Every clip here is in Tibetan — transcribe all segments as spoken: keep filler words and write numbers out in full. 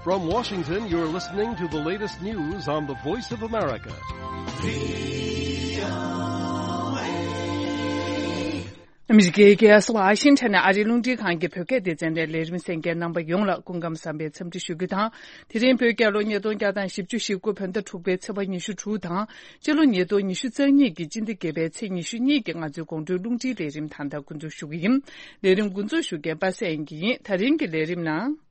From Washington, you're listening to the latest news on the Voice of America. ཨ་མི་རི་ཀའི་རྒྱལ་ས་ཝ་ཤིང་ཊོན་ནས་ཨ་རིའི་རླུང་འཕྲིན་ཁང་གི་བོད་སྐད་སྡེ་ཚན་ནས་ལས་རིམ་གསན་མཁན་རྣམ་པ་ཡོངས་ལ་སྐུ་ཁམས་བཟང་བའི་འཚམས་འདྲི་ཞུ་རྒྱུ་དང་། དེ་རིང་བོད་རྒྱལ་ལོ་ཉིས་སྟོང་བརྒྱ་དང་བཞི་བཅུ་ཞེ་དགུ་བོད་ཟླ་དྲུག་པའི་ཚེས་པ་ཉི་ཤུ་དྲུག་དང་། སྤྱི་ལོ་ཉིས་སྟོང་ཉི་ཤུ་རྩ་གཉིས་ཀྱི་སྤྱི་ཟླ་བརྒྱད་པའི་ཚེས་ཉི་ཤུ་གཉིས་ཀྱི་ང་ཚོའི་དགོང་དྲོའི་རླུང་འཕྲིན་ལས་རིམ་ད་ལྟ་འགོ་འཛུགས་ཞུ་གི་ཡིན། ལས་རིམ་འགོ་འཛུགས་ཞུ་མཁན་པ་སངས་དབྱངས་སྐྱིད་ཡིན། ད་རིང་གི་ལས་རིམ་ནང་།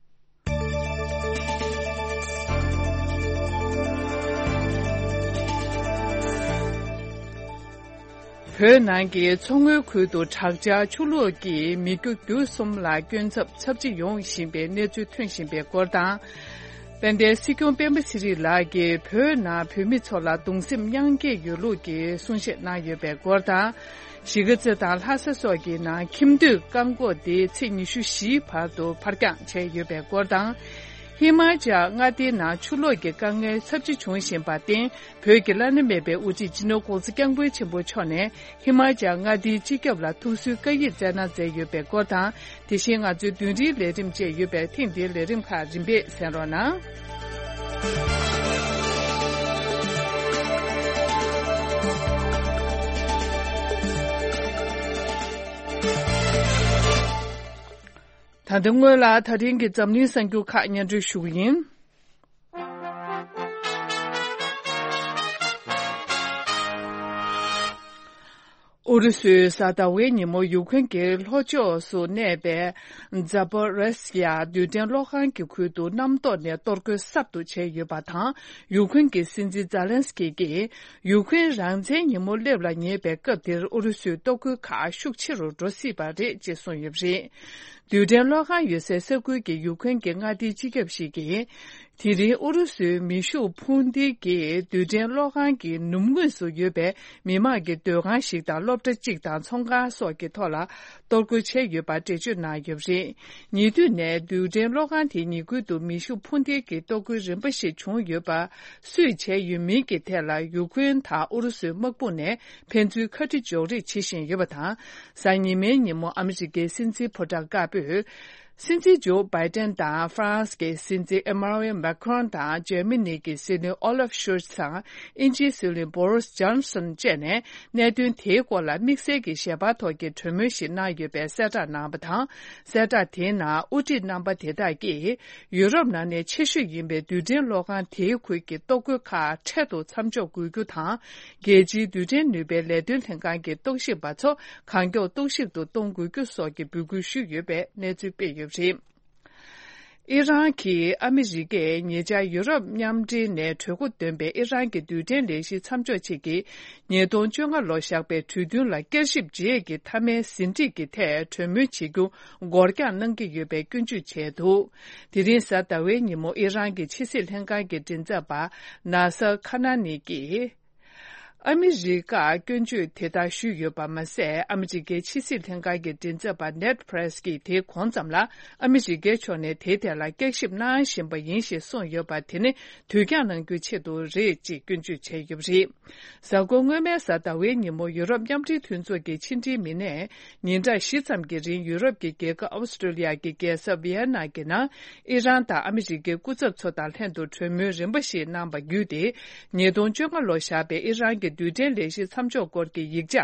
བོད་ནང་གི་མཚོ་སྔོན་ཁུལ་དུ་དྲག་ཆར་ཆུ་ལོག་གིས་མི་རྒྱུ་རྒྱུ་གསུམ་ལ་སྐྱོན་ཚབས་ཚབས་ཆེ་ཡོང་བཞིན་པའི་གནས་ཚུལ་ཐོན་བཞིན་པའི་སྐོར་དང་། དཔལ་ལྡན་སྲིད་སྐྱོང་སྤེན་པ་ཚེ་རིང་ལགས་ཀྱིས་བོད་ནང་བོད་མི་ཚོ་ལ་གདུང་སེམས་མཉམ་སྐྱེད་ཡོད་ལུགས་ཀྱི་གསུང་བཤད་གནང་ཡོད་པའི་སྐོར་དང་། གཞིས་ཀ་རྩེ་དང་ལྷ་ས་སོགས་ཀྱི་ནང་ཁྱིམ་སྡོད་རྐང་འཁོར་དེ་ཚེས་ཉི་ཤུ་བཞིའི་བར་དུ་ཕར་འགྱངས་བྱས་ཡོད་པའི་སྐོར་དང་། ཧི་མ་ཅལ་མངའ་སྡེའི་ནང་ཆུ་ལོག་གི་དཀའ་ངལ་ཚབས་ཆེ་བྱུང་བཞིན་པར་བརྟེན། བོད་ཀྱི་བླ་ན་མེད་པའི་དབུ་ཁྲིད་སྤྱི་ནོར་༸གོང་ས་༸སྐྱབས་མགོན་ཆེན་པོ་མཆོག་ནས་ཧི་མ་ཅལ་མངའ་སྡེའི་སྤྱི་ཁྱབ་ལ་ཐུགས་གསོའི་བཀའ་ཡིག་བསྩལ་གནང་མཛད་ཡོད་པའི་སྐོར་དང་། དེ་བཞིན་ང་ཚོའི་བདུན་རེའི་ལས་རིམ་བཅས་ཡོད་པས་ཐེངས་འདིའི་ལས་རིམ་ཁག་རིམ་པས་གསན་རོགས་གནང་། ད་ལྟ་སྔོན་ལ་ད་རིང་གི་འཛམ་གླིང་གསར་འགྱུར་ཁག་སྙན་སྒྲོན་ཞུ་གི་ཡིན། ཨུ་རུ་སུས་གཟའ་ཟླ་བའི་ཉིན་མོ་ཡུཀ་རེན་གྱི་ལྷོ་ཕྱོགས་སུ་གནས་པའི་ཛ་པོ་རེ་སི་ཡ་རྡུལ་ཕྲན་གློག་ཁང་གི་ཁུལ་དུ་གནམ་ཐོག་ནས་གཏོར་རྒོལ་གསར་དུ་བྱས་ཡོད་པ་དང་། ཡུཀ་རེན་གྱི་སྲིད་འཛིན་ཛེ་ལན་སི་ཀི་གིས་ཡུཀ་རེན་རང་བཙན་ཉིན་མོ་སླེབས་ལ་ཉེ་བའི་སྐབས་དེར་ཨུ་རུ་སུའི་གཏོར་རྒོལ་ཁག་ཤུགས་ཆེ་རུ་འགྲོ་སྲིད་པ་རེད་ཅེས་གསུངས་ཡོད་པ་རེད། རྡུལ་ཕྲན་གློག་ཁང་ཡོད་སའི་ས་ཁུལ་གྱི་ཡུཀ་རེན་གྱི་མངའ་སྡེའི་སྤྱི་ཁྱབ་ཞིག་གིས། དེ་རིང་ཨུ་རུ་སུའི་མེ་ཤུགས་འཕུར་མདེལ་གྱིས་རྡུལ་ཕྲན་གློག་ཁང་གི་ནུབ་ངོས་སུ་ཡོད་པའི་མི་མང་གི་སྡོད་ཁང་ཞིག་དང་སློབ་གྲྭ་གཅིག་དང་ཚོང་ཁང་སོགས་ཀྱི་ཐོག་ལ་གཏོར་རྒོལ་བྱས་ཡོད་པ་འགྲེལ་བརྗོད་གནང་ཡོད་པ་རེད། ཉེ་དུས་ནས་རྡུལ་ཕྲན་གློག་ཁང་དེའི་ཉེ་ཁུལ་དུ་མེ་ཤུགས་འཕུར་མདེལ་གྱི་གཏོར་རྒོལ་རིམ་པ་ཞིག་བྱུང་ཡོད་པ་སུས་བྱས་ཡོད་མིན་གྱི་ཐད་ལ་ཡུཀ་རེན་དང་ཨུ་རུ་སུའི་དམག་དཔུང་ནས་ཕན་ཚུན་ཁ་རི་འཇོག་རེས་བྱེད་བཞིན་ཡོད་པ་དང་། གཟའ་ཉི་མའི་ཉིན་མོ་ཨ་མི་རི་ཀའི་སྲིད་འཛིན་ཕོ་བྲང་དཀར་པོས། སྲིད་འཛིན་ཇོ་བྷའི་ཏན་དང་ཧྥ་རན་སི་གི་སྲིད་འཛིན་ཨེ་མ་ནུ་ཨེལ་མེ་ཁོན་དང་འཇར་མ་ནི་གི་སྲིད་བློན་ཨོ་ལབ་ཤོལ་ཚ་དང་དབྱིན་ཇིའི་སྲིད་བློན་བོ་རིས་ཇོན་སོན་བཅས་ནས་གནད་དོན་དེའི་སྐོར་ལ་དམིགས་བསལ་གྱི་ཞལ་པར་ཐོག་གི་གྲོས་མོལ་ཞིག་གནང་ཡོད་པའི་གསལ་བསྒྲགས་གནང་བ་དང་། གསལ་བསྒྲགས་དེའི་ནང་དབུ་ཁྲིད་རྣམ་པ་དེ་དག་གིས་ཡུ་རོབ་ནང་ནས་ཆེ་ཤོས་ཡིན་པའི་རྡུལ་ཕྲན་གློག་ཁང་དེའི་ཁུལ་གྱི་གཏོར་རྒོལ་ཁག་འཕྲལ་དུ་མཚམས་འཇོག་དགོས་རྒྱུ་དང་། རྒྱལ་སྤྱིའི་རྡུལ་ཕྲན་ནུས་པའི་ལས་དོན་ལྷན་ཁང་གི་རྟོག་ཞིབ་པ་ཚོ་གང་མགྱོགས་རྟོག་ཞིབ་ཏུ་གཏོང་དགོས་རྒྱུ་སོགས་ཀྱི་འབོད་སྐུལ་ཞུས་ཡོད་པའི་གནས་ཚུལ་སྤེལ་ཡོད་པ་རེད། ཨི་རན་གྱིས་ཨ་མི་རི་ཀས་ཉེ་ཆར་ཡུ་རོབ་མཉམ་འབྲེལ་ནས་གྲོས་འགོ་འདོན་པའི་ཨི་རན་གྱི་རྡུལ་ཕྲན་ལས་གཞི་མཚམས་འཇོག་ཆེད་ཀྱི་ཉིས་སྟོང་བཅོ་ལྔ་ལོར་བཞག་པའི་གྲོས་མཐུན་ལ་བསྐྱར་ཞིབ་རྗེས་ཀྱི་མཐའ་མའི་ཟིན་བྲིས་ཀྱི་ཐད་གྲོས་མོལ་བྱེད་རྒྱུ་འགོར་འགྱངས་གནང་གི་ཡོད་པའི་སྐྱོན་བརྗོད་བྱས་འདུག་དེ་རིང་གཟའ་ཟླ་བའི་ཉིན་མོ་ཨི་རན་གྱི་ཕྱི་སྲིད་ལྷན་ཁང་གི་མགྲིན་ཚབ་པ་ན་སར་ཁ་ན་ནི་ཀྱིས། ཨ་མི་རི་ཀར་སྐྱོན་བརྗོད་དེ་ལྟར་ཞུས་ཡོད་པ་མ་ཟད། ཨ་མི་རི་ཀའི་ཕྱི་སྲིད་ལྷན་ཁང་གི་མགྲིན་ཚབ་པ་ནེཌ་པྲེས་ཀྱིས་དེའི་གོང་ཙམ་ལ་ཨ་མི་རི་ཀའི་ཕྱོགས་ནས་དེའི་ཐད་ལ་བསྐྱར་ཞིབ་གནང་བཞིན་པ་ཡིན་ཞེས་གསུངས་ཡོད་པ་དེ་ནི་དུས་འགྱངས་གནང་རྒྱུའི་ཆེད་དུ་རེད་ཅེས་སྐྱོན་བརྗོད་བྱས་ཡོད་པ་རེད། གཟའ་འཁོར་སྔོན་མའི་གཟའ་ཟླ་བའི་ཉིན་མོ་ཡུ་རོབ་མཉམ་འབྲེལ་མཐུན་ཚོགས་ཀྱི་ཕྱི་འབྲེལ་མི་སྣས་ཉིན་གྲངས་བཞི་ཙམ་གྱི་རིང་ཡུ་རོབ་ཀྱི་རྒྱལ་ཁབ་ཨོ་སི་ཀྲོ་ལི་ཡ་གི་རྒྱལ་ས་ཝི་ཡེ་ན་གྱི་ནང་ཨི་རན་དང་ཨ་མི་རི་ཀའི་སྐུ་ཚབ་ཚོ་དང་ལྷན་དུ་གྲོས་མོལ་རིམ་པ་ཞིག་གནང་བ་བརྒྱུད་དེ། ཉིས་སྟོང་བཅོ་ལྔ་ལོར་བཞག་པའི་ཨི་རན་གྱི་རྡུལ་ཕྲན་ལས་གཞི་མཚམས་འཇོག་སྐོར་གྱི་ཡིག་ཆ་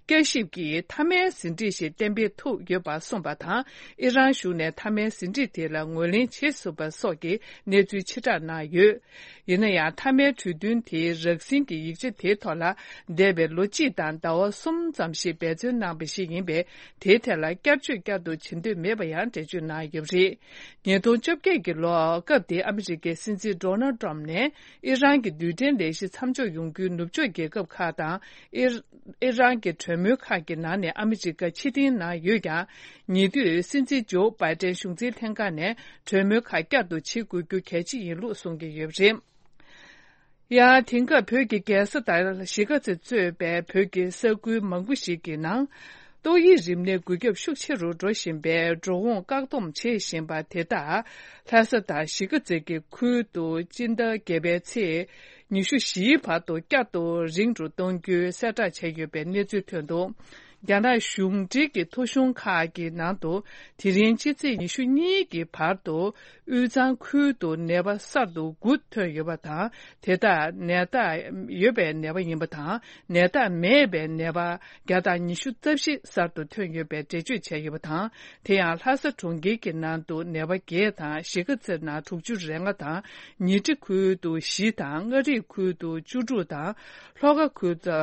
བསྐྱར་ཞིབ་ཀྱིས་མཐའ་མའི་ཟིན་བྲིས་ཤིག་གཏན་འབེབས་ཐུབ་ཡོད་པ་གསུངས་པ་དང་། ཨི་རན་གཞུང་ནས་མཐའ་མའི་ཟིན་བྲིས་དེ་ལ་ངོས་ལེན་བྱེད་ཐུབ་པ་སོགས་ཀྱི་གནས་ཚུལ་ཕྱིར་བསྒྲགས་གནང་ཡོད། ཡིན་ན་ཡང་། མཐའ་མའི་གྲོས་མཐུན་དེའི་རགས་ཟིན་གྱི་ཡིག་ཆ་དེའི་ཐོག་ལ་འདས་པའི་ལོ་གཅིག་དང་ཟླ་བ་གསུམ་ཙམ་ཞིག་འབད་བརྩོན་གནང་བ་ཞིག་ཡིན་པས། དེའི་ཐད་ལ་བསྐྱར་བཅོས་བསྐྱར་དུ་བྱེད་འདོད་མེད་པ་ཡང་འགྲེལ་བརྗོད་གནང་ཡོད་པ་རེད། ཉིས་སྟོང་བཅོ་བརྒྱད་ཀྱི་ལོར་སྐབས་དེའི་ཨ་མི་རི་ཀའི་སྲིད་འཛིན་ཌོ་ནལ་ཏྲམ་ནས་ཨི་རན་གྱི་རྡུལ་ཕྲན་ལས་གཞི་མཚམས་འཇོག་ཡོང་རྒྱུའི་ནུབ་ཕྱོགས་རྒྱལ་ཁབ་ཁག་དང་ཨི་ཨི་རན་གྱི་གྲོས་མོལ་ཁག་གི་ནང་ནས་ཨ་མི་རི་ཀ་ཕྱིར་འཐེན་གནང་ཡོད་ཀྱང་། ཉེ་དུས་སྲིད་འཛིན་ཇོ་བྷའི་ཏན་གཞུང་འཛིན་ལྷན་ཁང་ནས་གྲོས་མོལ་ཁག་བསྐྱར་དུ་བྱེད་དགོས་རྒྱུ་གལ་ཆེ་ཡིན་ལུགས་གསུང་གི་ཡོད་པ་རེད། ཡང་དེང་སྐབས་བོད་ཀྱི་རྒྱལ་ས་དང་གཞིས་ཀ་རྩེ་གཙོས་པའི་བོད་ཀྱི་ས་ཁུལ་མང་པོ་ཞིག་གི་ནང་ཏོག་དབྱིབས་རིམས་ནད་འགོས་ཁྱབ་ཤུགས་ཆེ་རུ་འགྲོ་བཞིན་པའི་འགྲོ་འོང་བཀག་སྡོམ་བྱེད་བཞིན་པ་དེ་དག་ལྷ་ས་དང་གཞིས་ཀ་རྩེ་གི་ཁུལ་དུ་སྤྱི་ཟླ་བརྒྱད་པའི་ཚེས་ཉི་ཤུ་བཞིའི་བར་དུ་བསྐྱར་དུ་རིང་རུ་གཏོང་རྒྱུའི་གསལ་བསྒྲགས་བྱས་ཡོད་པའི་གནས་ཚུལ་ཐོན་འདུག་རྒྱ་ནག་གཞུང་འབྲེལ་གྱི་ཐོ་གཞུང་ཁག་གི་ནང་དུ་དེ་རིང་ཕྱི་ཚེས་ཉི་ཤུ་གཉིས་ཀྱི་བར་དུ་དབུས་གཙང་ཁུལ་དུ་ནད་པ་གསར་དུ་དགུ་ཐོན་ཡོད་པ་དང་། དེ་དག་ནད་རྟགས་ཡོད་པའི་ནད་པ་ཡིན་པ་དང་། ནད་རྟགས་མེད་པའི་ནད་པ་བརྒྱ་དང་ཉི་ཤུ་རྩ་བཞི་གསར་དུ་ཐོན་ཡོད་པའི་འགྲེལ་བརྗོད་བྱས་ཡོད་པ་དང་། དེ་ཡང་ལྷ་ས་གྲོང་ཁྱེར་གྱི་ནང་དུ་ནད་པ་བརྒྱད་དང་། གཞིས་ཀ་རྩེ་ནང་དྲུག་ཅུ་རེ་ལྔ་དང་། ཉི་ཁྲི་ཁུལ་དུ་བཞི་དང་། མངའ་རིས་ཁུལ་དུ་བཅུ་དྲུག་དང་། ལྷོ་ཁ་ཁུལ་དུ་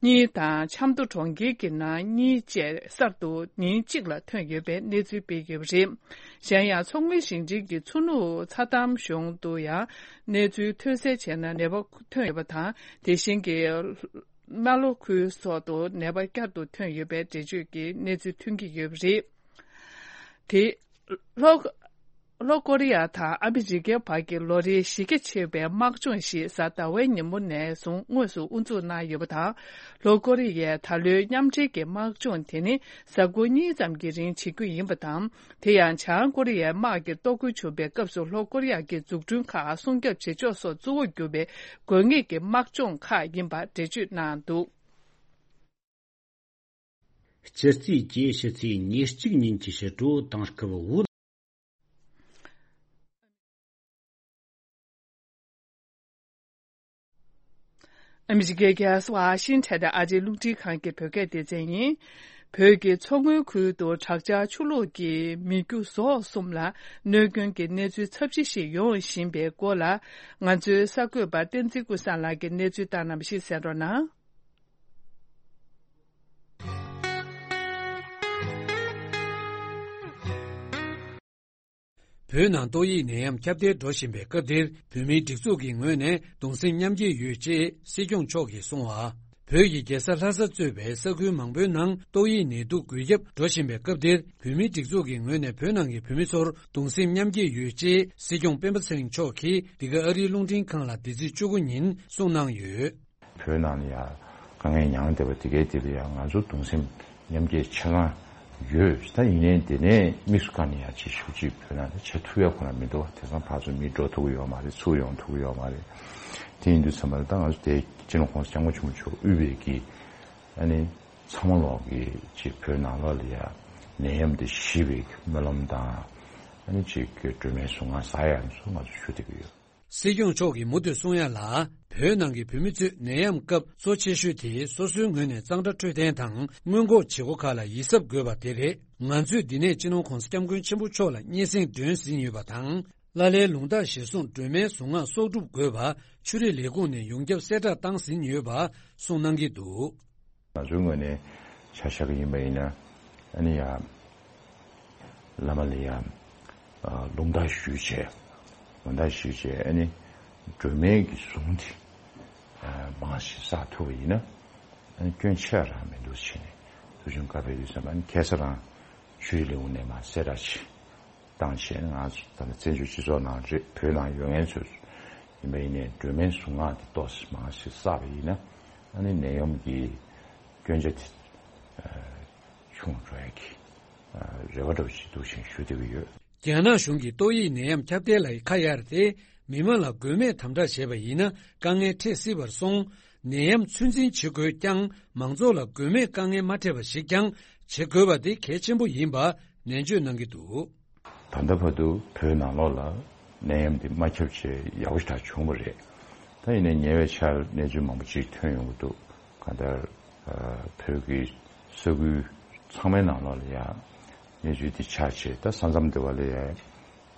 གཉིས་དང་། ཆབ་མདོ་གྲོང་ཁྱེར་གྱི་ནང་གཉིས་བཅས་གསར་དུ་ཉིན་གཅིག་ལ་ཐོན་ཡོད་པའི་གནས་ཚུལ་སྤེལ་ཡོད་པ་རེད། གཞན་ཡང་མཚོ་སྔོན་ཞིང་ཆེན་གྱི་མཚོ་ནུབ་ཚྭ་འདམ་གཞུང་དུ་ཡང་གནས་ཚུལ་ཐོན་གསལ་བྱས་ན་ནད་པ་ཐོན་ཡོད་པ་དང་། དེ་བཞིན་གྱི་རྨ་ལྷོ་ཁུལ་སོགས་སུ་ནད་པ་བསྐྱར་དུ་ཐོན་ཡོད་པའི་འགྲེལ་བརྗོད་ཀྱི་གནས་ཚུལ་ཐོན་གྱི་ཡོད་པ་རེད། དེ་ལྷོ། ལྷོ་ཀོ་རི་ཡ་དང་ཨ་མི་རི་ཀའི་བར་གྱི་ལོ་རེའི་གཞི་རྒྱ་ཆེ་བའི་དམག་སྦྱོང་ཞིག་གཟའ་ཟླ་བའི་ཉིན་མོ་ནས་བཟུང་དངོས་སུ་དབུ་འཛུགས་གནང་ཡོད་པ་དང་། ལྷོ་ཀོ་རི་ཡས་ད་ལོའི་མཉམ་འབྲེལ་གྱི་དམག་སྦྱོང་དེ་ནི་གཟའ་འཁོར་གཉིས་ཙམ་གྱི་རིང་བྱེད་རྒྱུ་ཡིན་པ་དང་། དེ་ཡང་བྱང་ཀོ་རི་ཡའི་དམག་གི་གཏོར་རྒོལ་བྱུང་བའི་སྐབས་སུ་ལྷོ་ཀོ་རི་ཡ་གི་འཛུགས་སྐྲུན་ཁག་སྲུང་སྐྱོབ་བྱེད་ཕྱོགས་སོགས་གཙོ་བོར་གྱུར་པའི་དགོས་ངེས་ཀྱི་དམག་སྦྱོང་ཁག་ཡིན་པ་འགྲེལ་བརྗོད་གནང་འདུག། སྤྱི་རྩིས་ཀྱི་ཕྱི་ཚེས་ཉེར་གཅིག་ཉིན་གྱི་ཕྱི་དྲོ་དེང་སྐབས་བོད། ཨ་མི་རི་ཀའི་རྒྱལ་ས་ཝ་ཤིང་ཊོན་ནས་ཨ་རིའི་རླུང་འཕྲིན་ཁང་གི་བོད་སྐད་སྡེ་ཚན་ཡིན། བོད་ཀྱི་མཚོ་སྔོན་ཁུལ་དུ་དྲག་ཆར་ཆུ་ལོག་གིས་མི་རྒྱུ་ཟོག་གསུམ་ལ་གནོད་སྐྱོན་གྱི་གནས་ཚུལ་ཚབས་ཆེ་ཞིག་ཡོང་བཞིན་པའི་སྐོར་ལ། ང་ཚོའི་གསར་འགོད་པ་བསྟན་འཛིན་ཀུན་བཟང་ལགས་ཀྱིས་གནས་ཚུལ་བཏང་གནང་བ་ཞིག་གསན་རོགས་གནང་། བོད་ནང་ཏོག་དབྱིབས་ནད་ཡམས་ཁྱབ་གདལ་འགྲོ་བཞིན་པའི་སྐབས་འདིར་བོད་མིའི་སྒྲིག་འཛུགས་ཀྱི་ངོས་ནས་གདུང་སེམས་མཉམ་སྐྱེད་ཡོད་ཅེས་སྲིད་སྐྱོང་མཆོག་གིས་གསུངས་བ། བོད་ཀྱི་རྒྱལ་ས་ལྷ་ས་གཙོས་པའི་ས་ཁུལ་མང་པོའི་ནང་ཏོག་དབྱིབས་ནད་དུག་འགོས་ཁྱབ་འགྲོ་བཞིན་པའི་སྐབས་འདིར་བོད་མིའི་སྒྲིག་འཛུགས་ཀྱི་ངོས་ནས་བོད་ནང་གི་བོད་མི་ཚོར་གདུང་སེམས་མཉམ་སྐྱེད་ཡོད་ཅེས་སྲིད་སྐྱོང་སྤེན་པ་ཚེ་རིང་མཆོག་གིས་འདི་ག་ཨ་རིའི་རླུང་འཕྲིན་ཁང་ལ་འདི་ཚེས་བཅུ་དགུ་ཉིན་གསུངས་གནང་ཡོད། བོད་ནང་ལ་ཡང་དཀའ་ངལ་མྱངས་བསྡད་པ་དེ་གའི་དེ་ལ་ཡང་ང་ཚོ་གདུང་སེམས་མཉམ་སྐྱེད་ཆ་ཚང་ཡོད། ད་ཡིན་ནའི་དེ་ནས་དམིགས་སུ་བཀར་ནས་ཡང་ཅིག་ཞུ་ཅིག་བོད་ནང་ལ་བྱེད་ཐུབ་ཡ་ཁོ་ན་མི་འདུག་དེང་སང་ཕར་ཚུར་མི་འགྲོ་ཐུབ་ཀྱི་ཡོད་མ་རེད། ཚུར་ཡོང་ཐུབ་ཀྱི་ཡོད་མ་རེད། དེ་ཡིན་དུས་ཚང་མ་ལ་ད་ང་ཚོ་དེ་སྤྱི་ནོར་༸གོང་ས་༸སྐྱབས་མགོན་ཆེན་པོ་མཆོག་དབུས་པའི་གི་ཨ་ནི་ཚང་མ་ལོག་གི་ཅིག་བོད་ནང་ལོགས་ལ་ཡ་ནད་ཡམས་དེ་ཞི་བའི་སྨོན་ལམ་དང་ཨ་ནི་ཅིག་གི་སྒྲོལ་མའི་གཟུངས་སྔགས་ཟ་ཡ་ཚོ་ང་ཚོ་ཞུ་བསྡད་ཀྱི་ཡོད། སྲིད་སྐྱོང་མཆོག་གིས་མུ་མཐུད་གསུང་ཡ་ལ། བོད་ནང་གི་བོད་མི་ཚོས་ནད་ཡམས་སྐབས་གཙོ་ཆེ་ཤོས་དེ་སོ་སོའི་ངོས་ནས་གཙང་སྦྲ་འཕྲོད་བསྟེན་དང་སྔོན་འགོག་བྱེད་སྒོ་ཁག་ལ་ཡིད་གཟབ་དགོས་པ་དེ་རེད། ང་ཚོས་འདི་ནས་སྤྱི་ནོར་༸གོང་ས་༸སྐྱབས་མགོན་ཆེན་པོ་མཆོག་ལ་སྙན་སེང་སྒྲོན་ཟིན་ཡོད་པ་དང་། ལ་ལའི་ལུང་རྟགས་གཞིར་བཟུང་སྒྲོལ་མའི་གཟུངས་སྔགས་གསོག་སྒྲུབ་དགོས་པ་ཆུ་རིས་ལས་ཁུངས་ནས་ཡོངས་ཁྱབ་གསལ་བསྒྲགས་བཏང་ཟིན་ཡོད་པ་གསུངས་གནང་གི་འདུག་ང་ཚོའི་ངོས་ནས་ཆ་བཞག་གི་ཡིན་པ་ཡིན་ན་ཨ་ནི་ཡ། བླ་མ་ལ་ཡང་ལུང་བསྟར་ཞུས་བྱས། ལུང་བསྟར་ཞུས་བྱས་ཨ་ནི་སྒྲོལ་མའི་གི་གཟུངས་དེ་མང་ཞིག་བསགས་ཐུབ་པ་ཡིན་ན་ཨ་ནི་སྐྱོན་ཆེ་རང་མི་འདུག་བྱས་ནས་ཐུགས་བྱུང་བཀའ་ཕེབས་དུས་ཙམ་ཨ་ནི་ཁ་སང་རང་ཆུ་རིས་ལས་ཁུངས་ནས་མར་གསལ་བསྒྲགས་ཅིག་བཏང་བྱས་ང་ཚོ་ད་ལྟ་བཙན་བྱོལ་སྤྱི་ཚོགས་ནང་རེད། བོད་ནང་ཡོད་མཁན་ཚོས་ཡིན་པ་ཡིན་ནའི་སྒྲོལ་མའི་གཟུངས་སྔགས་དེ་ཏོག་ཙམ་མང་ཞིག་བསགས་པ་ཡིན་ན་ཨ་ནི་ནད་ཡམས་ཀྱི་སྐྱོན་ཆ་དེ་ཆུང་འགྲོ་ཡ་གི་རེ་བ་འདྲ་བོ་ཞིག་འདུག་ཅེས་ཞུ་བསྡད་ཀྱི་ཡོད། རྒྱ་ནག་གཞུང་གིས་ཏོག་དབྱིབས་ནད་ཡམས་ཁྱབ་གདལ་ལ་ཁ་གཡར་ཏེ་མི་མང་ལ་དགོས་མེད་དམ་དྲག་བྱས་པ་ཡིན་ན་དཀའ་ངལ་འཕྲད་སྲིད་པར་སོང་། ནད་ཡམས་ཚོད་འཛིན་བྱེད་དགོས་ཀྱང་མང་ཚོགས་ལ་དགོས་མེད་དཀའ་ངལ་མ་འཕྲད་པ་ཞིག་ཀྱང་བྱེད་དགོས་པ་དེ་གལ་ཆེན་པོ་ཡིན་པ་ནན་བརྗོད་གནང་གི་འདུག་ད་ལྟ་བར་དུ་བོད་ནང་ལོགས་ལ་ནད་ཡམས་འདི་མ་ཁྱབ་བྱས་ཡག་པོ་ཞེ་དྲག་བྱུང་བ་རེད། ད་ཡིན་ནའི་ཉེ་བའི་ཆར་གནས་ཚུལ་མང་པོ་ཅིག་ཐོན་ཡོང་གི་འདུག་གང་ལྟར་བོད་ཀྱི་ས་ཁུལ་ཚང་མའི་ནང་ལོགས་ལ་ཡང་གནས་ཚུལ་འདི་ཆགས་བྱས་ད་ས་མཚམས་འདི་བ་ལ་ཡང་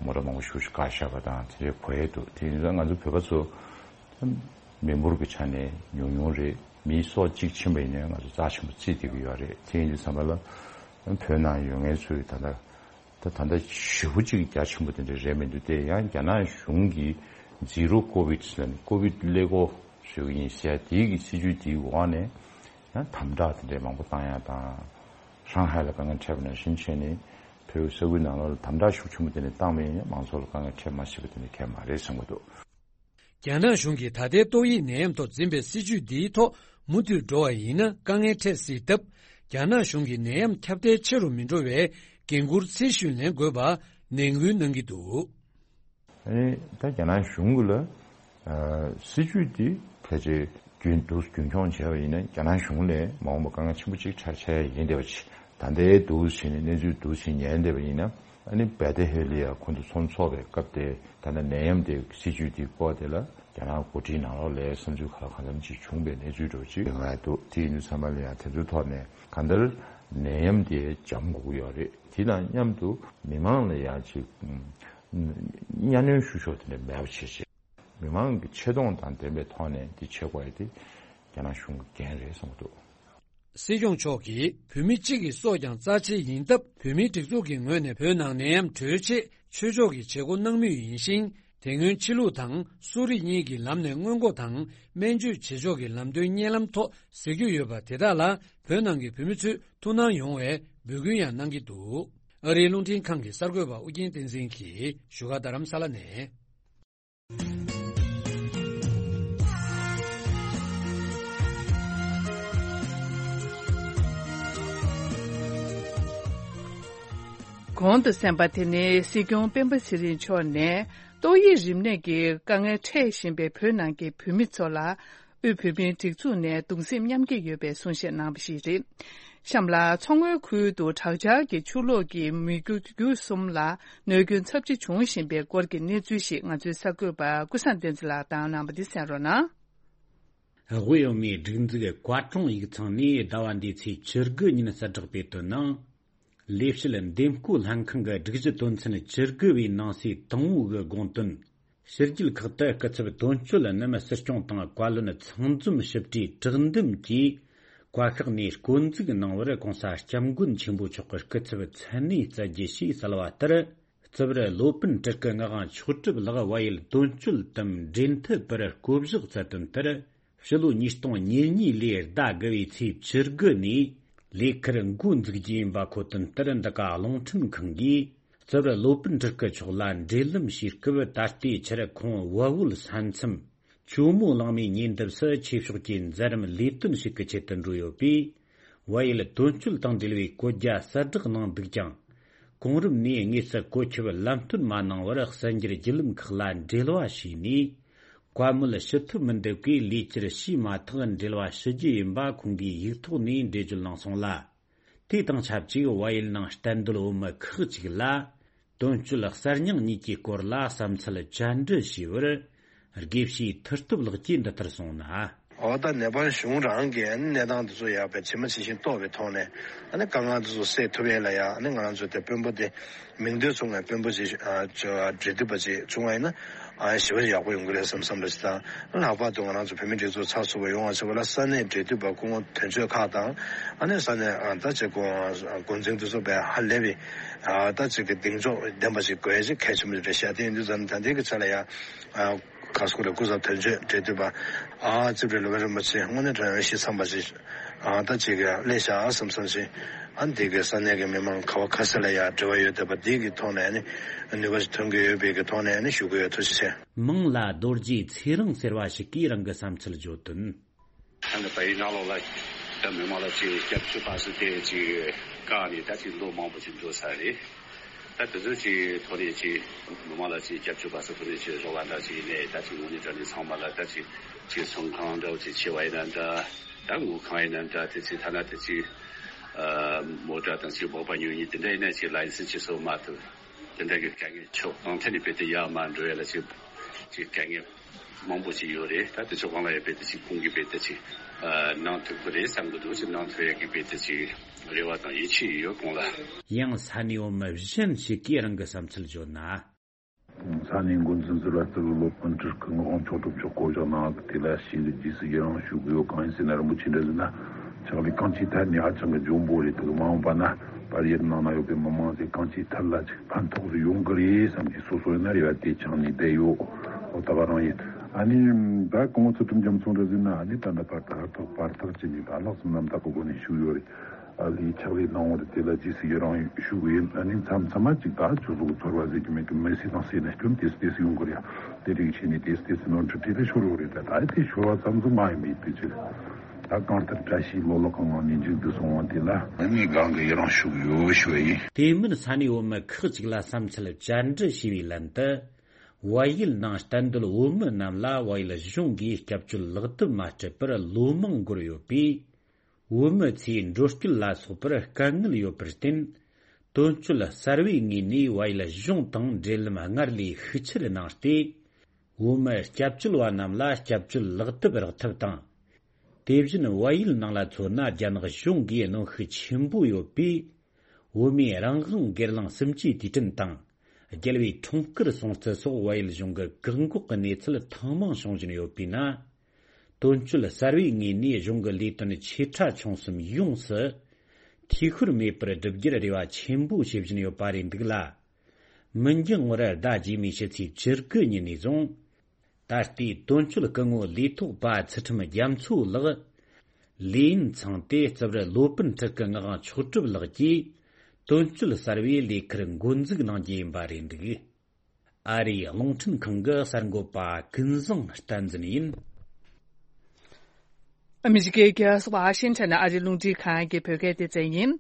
མོ་ཊ་མང་པོ་ཞིག་བཀག་བཞག་པ་དང་དེ་འདྲའི་གོ་ཡས་འདུག་དེ་ཡིན་ཙང་ང་ཚོ་བོད་པ་ཚོ་མི་འབོར་གྱི་ཆ་ནས་ཉུང་ཉུང་རེད། མི་སོ་གཅིག་ཕྱིན་པ་ཡིན་ནའི་ང་ཚོ་རྩ་ཆེན་པོ་བརྩིས་བསྡད་ཀྱི་ཡོད་རེད། དེ་ཡིན་དུས་ཙམ་པ་ལ་བོད་ནང་ཡོད་མཁན་ཚོས་ད་ལྟ་ད་ད་ལྟ་ཞེ་པོ་ཅིག་རྒྱ་ཆེན་པོ་དེ་འདྲ་རེད་མི་འདུག་དེ་ཡང་རྒྱ་ནག་གཞུང་གིས་ཛི་རོ་ཀོ་བིད་ཟེར་ནས་ཀོ་བིད་ཀླད་ཀོར་བཟོས་ཀྱི་ཡིན་ཟེར་དེའི་གི་སྲིད་ཇུས་དེའི་འོག་ནས་ཡང་དམ་དྲག་དེ་འདྲའི་མང་པོ་བཏང་ཡ་དང་། ཧྲང་ཧའེ་ལ་དཀའ་ངལ་འཕྲད་པ་ནང་བཞིན་བྱས་ནས་བོད་ས་ཁུལ་ནང་ལོགས་ལ་དམ་དྲག་ཤུགས་ཆེན་པོ་དེ་འདྲ་བཏང་བ་ཡིན་ན་མང་ཚོགས་ལ་དཀའ་ངལ་འཕྲད་མ་སྲིད་པ་དེ་འདྲ་གང་ཡང་མ་རེད་བསམ་གྱི་འདུག་རྒྱ་ནག་གཞུང་གིས་ད་ལྟའི་ཏོག་དབྱིབས་ནད་ཡམས་ཐོག་འཛིན་པའི་སྲིད་ཇུས་འདིའི་ཐོག་མུ་མཐུད་འགྲོ་བ་ཡིན་ན་དཀའ་ངལ་འཕྲད་སྲིད་སྟབས། རྒྱ་ནག་གཞུང་གིས་ནད་ཡམས་ཁྱབ་གདལ་ཆེ་རུ་མི་འགྲོ་བའི་འགན་འཁུར་ཚད་གཞི་ལེན་དགོས་པ་ནན་སྐུལ་གནང་གི་འདུག་ཨ་ནི་ད་རྒྱ་ནག་གཞུང་གི་ལ་ཨ་སྲིད་ཇུས་འདི་ཕལ་ཆེར་ རྒྱུན་དུ་རྒྱུན་འཁྱོངས་བྱས་པ་ཡིན་ན་རྒྱ་ནག་གཞུང་ལས་མ་འོངས་པ་དཀའ་ངལ་ཆེན་པོ་གཅིག་འཕྲད་འཆར་ཡ་ཡིན་བསྡད་པ་ཅིག་ད་ལྟའི་འདུག་བྱས་ནས་གནས་ཚུལ་འདུག་བྱས་ཉན་བསྡད་པ་ཡིན་ན། ཨ་ནི་བེ་ཏའི་ཧེ་ལི་ཡ་ཁོང་ཚོ་ཚོང་ཚོགས་པའི་སྐབས་དེ་ད་ལྟ་ནད་ཡམས་དེ་སྲིད་ཇུས་དེ་སྐོར་དེ་ལ་རྒྱ་ནག་འགོ་ཁྲིད་ནང་ལོགས་ལ་བསམ་ཚུལ་ག་ལ་གང་འཚམ་ཅིག་བྱུང་བའི་གནས་ཚུལ་འདྲ་བོ་ཅིག་ཡོང་ཡ་འདུག་དེ་ཡིན་དུས་ཚང་མ་ལ་ཡང་དེ་ཚོའི་ཐོག་ནས་གང་ལྟར་ནད་ཡམས་དེ་འཇམ་དགོས་ཀྱི་ཡོད་རེད། དེ་དང་མཉམ་དུ་མི་མང་ལ་ཡང་ཅིག་གཉའ་གནོན་ཞུ་ཕྱོགས་དེ་འདྲ་མེད་པ་བྱེད་ཆེད། མི་མང་གི་ཆེ་མཐོང་དང་ལྡན་པའི་ཐོག་ནས་འདི་བྱེད་དགོས་ཡ་དེ་རྒྱ་ནག་གཞུང་གི་འགན་རེད་བསམ་གྱི་འདུག་སྲིད་སྐྱོང་མཆོག་གིས་བོད་མི་གཅིག་གི་སྲོག་ཀྱང་རྩ་ཆེ་ཡིན་སྟབས། བོད་མིའི་སྒྲིག་འཛུགས་ཀྱི་ངོས་ནས་བོད་ནང་ནད་ཡམས་གྲོལ་ཆེད་ཆོས་ཕྱོགས་ཀྱི་བྱེད་སྒོ་གནང་མུས་ཡིན་ཞིང་། དེ་སྔོན་ཕྱི་ལུགས་དང་གསོ་རིག་གཉིས་ཀྱི་ལམ་ནས་སྔོན་འགོག་དང་སྨན་བཅོས་བྱེད་ཕྱོགས་ཀྱི་ལམ་སྟོན་བརྙན་ལམ་ཐོག་གཟིགས་རྒྱུ་ཡོད་པ་དེ་དག་ལ་བོད་ནང་གི་བོད་མི་ཚོས་ཐུགས་སྣང་ཡོང་བའི་འབོད་སྐུལ་ཡང་གནང་གི་འདུག་ཨ་རིའི་རླུང་འཕྲིན་ཁང་གི་གསར་འགོད་པ་ཨུ་རྒྱན་བསྟན་འཛིན་གྱིས་བཞུགས་སྒར་རྡ་རམ་ས་ལ་ནས། གོང་དུ་གསན་པ་དེ་ནི་སྲིད་སྐྱོང་སྤེན་པ་ཚེ་རིང་མཆོག་ནས་ཏོག་དབྱིབས་རིམས་ནད་ཀྱི་དཀའ་ངལ་འཕྲད་བཞིན་པའི་བོད་ནང་གི་བོད་མི་ཚོ་ལ། དབུས་བོད་མིའི་སྒྲིག་འཛུགས་ནས་གདུང་སེམས་མཉམ་སྐྱེད་ཡོད་པའི་གསུང་བཤད་གནང་བ་ཞིག་རེད། གཤམ་ལ་མཚོ་སྔོན་ཁུལ་དུ་དྲག་ཆར་གྱི་ཆུ་ལོག་གིས་མི་རྒྱུ་རྒྱུ་གསུམ་ལ་གནོད་སྐྱོན་ཚབས་ཆེ་བྱུང་བཞིན་པའི་སྐོར་གྱི་གནས་ཚུལ་ཞིག་ང་ཚོའི་གསར་འགོད་པ་ཀུན་བཟང་བསྟན་འཛིན་ལགས་དང་གནང་བ་འདི་གསན་རོགས་གནང་། དབུས་བོད་མིའི་སྒྲིག་འཛུགས་བཀའ་དྲུང་ཡིག་ཚང་ནས་ཟླ་བ་འདིའི་ཚེས་བཅུ་དགུ་ཉིན་གསལ་བསྒྲགས་སྤེལ་དོན་ནང་། ལས་བྱེད་འདེམས་བསྐོ་ལྷན་ཁང་གི་སྒྲིག་གཞི་དོན་ཚན་བཅུ་དགུ་པའི་ནང་གསེས་དང་པོ་གི་དགོངས་དོན། ཕྱི་རྒྱལ་ཁག་ཏུ་སྐུ་ཚབ་དོན་གཅོད་རྣམས་སྲིད་སྐྱོང་དང་བཀའ་བློན་ཚང་འཛོམས་ཞིབ་ཕྲའི་དྲི་འདེམས་ཀྱིས་བཀའ་ཤག་ནས་བསྐོ་འཛུགས་གནང་བར་༸གོང་ས་༸སྐྱབས་མགོན་ཆེན་པོ་མཆོག་གི་སྐུ་ཚབ་མཚན་གནས་སྩལ་རྒྱུ་ཞེས་གསལ་བ་ལྟར། རྩིབས་རི་སློབ་དཔོན་སྤྲུལ་སྐུ་ངག་དབང་མཆོག་གྲུབ་ལགས་བལ་ཡུལ་དོན་གཅོད་དམ་འབྲེལ་མཐུད་པར་བསྐོ་གཞག་མཛད་དོན་ལྟར། ཕྱི་ལོ་ཉིས་སྟོང་ཉེར་གཉིས་ལོའི་ཟླ་དགུ་བའི་ཚེས་བཅུ་དགུ་ནས་ལས་ཁུར་འགོ་འཛུགས་རྒྱུ་ཡིན་པ་གོ་དོན་ལྟར། འདི་ག་རླུང་འཕྲིན་ཁང་གིས་རྩིབས་རི་སློབ་དཔོན་སྤྲུལ་སྐུ་མཆོག་ལ་འབྲེལ་ལམ་བྱེད་སྐབས། ད་ལྟའི་ཆར་ཁོང་བལ་བོད་ས་མཚམས་ཇོ་མོ་གླང་མའི་ཉེ་འདབས་སུ་ཆོས་ཕྱོགས་ཀྱི་མཛད་རིམ་ལས་དོན་ཞིག་གི་ཆེད་དུ་འགྲོ་ཡོད་པས། བལ་ཡུལ་དོན་གཅོད་དང་འབྲེལ་བའི་བཀོད་རྒྱ་གསལ་བསྒྲགས་གནང་འདུག་ཀྱང་། གོང་རིམ་ནས་དངོས་སུ་བཀོད་ཁྱབ་ལམ་སྟོན་མ་གནང་བར་གསར་འགྱུར་བརྒྱུད་ལམ་ཁག་ལ་འབྲེལ་བ་བྱས་ནས། བཀའ་མོལ་ཞུ་ཐུབ་མི་འདུག་གས་ལས་འཁྱུར་བྱས་མ་ཐག་འབྲེལ་བ་ཞུ་རྒྱུ་ཡིན་པ་ཁོང་གིས་ཡིག་ཐོག་ནས་འགྲེལ་བརྗོད་གནང་སོང་ལ། དེ་དང་ཆབས་ཅིག་བལ་ཡུལ་ནང་གཏན་སྡོད་བོད་མི་ཁག་ཅིག་ལ། དོན་གཅོད་གསར་རྙིང་གཉིས་ཀྱི་སྐོར་ལ་བསམ་ཚུལ་བཅར་འདྲི་ཞུས་པར། དགེ་བཤེས་མཐུ་སྟོབས་ལགས་ཀྱིས་འདི་ལྟར་གསུངས་ན། འོ་ད་ནེ་པཱལ་གཞུང་རང་གིས་གནས་སྟངས་འདི་ཚོ་ཡག་པའི་ཇི་མ་ཇི་བཞིན་རྟོགས་པའི་ཐོག་ནས། ཨ་ནི་དཀའ་ངལ་འདི་ཚོ་སེལ་ཐུབ་ཡས་ལ་ཡ། ཨ་ནི་ང་རང་ཚོ་དེ་དཔོན་པོ་དེ་མིང་འདོན་ཚུགས་ནས་དཔོན་པོ་ཅིག་ཨ་ཅོ་འབྲེལ་མཐུད་པ་ཅིག་བྱུང་བ་ཡིན་ན། ཨ་ཞེ་པོ་ཡག་པོ་ཡོང་གི་རེད་བསམ་བསམ་འདྲ་ཞིག་དང་། ལྷག་པར་དུ་ང་རང་ཚོ་བོད་མི་སྒྲིག་འཛུགས་ཚགས་ཚུད་པ་ཡོང་བ་བྱེད་པ་ལ་ས་གནས་འབྲེལ་མཐུད་པ་སྐུ་ངོ་དོན་གཅོད་ཁག་དང་། ཨ་ནི་ས་གནས་ཨ་ད་ཅིག་འགོ་འཛིན་འདི་ཚོ་དཔེ་ཧ་ལས་པའི་ཨ་ད་ཅིག་གི་གདེང་འཇོག་ལྡན་པ་ཞིག་དགོས་ཡས་ཅིག་གལ་ཆེན་པོ་རེད་ཤག་དེ་ཡིན་དུས་ཙམ་ད་ལྟའི་གི་ཆ་ལ་ཡ། ཨ་ག་སྐོར་རེ་སྐུ་ཚབ་དོན་གཅོད་འབྲེལ་མཐུད་པ། ཨ་རྩིབས་རི་སློབ་དཔོན་རིན་པོ་ཆེ་དངོས་གནས་དྲང་གནས་ཤེས་ཚང་པ་ཞིག་ཨ་ད་ཅིག་གི་སླེབས་ཤག་བསམ་བསམ་ཞིག་ཨ་འདི་གི་ས་གནས་ཀྱི་མི་མང་ག་བ་ག་ས་ལ་ཡ་འབྲེལ་བ་ཡོད་བསྡད་པ་འདི་གི་ཐོག་ནས་ནི་ནུས་པ་ཞིག་ཐོན་གྱི་ཡོད་པའི་གི་ཐོག་ནས་ནི་ཞུ་གི་ཡོད། ཐུགས་རྗེ་ཆེ། མིང་ལ་རྡོ་རྗེ་ཚེ་རིང་ཟེར་བ་ཞིག་གིས་རང་གི་བསམ་ཚུལ་བརྗོད་དོན། ད་ནི་བལ་ཡུལ་ནང་ལོགས་ལ་ད་མི་མང་ལ་ཅིག་སྐྱབས་བཅོལ་བ་སུ་དེ་ཅིག་བཀག་ནས་ད་ཅིག་ལོ་མང་པོ་ཅིག་འགྲོ་ཚར་རེད། ད་དེ་ཚོ་ཅིག་ཐོག་ནས་ཅིག་མི་མང་ལ་ཅིག་སྐྱབས་བཅོལ་བ་སུ་ཐོག་ནས་ཅིག་རོགས་པ་འདྲ་ཅིག་ཡིན་ནའི་ད་ཅིག་དངོས་གནས་དྲང་གནས་ཚང་མ་ལ་ད་ཅིག་ཅིག་ཚོང་ཁང་འདྲ་བོ་ཅིག་ཕྱེ་བ་ཡིན་ན་འདྲ། ད་དངུལ་ཁང་ཡིན་ན་འདྲ། དེ་ཅིག་ཐ་ན་དེ་ཅིག་མོ་ཊ་དང་ཅིག་འབོག་པ་ཉོ་མཁན་དེ་འདྲ་ཡིན་ན་ཅིག་ལའི་སེན་སི་ཅིག་བཟོ་མ་ཐུབ། དེ་འདྲ་གི་དཀའ་ངལ་ཕྱོགས་གང་ཐད་ནས་རྦད་དེ་ཡར་མར་འགྲོ་ཡ་ལ་ཅིག་ཅིག་དཀའ་ངལ་མང་པོ་ཅིག་ཡོད་རེད། ད་དེ་ཚོ་སྒང་ལ་ཡང་རྦད་དེ་ཅིག་ཁོང་གིས་རྦད་དེ་ཅིག་ཨ་གནང་ཐུབ་ཀྱི་རེད་བསམ་གྱི་འདུག་ཅིག་གནང་ཐུབ་ཡ་གི་རྦད་དེ་ཅིག་རེ་བ་དང་ཡིད་ཆེས་ཡོད་ཁོང་ལ། ཡང་ས་གནས་བོད་མི་གཞན་ཞིག་གིས་རང་གི་བསམ་ཚུལ་བརྗོད་ན། ས་གནས་འགོ་འཛིན་ཟུར་པ་རྩིབས་རི་སློབ་དཔོན་སྤྲུལ་སྐུ་ངག་དབང་མཆོག་གྲུབ་མཆོག་བསྐོ་བཞག་གནང་གི་དེ་ལ་ཞེ་གི་རྗེས་སུ་ཡི་རང་ཞུ་གི་ཡོད། གང་ཡིན་ཟེར་ན་རིན་པོ་ཆེ་འདྲ་ཟེར་ན། ཕྱག་ལས་གང་ཅིའི་ཐད་ནས་ཧ་ཅང་གི་འཇོན་པོ་རེད། དེ་གི་མ་འོངས་པ་ན་བལ་ཡུལ་ནང་ན་ཡོད་པའི་མི་མང་ཚོས་གང་ཅིའི་ཐད་ལ་ཅིག་ཕན་ཐོགས་སུ་ཡོང་གི་རེད་བསམ་གྱི་སོ་སོ་ཡིན་ན་རེ་བ་དེ་འཆང་ནས་བསྡད་ཡོད། ཨོ་ད་ག་རང་ཡིན། ཨ་ནི་ད་སྐུ་ངོ་ཚུལ་ཁྲིམས་རྒྱ་མཚོ་འདྲ་ཟེར་ན། ཨ་ནི་ད་ལྟ་བར་དུ་ཧུར་ཐག་བར་ཐག་བྱས་ནས་ད་ལྷག་བསམ་རྣམ་དག་གི་སྒོ་ནས་ཞུགས་ཡོད་རེད། ཨ་ལས་ཕྱག་ལས་གནང་བ་རེད། དེ་ལ་རྗེས་སུ་ཡི་རང་ཞུ་གི་ཡིན། ཨ་ནི་མཚམས་མཚམས་མ་ཅིག་ད་ཁྱོད་ཚོ་གི་ཚོར་བ་ཟེར་གྱི་མེད་གི། མི་སེར་དང་སེར་ན་སྐྱོན་ཏོག་ཙམ་ཏོག་ཙམ་ཡོང་གི་རེད། དེ་རིགས་བྱས་ནས་ཏོག་ཙམ་ཏོག་ཙམ་ནོར་འཁྲུལ་འཕྲད་དེ་ཤོར་ཡོད་རེད། ད་ད་དེ་ཤོར་བ་ཙམ་ཙམ་མ་ཡིན་པའི་དེ་ཅིག་ད་གང་ལྟར་བཀྲ་ཤིས་ལོ་ལོ་གང་གང་ནས་མཇུག་བསྡུ་སོང་བ་དེ་ལ་ངས་གང་གི་ཡི་རང་ཞུ་གི་ཡོད་ཞུ་བ་ཡིན། དེ་མིན་ས་གནས་བོད་མི་ཁག་ཅིག་ལ་བསམ་ཚུལ་བཅར་འདྲི་ཞུས་པའི་ལན་དུ། བལ་ཡུལ་ནང་གཏན་སྡོད་བོད་མི་རྣམས་ལ་བལ་ཡུལ་གཞུང་གིས་སྐྱབས་བཅོལ་ལག་དེབ་མ་སྤྲད་པར་ལོ་མང་འགོར་ཡོད་པས། བོད་མི་ཚོས་འགྲོ་སྐྱོད་ལ་སོགས་པར་དཀའ་ངལ་ཡོད་པར་བརྟེན། དོན་གཅོད་གསར་བའི་ངོས་ནས་བལ་ཡུལ་གཞུང་དང་འབྲེལ་ལམ་སྔར་ལས་ཤུགས་ཆེར་གནང་སྟེ། བོད་མི་སྐྱབས་བཅོལ་བ་རྣམས་ལ་སྐྱབས་བཅོལ་ལག་དེབ་རག་ཐབས་དང་། དེ་བཞིན་བལ་ཡུལ་ནང་ལ་མཚོན་ན། རྒྱ་ནག་གཞུང་གིས་གནོན་ཤུགས་ཆེན་པོ་ཡོད་པས། བོད་མིའི་རང་དབང་སྒེར་ལངས་སུམ་ཅུའི་དུས་དྲན་དང་། རྒྱལ་བའི་འཁྲུངས་སྐར་སྲུང་བརྩི་སོགས་བལ་ཡུལ་གཞུང་གི་བཀག་འགོག་གི་གནས་ཚུལ་ཐེངས་མང་བྱུང་བཞིན་ཡོད་པས་ན། དོན་གཅོད་གསར་བའི་ངོས་ནས་གཞུང་གི་ལས་དོན་ཆེ་ཕྲ་ཆུང་གསུམ་ཡོངས་སུ་འཐུས་ཤོར་མེད་པར་བསྒྲུབ་རྒྱུར་རེ་བ་ཆེན་པོ་བྱེད་བཞིན་ཡོད་པ་རེད་འདུག་ལ། མི་འགྱང་བར་ཟླ་རྗེས་མའི་ཕྱི་ཚེས་བཅུ་དགུ་ཉིན་ནས་བཟུང་། ད་ལྟའི་དོན་གཅོད་སྐུ་ངོ་ལས་ཐོག་པ་ཚུལ་ཁྲིམས་རྒྱ་མཚོ་ལགས། ལས་ཡུན་ཚང་སྟེ་རྩིབ་རི་ལོ་པཎ་ཁྲི་སྐུ་ངག་དབང་མཆོག་གྲུབ་ལགས་ཀྱིས་དོན་གཅོད་གསར་བའི་ལས་ཁུར་འགོ་འཛུགས་གནང་རྒྱུ་ཡིན་པ་རེད་འདུག། ཨ་རིའི་རླུང་འཕྲིན་ཁང་གི་གསར་འགོད་པ་ཀུན་བཟང་བསྟན་འཛིན་ཡིན། ཨ་མི་རི་ཀའི་རྒྱལ་ས་ཝ་ཤིང་ཊོན་ནས་ཨ་རིའི་རླུང་འཕྲིན་ཁང་གི་བོད་སྐད་སྡེ་ཚན་ཡིན།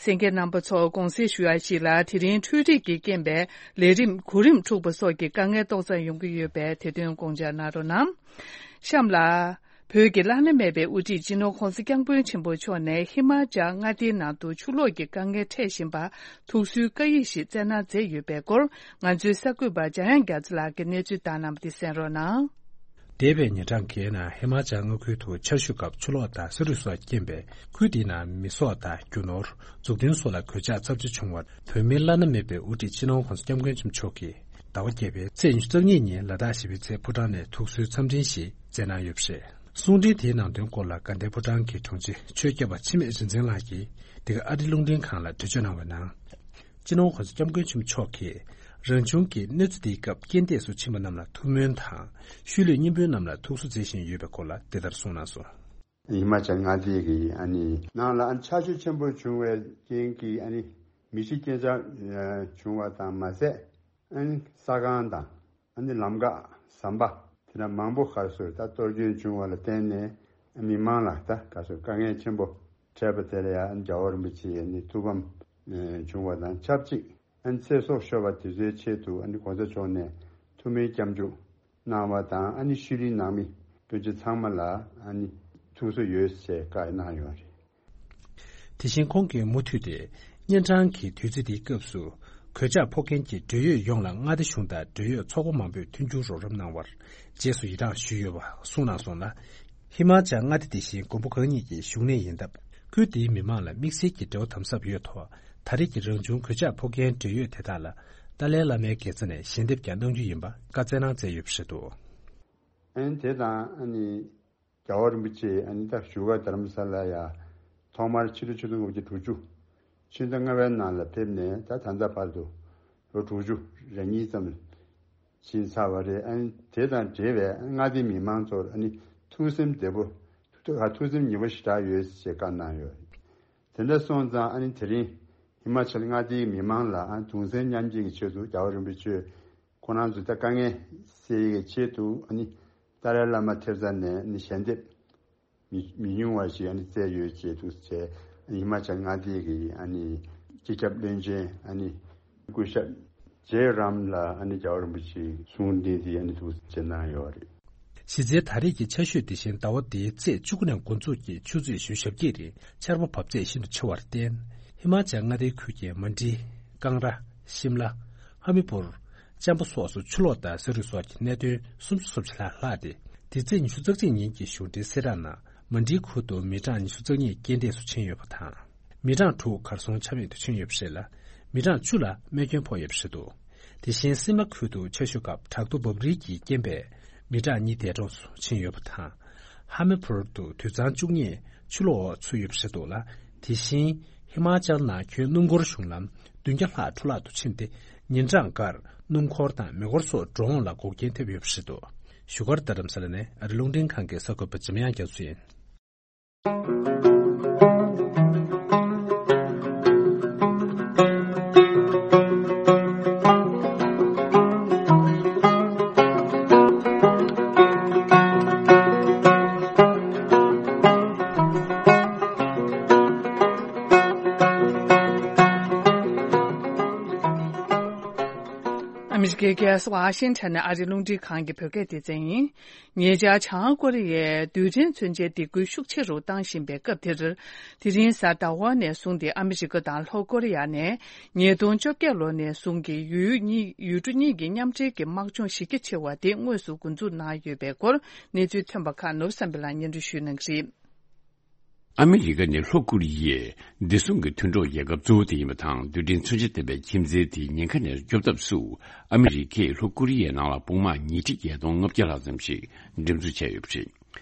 གསན་མཁན་རྣམ་པ་ཚོ་དགོངས་སེལ་ཞུ་ཡ་ཞིག་ལ། དེ་རིང་འཕྲུལ་རིག་གི་རྐྱེན་པས་ལས་རིམ་གོ་རིམ་འཁྲུག་པ་སོགས་ཀྱི་དཀའ་ངལ་ཏོག་ཙམ་ཡོང་གི་ཡོད་པས། དེ་དོན་དགོངས་འཇགས་གནང་རོགས་གནང་། གཤམ་ལ། བོད་ཀྱི་བླ་ན་མེད་པའི་དབུ་ཁྲིད་སྤྱི་ནོར་༸གོང་ས་༸སྐྱབས་མགོན་ཆེན་པོ་མཆོག་ནས་ཧི་མ་ཅལ་མངའ་སྡེའི་ནང་དུ་ཆུ་ལོག་གི་དཀའ་ངལ་འཕྲད་བཞིན་པར་ཐུགས་གསོའི་བཀའ་ཡིག་ཞིག་བསྩལ་གནང་མཛད་ཡོད་པའི་སྐོར། ང་ཚོའི་གསར་འགོད་པ་འཇམ་དབྱངས་རྒྱ་མཚོ་ལགས་ཀྱིས་གནས་ཚུལ་བཏང་གནང་བ་དེ་གསན་རོགས་གནང་། འདས་པའི་ཉིན་གྲངས་འགའི་ནང་ཧི་མ་ཅལ་མངའ་ཁུལ་དུ་ཆར་ཞོད་སྐབས་ཆུ་ལོག་དང་ས་རུད་སོགས་རྐྱེན་པས། ཁུལ་དེའི་ནང་མི་སྲོག་དང་རྒྱུ་ནོར། འཛུགས་སྐྲུན་སོགས་ལ་གོད་ཆག་ཚབས་ཆེ་བྱུང་བར། བོད་མིའི་བླ་ན་མེད་པའི་དབུ་ཁྲིད་སྤྱི་ནོར་༸གོང་ས་༸སྐྱབས་མགོན་ཆེན་པོ་མཆོག་གིས་ཟླ་བ་བརྒྱད་པའི་ཚེས་ཉི་ཤུ་རྩ་གཉིས་ཉིན་ལ་དྭགས་གཞིས་པའི་རྩེ་ཕོ་བྲང་ནས་ཐུགས་གསོའི་འཚམས་འཕྲིན་ཞིག་བསྩལ་གནང་ཡོད་པ་རེད། གསུང་འཕྲིན་དེའི་ནང་དོན་སྐོར་ལ་དགའ་ལྡན་ཕོ་བྲང་གི་དྲུང་ཆེ་ཆོས་སྐྱབས་པ་འཆི་མེད་རིག་འཛིན་ལགས་ཀྱིས་འདི་ག་ཨ་རི་རླུང་འཕྲིན་ཁང་ལ་འགྲེལ་བརྗོད་གནང་བའི་ནང་། སྤྱི་ནོར་༸གོང་ས་༸སྐྱབས་མགོན་ཆེན་པོ་མཆོག་གིས་རང་བྱུང་གི་གནོད་འཚེ་དེའི་སྐབས་རྐྱེན་འདས་སུ་ཕྱིན་པ་རྣམས་ལ་ཐུགས་སྨོན་དང་། ཤུལ་ལུས་གཉེན་སྤུན་རྣམས་ལ་ཐུགས་གསོ་མཛད་བཞིན་ཡོད་པའི་སྐོར་ལ་འདི་ལྟར་གསུངས་གནང་སོང་། ཧི་མ་ཅལ་མངའ་སྡེ་གི་ཨ་ནི་ནང་ལ་ཨ་ནི་ཆར་ཞོད་ཆེན་པོ་བྱུང་བའི་རྐྱེན་གྱིས་ཨ་ནི་མེ་འཁྱེར་རྐྱེན་ཆག་བྱུང་བ་དང་མ་ཟད། ཨ་ནི་ས་ཁང་དང་ཨ་ནི་ལམ་འགག་ཟམ་པ་དེ་འདྲ་མང་པོ་ག་རེ་ཟེར་ད་གཏོར་སྐྱོན་བྱུང་བ་ལ་བརྟེན་ནས། ཨ་མི་མང་ལ་ད་ག་རེ་ཟེར་དཀའ་ངལ་ཆེན་པོ་འཕྲད་པ་དེ་ལ་ཡང་རྒྱལ་བ་རིན་པོ་ཆེའི་ཨ་ནི་ཐུགས་ཕམ་བྱུང་བ་དང་ཆབས་ཅིག་ཨ་ནི་ཚེ་སྲོག་ཤོར་བ་དེ་ཚོའི་ཆེད་དུ་ཨ་ནི་༸གོང་ས་མཆོག་ནས་ཐུགས་སྨོན་སྐྱབས་འཇུག་གནང་བ་དང་། ཨ་ནི་ཤུལ་ལུས་ནང་མི་སྤུན་མཆེད་ཚང་མ་ལ་ཨ་ནི་ཐུགས་གསོ་ཡོད་ཅེས་བཀའ་གནང་ཡོད་རེད། དེ་བཞིན་ཁོང་གིས་མུ་མཐུད་དེ། གཉན་འཕྲང་གི་དུས་ཚིགས་འདིའི་སྐབས་སུ། གོད་ཆག་ཕོག་མཁན་གྱི་འབྲེལ་ཡོད་ཡོངས་ལ་མངའ་སྡེ་གཞུང་དང་འབྲེལ་ཡོད་ཚོགས་པ་མང་པོས་མཐུན་འགྱུར་རོགས་རམ་གནང་བར་རྗེས་སུ་ཡི་རངས་ཞུས་ཡོད་པ་གསུངས་གནང་སོང་ལ། ཧི་མ་ཅལ་མངའ་སྡེ་དེ་བཞིན་མགོན་པོ་གང་ཉིད་ཀྱི་བཞུགས་གནས་ཡིན་སྟབས། ཁུལ་དེའི་མི་མང་ལ་དམིགས་བསལ་གྱི་འབྲེལ་བ་དམ་ཟབ་ཡོད་ཐོག་ད་རེས་ཀྱི་རང་བྱུང་གོད་ཆག་ཕོག་མཁན་འབྲེལ་ཡོད་དེ་དག་ལ་ཏཱ་ལའི་བླ་མའི་དགེ་རྩ་ནས་ཞལ་འདེབས་ཀྱང་གནང་རྒྱུ་ཡིན་པ་བཀའ་སྩལ་གནང་མཛད་ཡོད་པ་རེད་འདུག་ཨ་ནི་དེ་དང་ཨ་ནི་རྒྱལ་བ་རིན་པོ་ཆེ་ཨ་ནི་ད་བཞུགས་སྒར་རྡ་རམ་ས་ལ་ཡ་ཐོག་མར་ཕྱི་ལོ་ཆིག་སྟོང་དགུ་བརྒྱ་དྲུག་ཅུ་ཕྱི་ཟླ་ལྔ་པའི་ནང་ལ་ཕེབས་ནས་ད་ད་ལྟ་བར་དུ་ལོ་དྲུག་ཅུ་རེ་གཉིས་ཙམ་ཕྱིན་ཚར་བ་རེད། ཨ་ནི་དེ་དང་འབྲེལ་བའི་མངའ་སྡེའི་མི་མང་ཚོར་ཨ་ནི་ཐུགས་སེམས་བདེ་པོ་ཐུགས་ཐུགས་སེམས་ཉེ་པོ་ཞེ་དྲག་ཡོད་ཅེས་བཀའ་གནང་ཡོད། དེ་འདྲ་སོང་ཙང་ཨ་ནི་དེ་རིང་ཧི་མ་ཅལ་མངའ་སྡེའི་མི་མང་ལ་ཨ་གདུང་སེམས་མཉམ་སྐྱེད་ཀྱི་ཆེད་དུ་རྒྱལ་བ་རིན་པོ་ཆེ་ཁོང་རང་ཚོ་ད་དཀའ་ངལ་སེལ་ཡས་ཀྱི་ཆེད་དུ་ཨ་ནི་ཏཱ་ལའི་བླ་མ་ཐེབས་རྩ་ནས་ཨ་ནི་ཞལ་འདེབས་མི་མི་ཉུང་བ་ཞིག་ཨ་ནི་བསྩལ་ཡོད་ཅེས་འདུག་ཟེར། ཧི་མ་ཅལ་མངའ་སྡེ་གི་ཨ་ནི་སྤྱི་ཁྱབ་བློན་ཆེན་ཨ་ནི་སྐུ་ཞབས་ཇེ་རམ་ལ་ཨ་ནི་རྒྱལ་བ་རིན་པོ་ཆེའི་གསུང་འདི་འདི་ཨ་ནི་འདུག་ཅེས་གནང་ཡོད་རེད། གཞི་རྩའི་ད་རེས་ཀྱི་ཆར་ཞོད་དེ་བཞིན་ཟླ་བ་འདིའི་ཚེས་བཅུ་དགུ་ནས་འགོ་འཛུགས་ཀྱིས་ཆུ་ཚོད་བཞི་ཞེ་བརྒྱད་རིང་ཆར་པ་བབས་ཚད་ཤིན་ཏུ་ཆེ་བར་བརྟེན། ཧི་མ་ཅལ་མངའ་སྡེའི་ཁུལ་གྱི་མན་ཌི། ཀང་ར། ཤིམ་ལ། ཧ་མི་པུར། ཅམ་པ་སོགས་སུ་ཆུ་ལོག་དང་ས་རུད་སོགས་ཀྱི་གནད་དོན་སུམ་ཅུ་སོ་གཅིག་ལྷག་ལྷག་སྟེ། འདི་ཚེས་ཉི་ཤུ་རྩ་གཅིག་ཉིན་གྱི་གཞུང་འབྲེལ་གསལ་བསྒྲགས་ནང་མན་ཌིའི་ཁུལ་དུ་མི་གྲངས་ཉི་ཤུ་རྩ་གཉིས་རྐྱེན་འདས་སུ་ཕྱིན་ཡོད་པ་དང་། མི་གྲངས་དྲུག་གར་སོང་ཆ་མེད་དུ་ཕྱིན་ཡོད་པ་རེད་ལ། མི་གྲངས་བཅུ་ལ་རྨས་སྐྱོན་ཕོག་ཡོད་པ་རེད་འདུག་དེ་བཞིན་སིམ་ལ་ཁུལ་དུ་ཆར་ཞོད་སྐབས་བྲག་རྡོ་འབབ་རིལ་གྱི་རྐྱེན་པས་མི་གྲངས་གཉིས་འདས་གྲོངས་སུ་ཕྱིན་ཡོད་པ་དང་། ཧ་མི་པུར་དུ་དུད་ཚང་བཅུ་གཉིས་ཆུ་ལོག་འོག་ཚུད་ཡོད་པ་རེད་འདུག་ལ། དེ་བཞིན་ཧི་མ་ཅལ་ནང་ཁྱོན་སྣུམ་འཁོར་གཞུང་ལམ་བདུན་བརྒྱ་ལྷག་འཕྲོ་བརླག་ཏུ་ཕྱིན་ཏེ། ཉིན་གྲངས་འགར་སྣུམ་འཁོར་དང་མེ་འཁོར་སོགས་འགྲོ་འོང་ལ་འགོག་རྐྱེན་ཐེབས་ཡོད་པ་རེད་འདུག་བཞུགས་སྒར་རྡ་རམ་ས་ལ་ནས་ཨ་རི་རླུང་འཕྲིན་ཁང་གི་གསར་འགོད་པ་འཇམ་དབྱངས་རྒྱ་མཚོ་ཡིན། ཨ་མི་རི་ཀའི་ ཨ་མི་རི་ཀའི་ཝ་ཤིང་ཊོན་ནས་ཨ་རིའི་རླུང་འཕྲིན་ཁང་གི་བོད་སྐད་སྡེ་ཚན་ཡིན། ཉེ་ཆར་བྱང་ཀོ་རི་ཡས་རྡུལ་ཕྲན་མཚོན་ཆའི་སྡིགས་སྐུལ་ཤུགས་ཆེ་རུ་བཏང་བཞིན་པའི་སྐབས་དེར། དེ་རིང་གཟའ་ཟླ་བ་ནས་བཟུང་སྟེ་ཨ་མི་རི་ཀ་དང་ལྷོ་ཀོ་རི་ཡ་ནས་ཉིས་སྟོང་བཅོ་བརྒྱད་ལོ་ནས་བཟུང་གི་ཡུལ་གཉིས་ཡུལ་གྲུ་གཉིས་ཀྱི་མཉམ་འབྲེལ་གྱི་དམག་སྦྱོང་གཞི་རྒྱ་ཆེ་བ་དེ་དངོས་སུ་འགོ་འཛུགས་གནང་ཡོད་པའི་སྐོར་གནས་ཚུལ་ཐོན་པ་ཁག་ནོར་བུ་བསམ་འཕེལ་ལགས་སྙན་སྒྲོན་ཞུ་གནང་གི་རེད། ཨ་མི་རི་ཀ་ནི་ལྷོ་ཀོ་རི་ཡའི་བདེ་སྲུང་གི་མཐུན་གྲོགས་རྒྱལ་ཁབ་གཙོ་བོ་དེ་ཡིན་པ་དང་། རྡུལ་ཕྲན་མཚོན་ཆ་ལྡན་པའི་ཁྱིམ་མཚེས་དེའི་ཉེན་ཁ་ནས་སྐྱོབ་ཐབས་སུ་ཨ་མི་རི་ཀས་ལྷོ་ཀོ་རི་ཡའི་ནང་ལ་དཔུང་དམག་ཉིས་ཁྲི་བརྒྱད་སྟོང་ལྔ་བརྒྱ་ལྷག་ཙམ་ཞིག་འགྲེམས་འཛུགས་བྱས་ཡོད་པ་རེད།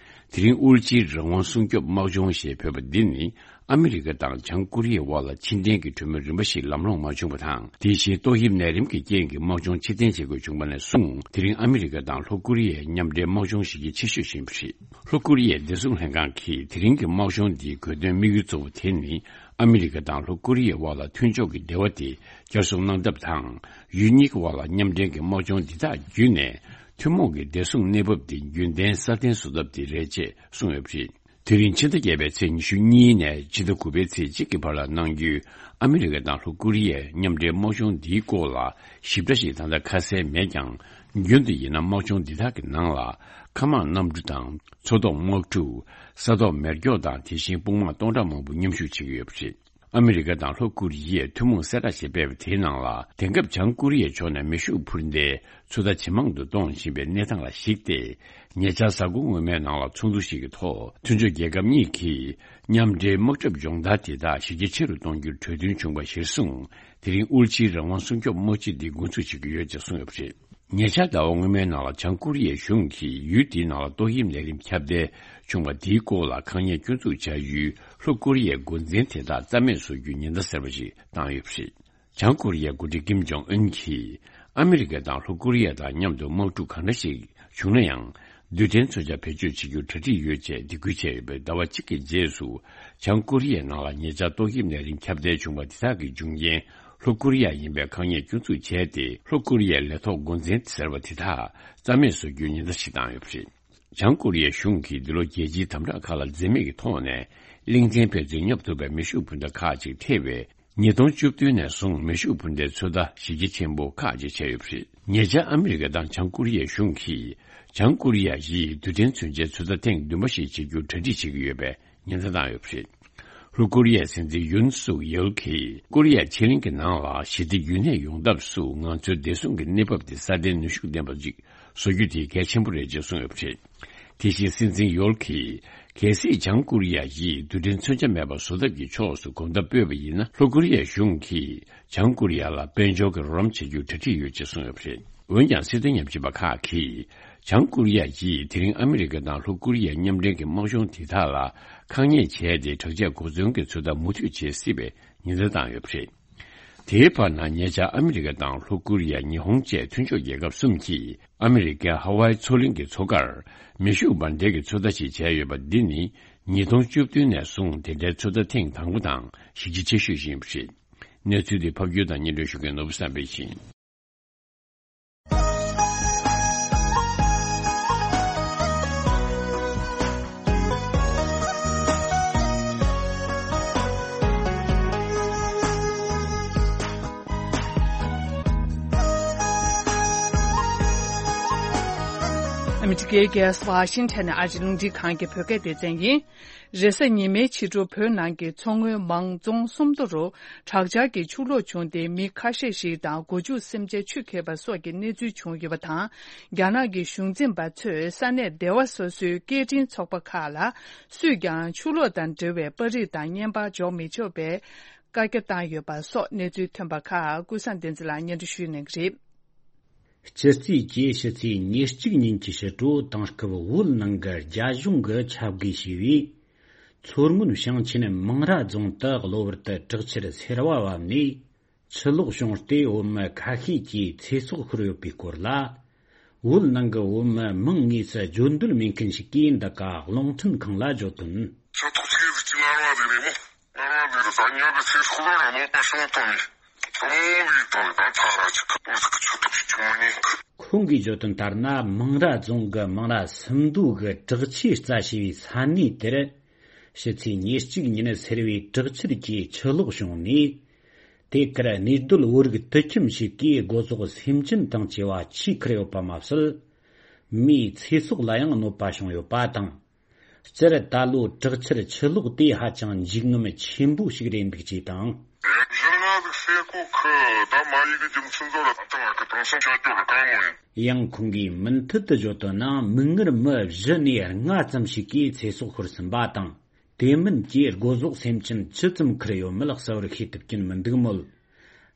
དེ་རིང་དབུལ་ཕྱིའི་རང་དབང་སྲུང་སྐྱོབ་དམག་སྦྱོང་ཞེས་འབོད་པ་འདི་ནི་ཨ་མི་རི་ཀ་དང་བྱང་ཀོ་རི་ཡའི་དབར་ལ་ཕྱིར་འཐེན་གྱི་གྲོས་མོལ་རིམ་པ་ཞིག་ལམ་ལྷོང་མ་བྱུང་བ་དང་། དེ་བཞིན་ཏོག་དབྱིབས་ནད་རིམས་ཀྱི་རྐྱེན་གྱིས་དམག་སྦྱོང་ཕྱིར་འཐེན་བྱེད་དགོས་བྱུང་བ་ནས་བཟུང་། དེ་རིང་ཨ་མི་རི་ཀ་དང་ལྷོ་ཀོ་རི་ཡའི་མཉམ་འབྲེལ་དམག་སྦྱོང་གཞི་རྒྱ་ཆེ་ཤོས་ཤིག་ཡིན་པ་རེད། ལྷོ་ཀོ་རི་ཡའི་བདེ་སྲུང་ལྷན་ཁང་གིས་དེ་རིང་གི་དམག་སྦྱོང་འདིའི་དགོས་དོན་དམིགས་ཡུལ་གཙོ་བོ་དེ་ནི། ཨ་མི་རི་ཀ་དང་ལྷོ་ཀོ་རི་ཡའི་དབར་ལ་མཐུན་ཕྱོགས་ཀྱི་འབྲེལ་བ་དེ་བསྐྱར་གསོ་གནང་ཐབས་དང་། ཡུལ་གཉིས་ཀྱི་དབར་ལ་མཉམ་འབྲེལ་གྱི་དམག་སྦྱོང་འདི་དག་བརྒྱུད་ནས། ཐུན་མོང་གི་བདེ་སྲུང་གནས་བབ་དེ་རྒྱུན་ལྡན་སྲ་བརྟན་བཟོ་ཐབས་དེ་རེད་ཅེས་གསུངས་ཡོད་པ་རེད། དེ་རིང་ཕྱི་ཟླ་བརྒྱད་པའི་ཚེས་ཉི་ཤུ་གཉིས་ནས་ཕྱི་ཟླ་དགུ་པའི་ཚེས་གཅིག་གི་བར་ལ་གནང་རྒྱུའི་ཨ་མི་རི་ཀ་དང་ལྷོ་ཀོ་རི་ཡའི་མཉམ་འབྲེལ་དམག་སྦྱོང་འདིའི་སྐོར་ལ་ཞིབ་ཕྲ་ཞིག་ད་ལྟ་ཁ་གསལ་མེད་ཀྱང་། རྒྱུན་དུ་ཡིན་ན་དམག་སྦྱོང་འདི་དག་གི་ནང་ལ་མཁའ་དམག་གནམ་གྲུ་དང་མཚོ་ཐོག་དམག་གྲུ། ས་ཐོག་མེ་སྒྱོགས་དང་དེ་བཞིན་དཔུང་དམག་སྟོང་ཕྲག་མང་པོ་མཉམ་ཞུགས་བྱེད་ཀྱི་ཡོད་པ་རེད། ཨ་མི་རི་ཀ་དང་ལྷོ་ཀོ་རི་ཡས་ཐུན་མོང་གསལ་བསྒྲགས་ཤིག་སྤེལ་བ་དེའི་ནང་ལ། དེང་སྐབས་བྱང་ཀོ་རི་ཡའི་ཕྱོགས་ནས་མེ་ཤུགས་འཕུར་མདའི་ཚོད་ལྟ་ཇེ་མང་དུ་གཏོང་བཞིན་པའི་གནས་སྟངས་ལ་གཞིགས་ཏེ། ཉེ་ཆར་གཟའ་འཁོར་སྔོན་མའི་ནང་ལ་ཚོགས་འདུ་ཞིག་གི་ཐོག་མཐུན་ཕྱོགས་རྒྱལ་ཁབ་གཉིས་ཀྱིས་མཉམ་འབྲེལ་དམག་གྲབས་སྦྱོང་བརྡར་དེ་དག་གཞི་རྒྱ་ཆེ་རུ་གཏོང་རྒྱུར་གྲོས་མཐུན་བྱུང་བ་གཞིར་བཟུང་། དེ་རིང་དབུལ་ཕྱིའི་རང་དབང་སྲུང་སྐྱོབ་དམག་སྤྱི་འདི་འགོ་འཛུགས་བྱེད་ཀྱི་ཡོད་ཅེས་གསུངས་ཡོད་པ་རེད། ཉེ་ཆར་ཟླ་བ་སྔོན་མའི་ནང་ལ་བྱང་ཀོ་རི་ཡའི་གཞུང་གིས་ཡུལ་དེའི་ནང་ལ་ཏོག་དབྱིབས་ནད་རིམས་ཁྱབ་གདལ་བྱུང་བ་དེའི་སྐོར་ལ་ཁག་ཉེས་སྐྱོན་འཛུགས་བྱ་ཡུལ་ལྷོ་ཀོ་རི་ཡའི་འགོ་འཛིན་དེ་དག་རྩ་མེད་བཟོ་རྒྱུའི་ཉེན་བརྡ་གསར་པ་ཞིག་བཏང་ཡོད་པ་རེད། བྱང་ཀོ་རི་ཡའི་འགོ་ཁྲིད་ཀིམ་ཇོང་ཨུན་གྱིས་ཨ་མི་རི་ཀ་དང་ལྷོ་ཀོ་རི་ཡ་དང་མཉམ་དུ་དམག་འཁྲུག་གང་འདྲ་ཞིག་བྱུང་ན་ཡང་། རྡུལ་ཕྲན་མཚོན་ཆ་བེད་སྤྱོད་བྱེད་རྒྱུར་གྲ་སྒྲིག་ཡོད་ཅེས་སྡིགས་སྐུལ་བྱས་ཡོད་པའི་ཟླ་བ་གཅིག་གི་རྗེས་སུ། བྱང་ཀོ་རི་ཡའི་ནང་ལ་ཉེ་ཆར་ཏོག་དབྱིབས་ནད་རིམས་ཁྱབ་གདལ་བྱུང་བ་དེ་དག་གི་འབྱུང་རྐྱེན་ལྷོ་ཀོ་རི་ཡ་ཡིན་པའི་ཁག་ཉེས་སྐྱོན་འཛུགས་བྱས་ཏེ། ལྷོ་ཀོ་རི་ཡའི་ལས་ཐོག་འགོ་འཛིན་ཟེར་བ་དེ་དག་རྩ་མེད་བཟོ་རྒྱུའི་ཉེན་བརྡ་ཞིག་བཏང་ཡོད་པ་རེད། བྱང་ཀོ་རི་ཡའི་གཞུང་གིས་འདི་ལོ་རྒྱལ་སྤྱིའི་དམ་དྲག་ཁག་ལ་འཛེམ་མེད་ཀྱི་ཐོག་ནས་གླིང་ཆེན་ཕན་ཚུན་སྙོབ་ཐུབ་པའི་མེ་ཤུགས་འཕུར་མདའ་ཁག་ཅིག་ཐེ་བའི། ཉིས་སྟོང་བཅུ་བདུན་ནས་བཟུང་མེ་ཤུགས་འཕུར་མདའི་ཚོད་ལྟ་གཞི་རྒྱ་ཆེན་པོ་ཁག་ཅིག་བྱས་ཡོད་པ་རེད། ཉེ་ཆར་ཨ་མི་རི་ཀ་དང་བྱང་ཀོ་རི་ཡའི་གཞུང་གིས་བྱང་ཀོ་རི་ཡ་ཡིས་རྡུལ་ཕྲན་མཚོན་ཆའི་ཚོད་ལྟ་ཐེངས་བདུན་པ་ཞིག་བྱེད་རྒྱུར་གྲ་སྒྲིག་བྱེད་ཀྱི་ཡོད་པའི་ཉེན་བརྡ་བཏང་ཡོད་པ་རེད། ལྷོ་ཀོ་རི་ཡའི་སྲིད་འཛིན་ཡུན་སུག་ཡོལ་གྱིས་ཀོ་རི་ཡ་ཕྱེད་གླིང་གི་ནང་ལ་ཞི་བདེ་རྒྱུན་གནས་ཡོང་ཐབས་སུ་ང་ཚོའི་བདེ་སྲུང་གི་གནས་བབ་དེ་སྲ་བརྟན་ནུས་ཤུགས་ལྡན་པ་ཅིག་བཟོ་རྒྱུ་དེ་གལ་ཆེན་པོ་རེད་ཅེས་གསུངས་ཡོད་པ་རེད། དེ་བཞིན་སྲིད་འཛིན་ཡོལ་གྱིས། གལ་སྲིད་བྱང་ཀོ་རི་ཡ་ཡིས་རྡུལ་ཕྲན་མཚོན་ཆ་མེད་པ་བཟོ་ཐབས་ཀྱི་ཕྱོགས་སུ་གོམ་སྟབས་སྤོས་པ་ཡིན་ན། ལྷོ་ཀོ་རི་ཡའི་གཞུང་གིས་བྱང་ཀོ་རི་ཡ་ལ་དཔལ་འབྱོར་གྱི་རོགས་རམ་བྱེད་རྒྱུར་གྲ་སྒྲིག་ཡོད་ཅེས་གསུངས་ཡོད་པ་རེད། འོན་ཀྱང་། སྲིད་དོན་ཉམས་ཞིབ་པ་ཁག་གིས། བྱང་ཀོ་རི་ཡ་ཡིས་དེ་རིང་ཨ་མི་རི་ཀ་དང་ལྷོ་ཀོ་རི་ཡའི་མཉམ་འབྲེལ་གྱི་དམག་སྦྱོང་དེ་དག་ལ་ཁག་ཉེས་བྱས་ཏེ། དྲག་ཆས་གོ་མཚོན་གྱི་ཚོད་ལྟ་མུ་མཐུད་བྱེད་སྲིད་པའི་ཉེན་བརྡ་བཏང་ཡོད་པ་རེད། དེའི་བར་ན། ཉེ་ཆར་ཨ་མི་རི་ཀ་དང་ལྷོ་ཀོ་རི་ཡ། ཉི་ཧོང་བཅས་མཐུན་ཕྱོགས་རྒྱལ་ཁབ་གསུམ་གྱིས་ཨ་མི་རི་ཀའི་ཧ་ཝའི་མཚོ་གླིང་གི་མཚོ་ཁར་མེ་ཤུགས་འབར་མདེལ་གྱི་ཚོད་ལྟ་ཞིག་བྱས་ཡོད་པ་འདི་ནི་ཉིས་སྟོང་བཅུ་བདུན་ནས་བཟུང་དེ་འདྲའི་ཚོད་ལྟ་ཐེངས་དང་པོ་དང་གཞི་རྒྱ་ཆེ་ཤོས་ཤིག་ཡིན་པ་རེད། གནས་ཚུལ་འདི་ཕབ་སྒྱུར་དང་སྙན་སྒྲོན་ཞུ་མཁན་ནོར་བུ་བསམ་འཕེལ་ཡིན། ཨ་མི་རི་ཀའི་རྒྱལ་ས་ཝ་ཤིང་ཊོན་ནས་ཨ་རིའི་རླུང་འཕྲིན་ཁང་གི་བོད་སྐད་སྡེ་ཚན་ཡིན། རེས་གཟའ་ཉི་མའི་ཕྱི་དྲོ་བོད་ནང་གི་མཚོ་སྔོན་མང་རྫོང་སུམ་མདོ་རུ་དྲག་ཆར་གྱི་ཆུ་ལོག་བྱུང་སྟེ་མི་ཁ་ཤས་ཤིག་དང་སྒོ་ཕྱུགས་སེམས་ཅན་ཆུ་འཁྱེར་བ་སོགས་ཀྱི་གནས་ཚུལ་བྱུང་ཡོད་པ་དང་། རྒྱ་ནག་གི་གཞུང་འཛིན་པ་ཚོས་ས་གནས་སྡེ་བ་སོ་སོའི་སྐད་འཕྲིན་ཚོགས་པ་ཁག་ལ་སུས་ཀྱང་ཆུ་ལོག་དང་འབྲེལ་བའི་པར་རིས་དང་བརྙན་པར་འཇོག་མི་ཆོག་པའི་བཀའ་རྒྱ་བཏང་ཡོད་པ་སོགས་གནས་ཚུལ་ཐོན་པ་ཁག་ཀུན་བཟང་བསྟན་འཛིན་ལགས་སྙན་སྒྲོན་ཞུ་གནང་གི་རེད། སྤྱི་རྩིས་ཀྱི་ཕྱི་ཚེས་ཉེར་གཅིག་ཉིན་གྱི་ཕྱི་དྲོ་དེང་སྐབས་བོད་ནང་གི་རྒྱ་གཞུང་གི་ཁྱབ་དགེ་ཞེས་པས། མཚོ་སྔོན་ཞིང་ཆེན་མང་ར་རྫོང་དུ་གློ་བུར་དུ་དྲག་ཆར་སེར་བ་བབས་ནས་ཆུ་ལོག་བྱུང་སྟེ། བོད་མི་ཁ་ཤས་ཀྱི་ཚེ་སྲོག་ཤོར་ཡོད་པའི་སྐོར་ལ། བོད་ནང་གི་བོད་མི་མང་དངོས་སུ་བརྗོད་འདོད་མེད་མཁན་ཞིག་གིས་འདི་ག་རླུང་འཕྲིན་ཁང་ལ་བརྗོད་དོན། ཆུ་ཐོག་ཆེ་རུ་ཅི་ལ་ར་རེད་མོ། ང་རང་འདིར་ད་ཉོ་གི་ཚེ་སྲོག་ལ་ར་མོ་པ་སོང་དོ་ནི། དང་བའི་དང་ད་ཚ་ར་ཅིག་གི་ཆུ་ཐོག་ཅིག་མ་ཉན་གི། ཁོང་གིས་བརྗོད་དོན་ལྟར་ན། མང་ར་རྫོང་གི་མང་ར་སུམ་མདོ་གི་དྲག་ཆས་རྩ་ཞེས་པའི་ས་གནས་དེར་ཕྱི་ཚེས་ཉེར་གཅིག་ཉིན་སེར་བའི་དྲག་ཆར་གྱིས་ཆུ་ལོག་བྱུང་ནས། དེ་གར་གནས་སྡོད་བོད་རིགས་དུད་ཁྱིམ་ཞིག་གིས་སྒོ་ཟོག་སེམས་ཅན་དང་བཅས་པ་ཆུས་ཁུར་ཡོད་པ་མ་ཟད། མིའི་ཚེ་སྲོག་ལ་ཡང་གནོད་པ་བྱུང་ཡོད་པ་དང་། སྤྱིར་ད་ལོའི་དྲག་ཆར་ཆུ་ལོག་དེ་ཧ་ཅང་འཇིགས་རྔམ་ཆེན་པོ་ཞིག་རེད་འདུག་ཅེས་དང་། གཞི་ལ་ཟེར་གོ་ཁི་ད་མ་ཡི་གི་རྒྱུ་མཚན་ཚོ་ལ་ད་ང་གི་དེང་སང་ཆ་རྒྱུ་རུ་གང་མོ་ཡིན། ཡང་ཁོང་གིས་མུ་མཐུད་དུ་བརྗོད་དོན་ན། མིག་སྔར་མི་བཞི་ནས་ལྔ་ཙམ་ཞིག་གིས་ཚེ་སྲོག་ཤོར་ཟིན་པ་དང་། དེ་མིན་གྱི་སྒོ་ཟོག་སེམས་ཅན་ཅི་ཙམ་ཁུར་ཡོད་མེད་གསལ་བོར་ཤེས་ཐུབ་ཀྱིན་མི་འདུག་མོད།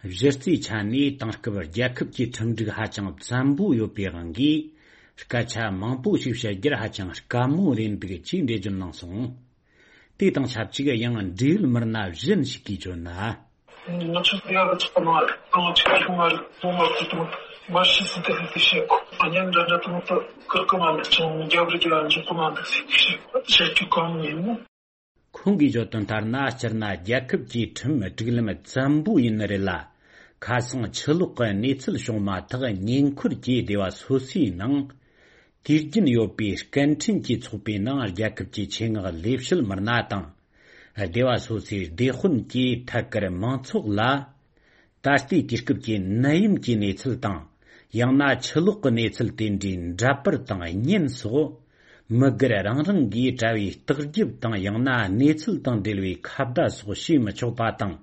གཞི་རྩའི་ཆ་ནས་དེང་སྐབས་རྒྱལ་ཁབ་ཀྱི་ཁྲིམས་སྒྲིག་ཧ་ཅང་བཙན་པོ་ཡོད་པའི་དབང་གིས། སྐད་ཆ་མང་པོ་ཞིག་བཤད་རྒྱུར་ཧ་ཅང་དཀའ་མོ་རེད་འདུག་ཅེས་འགྲེལ་བརྗོད་གནང་སོང་། དེ་དང་ཆབས་ཅིག་ཡང་འབྲེལ་ཡོད་མི་སྣ་གཞན་ཞིག་གིས་བརྗོད་ན། ང་ཚོ་དེ་ཡང་ཚོགས་མ་རེད། ང་ཚོ་ཆུང་ཆུང་མ་རེད། ལོ་མ་བུ་དང་མ་ཤི་ཟིན་ཏེ་ལས་དེ་བཤད་གོ། ཨ་ཉན་འདྲ་འདྲ་དང་ད་ཀིར་ཀི་མ་འདུག་ཅང་རྒྱབ་རི་རྒྱབ་འཇུག་གི་མ་འདུག་ཟེར་དེ་བཤད་གོ། བཤད་རྒྱུ་གང་ཡིན་ན། ཁོང་གིས་བརྗོད་དོན་ལྟར་ན། སྤྱིར་ན་རྒྱལ་ཁབ་ཀྱི་ཁྲིམས་སྒྲིག་ལམ་བཙན་པོ་ཡིན་ནི་རེད་ལ། ཁ་སང་ཆུ་ལོག་གི་གནས་ཚུལ་བྱུང་མ་ཐག་ཉེ་འཁོར་གྱི་སྡེ་བ་སོ་སོའི་ནང་། དུས་རྒྱུན་ཡོད་པའི་སྐད་འཕྲིན་གྱི་ཚོགས་པའི་ནང་རྒྱལ་ཁབ་ཀྱི་ཆེད་མངགས་ལས་བྱེད་མི་སྣ་དང་། སྡེ་བ་སོ་སོའི་སྡེ་དཔོན་གྱིས་ཐད་ཀར་མང་ཚོགས་ལ། ད་ལྟའི་དུས་སྐབས་ཀྱི་ནད་ཡམས་ཀྱི་གནས་ཚུལ་དང་། ཡང་ན་ཆུ་ལོག་གི་གནས་ཚུལ་དེ་འདྲའི་འདྲ་པར་དང་བརྙན་སོགས། མི་སྒེར་རང་རང་གིས་དྲ་བའི་བརྟག་ཞིབ་དང་། ཡང་ན་གནས་ཚུལ་དང་འབྲེལ་བའི་ཁ་བརྡ་སོགས་བྱེད་མི་ཆོག་པ་དང་།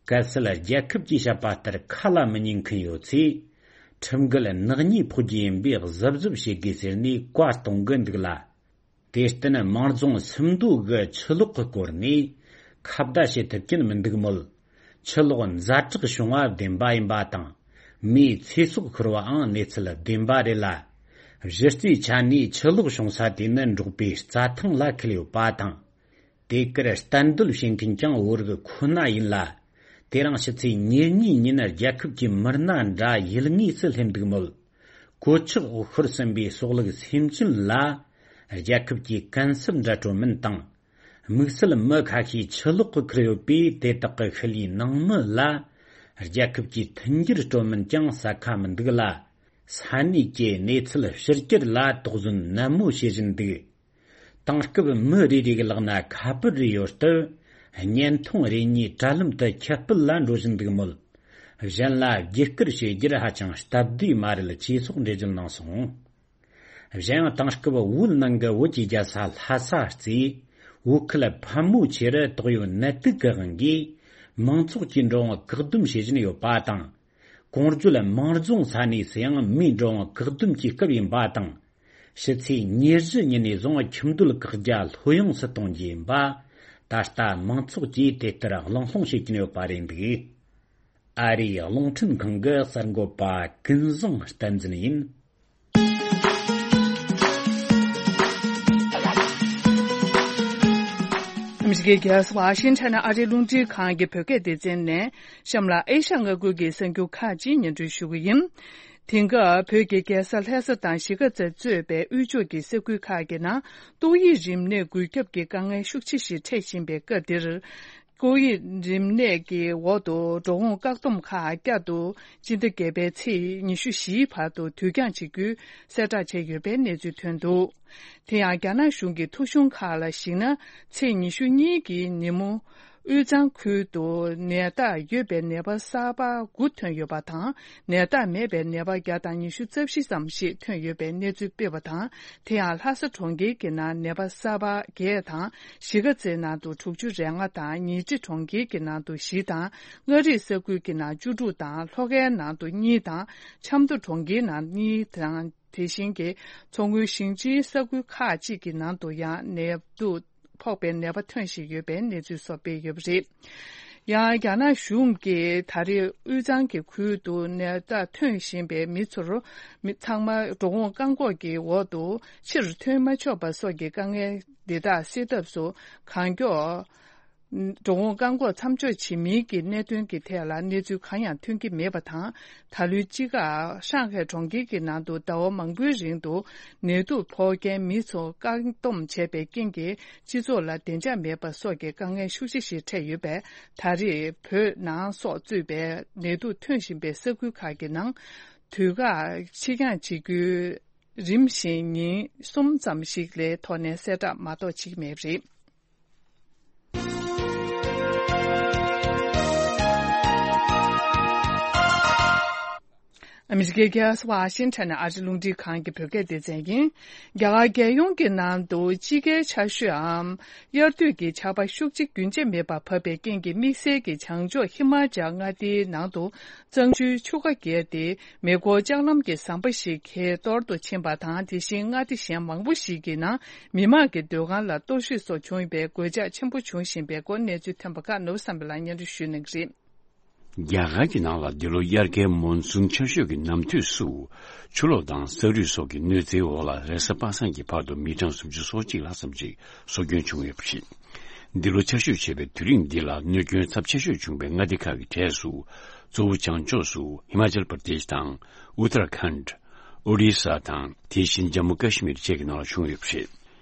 གལ་སྲིད་རྒྱལ་ཁབ་ཀྱིས་བཤད་པ་ལྟར་ཁ་ལ་མི་ཉན་མཁན་ཡོད་ཚེ། ཁྲིམས་འགལ་ནག་ཉེས་ཕོག་རྒྱུ་ཡིན་པས་གཟབ་གཟབ་བྱེད་དགོས་ཟེར་ནས་བཀའ་གཏོང་གི་འདུག་ལ། དེར་བརྟེན་དམངས་རྫོང་སུམ་མདོ་གི་ཆུ་ལོག་གི་སྐོར་ནས་ཁ་བརྡ་བྱེད་ཐུབ་ཀྱིན་མི་འདུག་མོད། ཆུ་ལོག་ཛ་དྲག་བྱུང་བ་བདེན་པ་ཡིན་པ་དང་། མིའི་ཚེ་སྲོག་ཤོར་བའང་གནས་ཚུལ་བདེན་པ་རེད་ལ། གཞི་རྩའི་ཆ་ནས་ཆུ་ལོག་བྱུང་ས་དེ་ནི་འབྲོག་པའི་རྩྭ་ཐང་ལ་འཁེལ་ཡོད་པ་དང་། དེ་གར་གཏན་སྡོད་བྱེད་མཁན་ཀྱང་བོད་རིགས་ཁོ་ན་ཡིན་ལ། དེ་རིང་ཕྱི་ཚེས་ཉེར་གཉིས་ཉིན་རྒྱལ་ཁབ་ཀྱི་མི་སྣ་འདྲ་ཡུལ་དངོས་སུ་སླེབས་འདུག་མོད། གོད་ཆག་འོག་ཤོར་ཟིན་པའི་གསོག་ལུག་སེམས་ཅན་ལ། རྒྱལ་ཁབ་ཀྱིས་གུན་གསབ་འདྲ་སྤྲོད་མིན་དང་། དམིགས་བསལ་མི་ཁ་ཤས་ཆུ་ལོག་གི་ཁུར་ཡོད་པས། དེ་དག་གི་ཤུལ་ལུས་ནང་མི་ལ། རྒྱལ་ཁབ་ཀྱིས་མཐུན་འགྱུར་སྤྲོད་མིན་ཀྱང་གསལ་ཁ་མི་འདུག་ལ། ས་གནས་ཀྱི་གནས་ཚུལ་ཕྱི་གྱར་ལ་དོགས་ཟོན་ནན་མོ་བྱེད་བཞིན་འདུག། དེང་སྐབས་མི་རེ་རེ་གི་ལག་ན་ཁ་པར་རེ་ཡོད་སྟབས། བརྙན་ཐུང་རེ་གཉིས་དྲ་ལམ་དུ་ཁྱབ་སྤེལ་ལ་འགྲོ་བཞིན་འདུག་མོད། གཞན་ལ་བརྒྱུད་བསྐུར་བྱེད་རྒྱུར་ཧ་ཅང་སྟབས་བདེ་མ་རེད་ཅེས་སོགས་འགྲེལ་བརྗོད་གནང་སོང་། གཞན་ཡང་དེང་སྐབས་བོད་ནང་གི་བོད་ཀྱི་རྒྱལ་ས་ལྷ་ས་རྩེ། བོད་ཁུལ་ཕལ་མོ་ཆེར་དོགས་ཡོད་ནད་དུག་གི་དབང་གིས་མང་ཚོགས་ཀྱིས་འགྲོ་འོང་བཀག་སྡོམ་བྱེད་བཞིན་ཡོད་པ་དང་། གོང་བརྗོད་དམངས་རྫོང་ས་གནས་སུ་ཡང་མིའི་འགྲོ་འོང་བཀག་སྡོམ་གྱི་སྐབས་ཡིན་པ་དང་། ཕྱི་ཚེས་ཉེར་བཞི་ཉིན་ནས་བཟུང་ཁྱིམ་སྡོད་བཀག་རྒྱ་ལྷོད་ཡངས་སུ་གཏོང་རྒྱུ་ཡིན་པ། ད་ལྟ་མང་ཚོགས་ཀྱིས་དེ་ལྟར་གླེང་སློང་བྱེད་ཀྱིན་ཡོད་པ་རེད་འདུག། ཨ་རིའི་རླུང་འཕྲིན་ཁང་གི་གསར་འགོད་པ་ཀུན་བཟང་བསྟན་འཛིན་ཡིན། ཨ་མི་རི་ཀའི་རྒྱལ་ས་ཝ་ཤིང་ཊོན་ཨ་རིའི་རླུང་འཕྲིན་ཁང་གི་བོད་སྐད་སྡེ་ཚན་ནས། གཤམ་ལ་ཨེ་ཤ་ཡ་མངའ་ཁུལ་གྱི་གསར་འགྱུར་ཁག་ཅིག་སྙན་སྒྲོན་ཞུ་གི་ཡིན། དེང་སྐབས་བོད་ཀྱི་རྒྱལ་ས་ལྷ་ས་དང་གཞིས་ཀ་རྩེ་གཙོས་པའི་དབུས་ཕྱོགས་ཀྱི་ས་ཁུལ་ཁག་གི་ནང་ཏོག་དབྱིབས་རིམས་ནད་འགོས་ཁྱབ་ཀྱི་དཀའ་ངལ་ཤུགས་ཆེ་ཞིག་འཕྲད་བཞིན་པའི་སྐབས་འདིར། ཏོག་དབྱིབས་རིམས་ནད་ཀྱི་འོག་ཏུ་འགྲོ་འོང་བཀག་སྡོམ་ཁག་བསྐྱར་དུ་སྤྱི་ཟླ་བརྒྱད་པའི་ཚེས་ཉི་ཤུ་བཞིའི་བར་དུ་དུས་འགྱངས་བྱེད་རྒྱུའི་གསལ་བསྒྲགས་བྱས་ཡོད་པའི་གནས་ཚུལ་ཐོན་འདུག། དེ་ཡང་རྒྱ་ནག་གཞུང་གི་ཐོ་གཞུང་ཁག་ལ་གཞིགས་ན། ཚེས་ཉི་ཤུ་གཉིས་ཀྱི་ཉིན་མོ། དབུས་གཙང་ཁུལ་དུ་ནད་རྟགས་ཡོད་པའི་ནད་པ་གསར་པ་དགུ་ཐོན་ཡོད་པ་དང་། ནད་རྟགས་མེད་པའི་ནད་པ་བརྒྱ་དང་ཉི་ཤུ་རྩ་བཞི་ཙམ་ཞིག་ཐོན་ཡོད་པའི་གནས་ཚུལ་སྤེལ་བ་དང་། དེ་ཡང་ལྷ་ས་གྲོང་ཁྱེར་གྱི་ནང་ནད་པ་གསར་པ་བརྒྱད་དང་། གཞིས་ཀ་རྩེའི་ནང་དུ་དྲུག་ཅུ་རེ་ལྔ་དང་། ཉིང་ཁྲི་གྲོང་ཁྱེར་གྱི་ནང་དུ་བཞི་དང་། མངའ་རིས་ས་ཁུལ་གྱི་ནང་བཅུ་དྲུག་དང་། ལྷོ་ཁའི་ནང་དུ་གཉིས་དང་། ཆབ་མདོ་གྲོང་ཁྱེར་ནང་གཉིས་དང་། དེ་བཞིན་གྱི་མཚོ་སྔོན་ཞིང་ཆེན་ས་ཁུལ་ཁག་ཅིག་གི་ནང་དུ་ཡང་ནད་དུག་ཕོག་པའི་ནད་པ་ཐོན་བཞིན་ཡོད་པའི་གནས་ཚུལ་སོགས་སྤེལ་ཡོད་པ་རེད། ཡང་རྒྱ་ནག་གཞུང་གིས་ད་རེས་དབུས་གཙང་གི་ཁུལ་དུ་ནད་རྟགས་ཐོན་བཞིན་པའི་མི་ཚོར། མི་ཚང་མ་འགྲོ་འོང་བཀག་འགོག་གི་འོག་ཏུ་ཕྱིར་ཐོན་མ་ཆོག་པ་སོགས་ཀྱི་དཀའ་ངལ་འདི་དག་སེལ་ཐབས་སུ་གང་མགྱོགས། འགྲོ་འོང་བཀག་འགོག་མཚམས་འཇོག་བྱེད་མིན་གྱི་གནད་དོན་གྱི་ཐད་ལ་གནས་ཚུལ་གང་ཡང་ཐོན་གྱི་མེད་པ་དང་། ད་ལོའི་དཔྱིད་ཀ་ཧྲང་ཧའེ་གྲོང་ཁྱེར་གྱི་ནང་དུ་ཟླ་བ་མང་པོའི་རིང་དུ་ནད་དུག་ཕོག་མཁན་མི་ཚོ་བཀག་སྡོམ་བྱས་པའི་རྐྱེན་གྱིས། སྤྱི་ཚོགས་ལ་བདེ་འཇགས་མེད་པ་སོགས་ཀྱི་དཀའ་ངལ་ཤུགས་ཆེ་ཞིག་འཕྲད་ཡོད་པས། ད་རེས་བོད་ནང་སོགས་གཙོས་པའི་ནད་དུག་ཐོན་བཞིན་པའི་ས་ཁུལ་ཁག་གི་ནང་དུས་བཀག་ཕྱིར་འགྱངས་བྱེད་རྒྱུའི་རིམ་བཞིན་ཉིན་གསུམ་ཙམ་ཞིག་ལས་ཐོག་ནས་གསལ་བསྒྲགས་མ་གཏོགས་བྱེད་ཀྱི་མེད་པ་རེད། ཨ་མི་རི་ཀའི་རྒྱལ་ས་ཝ་ཤིང་ཊོན་ནས་ཨ་རི་རླུང་འཕྲིན་ཁང་གི་བོད་སྐད་སྡེ་ཚན་ཡིན། རྒྱ་གར་རྒྱལ་ཡོངས་ཀྱི་ནང་དུ་དཔྱིད་ཀའི་ཆར་ཞོད་འམ་དབྱར་དུས་ཀྱི་ཆར་པ་ཤུགས་ཆེ་རྒྱུན་ཆད་མེད་པར་བབས་པའི་རྐྱེན་གྱིས། དམིགས་བསལ་གྱི་བྱང་ཕྱོགས་ཧི་མ་ཅལ་མངའ་སྡེའི་ནང་དུ་གཙང་ཆུའི་ཆུ་ཁ་བརྒལ་ཏེ། མེ་འཁོར་ལྕགས་ལམ་གྱི་ཟམ་པ་ཞིག་གས་གཏོར་དུ་ཕྱིན་པ་དང་། དེ་བཞིན་མངའ་སྡེ་གཞན་མང་པོ་ཞིག་གི་ནང་མི་མང་གི་སྡོད་ཁང་ལ་གཏོར་བཤིག་སོགས་བྱུང་བའི་གོད་ཆག་ཆེན་པོ་བྱུང་བཞིན་པའི་སྐོར། གནས་ཚུལ་ཐོན་པ་ཁག་ནོར་བུ་བསམ་འཕེལ་ལགས་སྙན་སྒྲོན་ཞུ་གནང་གི་རེད། རྒྱ་གར་གྱི་ནང་ལ་འདི་ལོ་དབྱར་ཁའི་མོན་སུན་ཆར་ཞོད་ཀྱི་ནམ་དུས་སུ། ཆུ་ལོག་དང་ས་རུད་སོགས་ཀྱི་གནོད་འཚེའི་འོག་ལ་རེས་གཟའ་པ་སངས་ཀྱི་བར་དུ་མི་གྲངས་སུམ་ཅུ་སོ་གཅིག་ལྷག་ཙམ་ཞིག་སྲོག་སྐྱོན་བྱུང་ཡོད་པ་རེད། འདི་ལོ་ཆར་ཞོད་ཆེ་བའི་དུས་རིང་འདི་ལ་གནོད་སྐྱོན་ཚབས་ཆེ་ཤོས་བྱུང་བའི་མངའ་སྡེ་ཁག་གི་གྲས་སུ། གཙོ་བོ་བྱང་ཕྱོགས་སུ་ཧི་མ་ཅལ་པར་དེཤ་དང་། ཨུ་ཏར་ཁཱན། ཨོ་རི་ས་དང་། དེ་བཞིན་ཇམ་མུ་ཀ་ཤི་མིར་བཅས་ཀྱི་ནང་ལ་བྱུང་ཡོད་པ་རེད།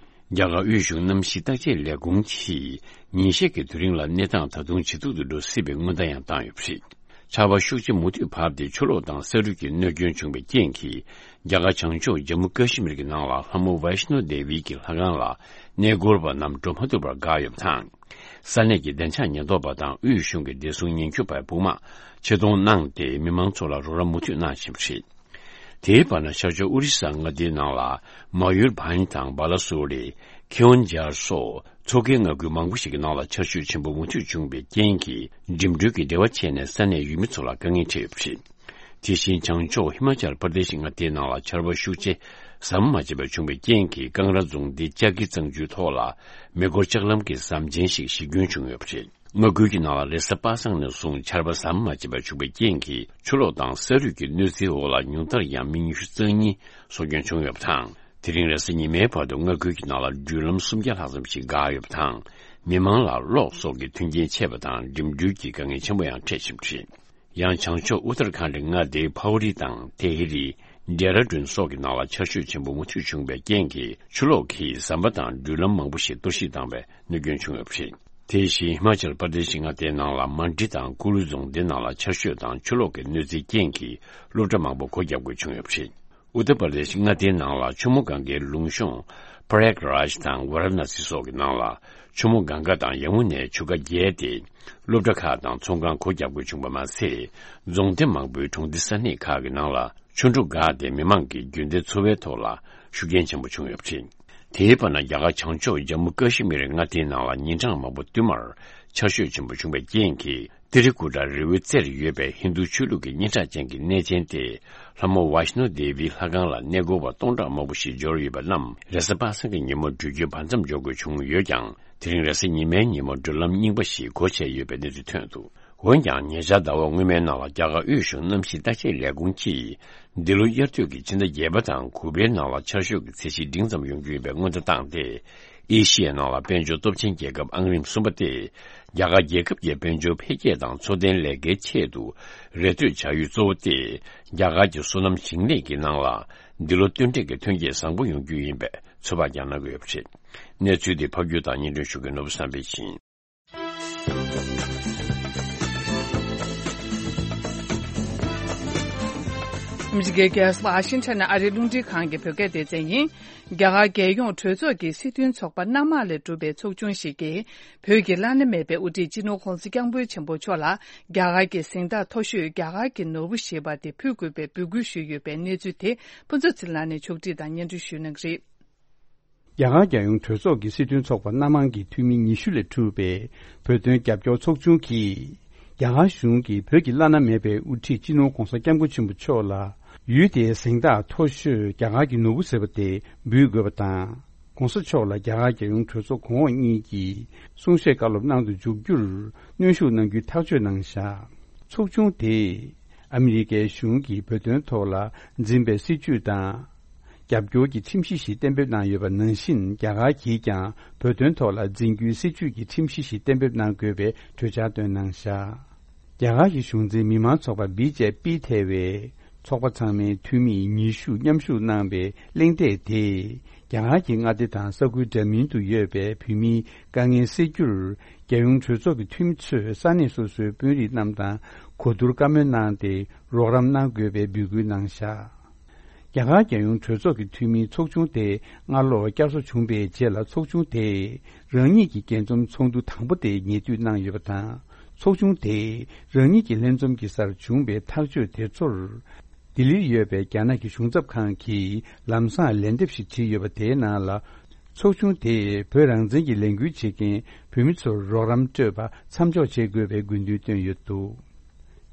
རྒྱ་གར་དབུས་གཞུང་གནམ་གཤིས་བརྟག་དཔྱད་ལས་ཁུངས་ཀྱིས་ཉིན་ཤས་ཀྱི་དུས་རིང་ལ་གནས་སྟངས་ད་དུང་ཇེ་སྡུག་ཏུ་འགྲོ་སྲིད་པའི་སྔོན་བརྡ་ཡང་བཏང་ཡོད་པ་རེད། ཆར་པ་ཤུགས་ཆེ་མུ་མཐུད་བབས་ཏེ་ཆུ་ལོག་དང་ས་རུད་ཀྱི་གནོད་སྐྱོན་བྱུང་བའི་རྐྱེན་གྱིས། རྒྱ་གར་བྱང་ཕྱོགས་ཇམ་མུ་ཀ་ཤི་མིར་གྱི་ནང་ལ་ལྷ་མོ་ཝེ་ཤ་ནོ་དེ་བི་གི་ལྷ་ཁང་ལ་གནས་སྐོར་བ་རྣམས་འགྲོ་མ་ཐུབ་པར་འགག་ཡོད་པ་དང་། ས་གནས་ཀྱི་བདེ་འཇགས་ཉེན་རྟོག་པ་དང་དབུས་གཞུང་གི་བདེ་སྲུང་ཉེན་སྐྱོབ་པའི་དཔུང་དམག་ཆེད་གཏོང་གནང་སྟེ། མི་མང་ཚོ་ལ་རོགས་རམ་མུ་མཐུད་གནང་བཞིན་པ་རེད། དེའི་བར་ན། ཤར་ཕྱོགས་ཨོ་རི་ས་མངའ་སྡེའི་ནང་ལ་མ་ཡུར་བྷ་ཉི་དང་བ་ལ་སོ་རི། ཁེ་ཨོན་ཇར་སོགས་མཚོ་ཁའི་མངའ་ཁུལ་མང་པོ་ཞིག་གི་ནང་ལ་ཆར་ཞོད་ཆེན་པོ་མུ་མཐུད་བྱུང་བའི་རྐྱེན་གྱིས། འགྲིམ་འགྲུལ་གྱི་འབྲེལ་བ་ཆད་ནས་ས་གནས་ཡུལ་མི་ཚོ་ལ་དཀའ་ངལ་འཕྲད་ཡོད་པ་རེད། དེ་བཞིན་བྱང་ཕྱོགས་ཧི་མ་ཅལ་པར་དེ་ཤི་མངའ་སྡེའི་ནང་ལ་ཆར་པ་ཤུགས་ཆེ་ཟམ་མ་ཆད་པར་བྱུང་བའི་རྐྱེན་གྱིས། ཀང་ར་རྫོང་སྡེ་ཅ་ཀི་གཙང་ཆུའི་ཐོག་ལ་མེ་འཁོར་ལྕགས་ལམ་གྱི་ཟམ་ཆེན་ཞིག་གཞི་སྐྱོན་བྱུང་ཡོད་པ་རེད། མངའ་ཁུལ་གྱི་ནང་ལ་རེས་གཟའ་པ་སངས་ནས་བཟུང་ཆར་པ་ཟམ་མ་ཆད་པར་བྱུང་བའི་རྐྱེན་གྱིས། ཆུ་ལོག་དང་ས་རུད་ཀྱི་གནོད་འཚེའི་འོག་ལ་ཉུང་མཐར་ཡང་མི་ཉི་ཤུ་རྩ་གཉིས་སྲོག་སྐྱོན་བྱུང་ཡོད་པ་དང་། དེ་རིང་རེས་གཟའ་ཉི་མའི་བར་དུ་མངའ་ཁུལ་གྱི་ནང་ལ་འགྲུལ་ལམ་སུམ་བརྒྱ་ལྷག་ཙམ་ཞིག་འགག་ཡོད་པ་དང་། མི་མང་ལ་གློག་སོགས་ཀྱི་མཐུན་རྐྱེན་ཆད་པ་དང་། འགྲིམ་འགྲུལ་གྱི་དཀའ་ངལ་ཆེན་པོ་ཡང་འཕྲད་བཞིན་པ་རེད། ཡང་བྱང་ཕྱོགས་ཨུ་ཏར་ཁཱན་ཌི་མངའ་སྡེའི་ཕ་ཝ་རི་དང་ཏེ་ཧི་རི། ཌེ་ར་ཌུན་སོགས་ཀྱི་ནང་ལ་ཆར་ཞོད་ཆེན་པོ་མུ་མཐུད་བྱུང་བའི་རྐྱེན་གྱིས། ཆུ་ལོག་གིས་ཟམ་པ་དང་འགྲུལ་ལམ་མང་པོ་ཞིག་གཏོར་བཤིག་བཏང་བའི་གནོད་སྐྱོན་བྱུང་ཡོད་པ་རེད། དེ་བཞིན་ཧི་མ་ཅལ་པར་དེ་ཤི་མངའ་སྡེའི་ནང་ལ་མན་ཌི་དང་ཀུ་ལུ་རྫོང་སྡེ་ནང་ལ་ཆར་ཞོད་དང་ཆུ་ལོག་གི་གནོད་འཚེའི་རྐྱེན་གྱིས། སློབ་གྲྭ་མང་པོ་སྒོ་བརྒྱབ་དགོས་བྱུང་ཡོད་པ་རེད། ཨུ་ཏར་པར་དེ་ཤི་མངའ་སྡེའི་ནང་ལ་ཆུ་མོ་གངྒཱའི་ལུང་གཤོང་པྲ་ཡག་རཱཇ་དང་ཝ་ར་ཎ་སི་སོགས་ཀྱི་ནང་ལ་ཆུ་མོ་གངྒཱ་དང་ཡང་མོ་ནའི་ཆུ་ཁ་བརྒལ་ཏེ། སློབ་གྲྭ་ཁག་དང་ཚོང་ཁང་སྒོ་བརྒྱབ་དགོས་བྱུང་བ་མ་ཟད། རྫོང་སྡེ་མང་པོའི་གྲོང་སྡེ་ས་གནས་ཁག་གི་ནང་ལ་ཆུ་འབྲུག་འགགས་ཏེ། མི་མང་གི་རྒྱུན་ལྡན་འཚོ་བའི་ཐོག་ལ་ཤུགས་རྐྱེན་ཆེན་པོ་བྱུང་ཡོད་པ་རེད། དེའི་བར་ན། རྒྱ་གར་བྱང་ཕྱོགས་ཇམ་མུ་ཀ་ཤི་མིར་མངའ་སྡེའི་ནང་ལ་ཉིན་གྲངས་མང་པོ་བསྟུད་མར་ཆར་ཞོད་ཆེན་པོ་བྱུང་བའི་རྐྱེན་གྱིས། ཏི་རི་ཀུ་ཊ་རི་བོའི་རྩེར་ཡོད་པའི་ཧིན་རྡུ་ཆོས་ལུགས་ཀྱི་སྙན་གྲགས་ཅན་གྱི་གནས་ཆེན་ཏེ། ལྷ་མོ་ཝཱ་ཤི་ནོ་དེ་བིའི་ལྷ་ཁང་ལ་གནས་སྐོར་བ་སྟོང་ཕྲག་མང་པོ་ཞིག་འབྱོར་ཡོད་པ་རྣམས། རེས་གཟའ་པ་སངས་ཀྱི་ཉིན་མོ་འགྲུལ་སྐྱོད་བར་མཚམས་འཇོག་དགོས་བྱུང་ཡོད་ཀྱང་། དེ་རིང་རེས་གཟའ་ཉི་མའི་ཉིན་མོ་འགྲུལ་ལམ་རྙིང་པ་ཞིག་སྒོ་ཕྱེ་ཡོད་པའི་གནས་ཚུལ་ཐོན་འདུག་འོན་ཀྱང་། ཉེ་ཆར་ཟླ་བ་སྔོན་མའི་ནང་ལ་རྒྱ་གར་དབུས་གཞུང་གནམ་གཤིས་བརྟག་དཔྱད་ལས་ཁུངས་ཀྱིས། འདི་ལོ་དབྱར་དུས་ཀྱི་ཕྱི་ཟླ་བརྒྱད་པ་དང་དགུ་པའི་ནང་ལ་ཆར་ཞོད་ཀྱི་ཚད་གཞི་འབྲིང་ཙམ་ཡོང་རྒྱུ་ཡིན་པའི་སྔོན་བརྡ་བཏང་སྟེ། ཨེ་ཤི་ཡའི་ནང་ལ་དཔལ་འབྱོར་སྟོབས་ཆེན་རྒྱལ་ཁབ་ཨང་རིམ་གསུམ་པ་སྟེ། རྒྱ་གར་རྒྱལ་ཁབ་ཀྱི་དཔལ་འབྱོར་འཕེལ་རྒྱས་དང་འཚོ་རྟེན་ལས་ཀའི་ཆེད་དུ་རེ་ལྟོས་བྱ་ཡུལ་གཙོ་བོ་སྟེ། རྒྱ་གར་གྱི་སོ་ནམ་ཞིང་ལས་ཀྱི་ནང་ལ་འདི་ལོ་སྟོན་འབྲས་ཀྱི་ཐོན་སྐྱེད་བཟང་པོ་ཡོང་རྒྱུ་ཡིན་པའི་ཚོད་དཔག་ཀྱང་གནང་གི་ཡོད་པ་རེད། གནས་ཚུལ་འདི་ཕབ་སྒྱུར་དང་སྙན་སྒྲོན་ཞུ་མཁན་ནོར་བུ་བསམ་འཕེལ་ཡིན། ཨ་མི་རི་ཀའི་རྒྱལ་ས་ཝ་ཤིང་ཊོན་ནས་ཨ་རིའི་རླུང་འཕྲིན་ཁང་གི་བོད་སྐད་སྡེ་ཚན་ཡིན། རྒྱ་གར་རྒྱལ་ཡོངས་གྲོས་ཚོགས་ཀྱི་སྲིད་དོན་ཚོགས་པ་སྣ་མང་ལས་གྲུབ་པའི་ཚོགས་ཆུང་ཞིག་གིས། བོད་ཀྱི་བླ་ན་མེད་པའི་དབུ་ཁྲིད་སྤྱི་ནོར་༧གོང་ས་༧སྐྱབས་མགོན་ཆེན་པོ་མཆོག་ལ། རྒྱ་གར་གྱི་གཟེངས་རྟགས་མཐོ་ཤོས་རྒྱ་གར་གྱི་ནོར་བུ་ཞེས་པ་དེ་ཕུལ་དགོས་པའི་འབོད་སྐུལ་ཞུས་ཡོད་པའི་གནས་ཚུལ་དེ། ཕུན་ཚོགས་ཚེ་རིང་ལགས་ནས་ཕྱོགས་སྒྲིག་དང་སྙན་སྒྲོན་ཞུ་གནང་གི་རེད། རྒྱ་གར་རྒྱལ་ཡོངས་གྲོས་ཚོགས་ཀྱི་སྲིད་དོན་ཚོགས་པ་སྣ་མང་གི་འཐུས་མི་ཉི་ཤུ་ལས་གྲུབ་པའི་བོད་དོན་རྒྱབ་སྐྱོར་ཚོགས་ཆུང་གིས། རྒྱ་གར་གཞུང་གིས་བོད་ཀྱི་བླ་ན་མེད་པའི་དབུ་ཁྲིད་སྤྱི་ནོར་༧གོང་ས་༧སྐྱབས་མགོན་ཆེན་པོ་མཆོག་ལ། ཡུལ་དེའི་གཟེངས་རྟགས་མཐོ་ཤོས་རྒྱ་གར་གྱི་ནོར་བུ་ཟེར་བ་དེ་འབུལ་དགོས་པ་དང་། ༧གོང་ས་མཆོག་ལ་རྒྱ་གར་རྒྱལ་ཡོངས་གྲོས་ཚོགས་གོང་འོག་གཉིས་ཀྱིས་གསུང་བཤད་བཀའ་སློབ་གནང་དུ་འཇུག་རྒྱུར་གནོན་ཤུགས་གནང་རྒྱུའི་ཐག་གཅོད་གནང་བཞག་ཚོགས་ཆུང་དེས་ཨ་མི་རི་ཀའི་གཞུང་གིས་བོད་དོན་ཐོག་ལ་འཛིན་པའི་སྲིད་བྱུས་དང་། རྒྱབ་སྐྱོར་གྱི་ཁྲིམས་གཞི་ཞིག་གཏན་འབེབས་གནང་ཡོད་པ་ནང་བཞིན། རྒྱ་གར་གྱིས་ཀྱང་བོད་དོན་ཐོག་ལ་འཛིན་རྒྱུའི་སྲིད་བྱུས་ཀྱི་ཁྲིམས་གཞི་ཞིག་གཏན་འབེབས་གནང་དགོས་པའི་གྲོས་འཆར་བཏོན་གནང་བཞག་རྒྱ་གར་གྱི་གཞུང་འཛིན་མི་མང་ཚོགས་པ་བི་ཇེ་པི་ཐེ་བས། ཚོགས་པ་ཚང་མའི་འཐུས་མིས་ཉི་ཤུ་མཉམ་ཞུགས་གནང་བའི་གླེང་སྟེགས་དེས། རྒྱ་གར་གྱི་མངའ་སྡེ་དང་ས་ཁུལ་འདྲ་མིན་དུ་ཡོད་པའི་བོད་མིའི་དཀའ་ངལ་སེལ་རྒྱུར། རྒྱལ་ཡོངས་གྲོས་ཚོགས་ཀྱི་འཐུས་མི་ཚོས་ས་གནས་སོ་སོའི་དཔོན་རིགས་རྣམས་དང་གོ་བསྡུར་བཀའ་མོལ་གནང་སྟེ། རོགས་རམ་གནང་དགོས་པའི་འབོད་སྐུལ་གནང་བཞག་རྒྱ་གར་རྒྱལ་ཡོངས་གྲོས་ཚོགས་ཀྱི་འཐུས་མིའི་ཚོགས་ཆུང་དེ་སྔ་ལོ་བསྐྱར་གསོ་བྱུང་པའི་རྗེས་ལ། ཚོགས་ཆུང་དེས་རང་ཉིད་ཀྱི་རྒྱས་འཛོམས་ཚོགས་འདུ་དང་པོ་དེ་ཉེ་དུས་གནང་ཡོད་པ་དང་། ཚོགས་ཆུང་དེས་རང་ཉིད་ཀྱི་ལྷན་འཛོམས་ཀྱི་སར་བྱུང་བའི་ཐག་གཅོད་དེ་ཚོར། ལྡི་ལིར་ཡོད་པའི་རྒྱ་ནག་གི་གཞུང་ཚབ་ཁང་གིས་ལམ་སང་ལན་འདེབས་ཤིག་བྲིས་ཡོད་པ། དེའི་ནང་ལ། ཚོགས་ཆུང་དེས་བོད་རང་བཙན་གྱི་ལས་འགུལ་བྱེད་མཁན་བོད་མི་ཚོར་རོགས་རམ་སྤྲོད་པ་མཚམས་འཇོག་བྱེད་དགོས་པའི་དགོས་འདུན་བཏོན་ཡོད་འདུག་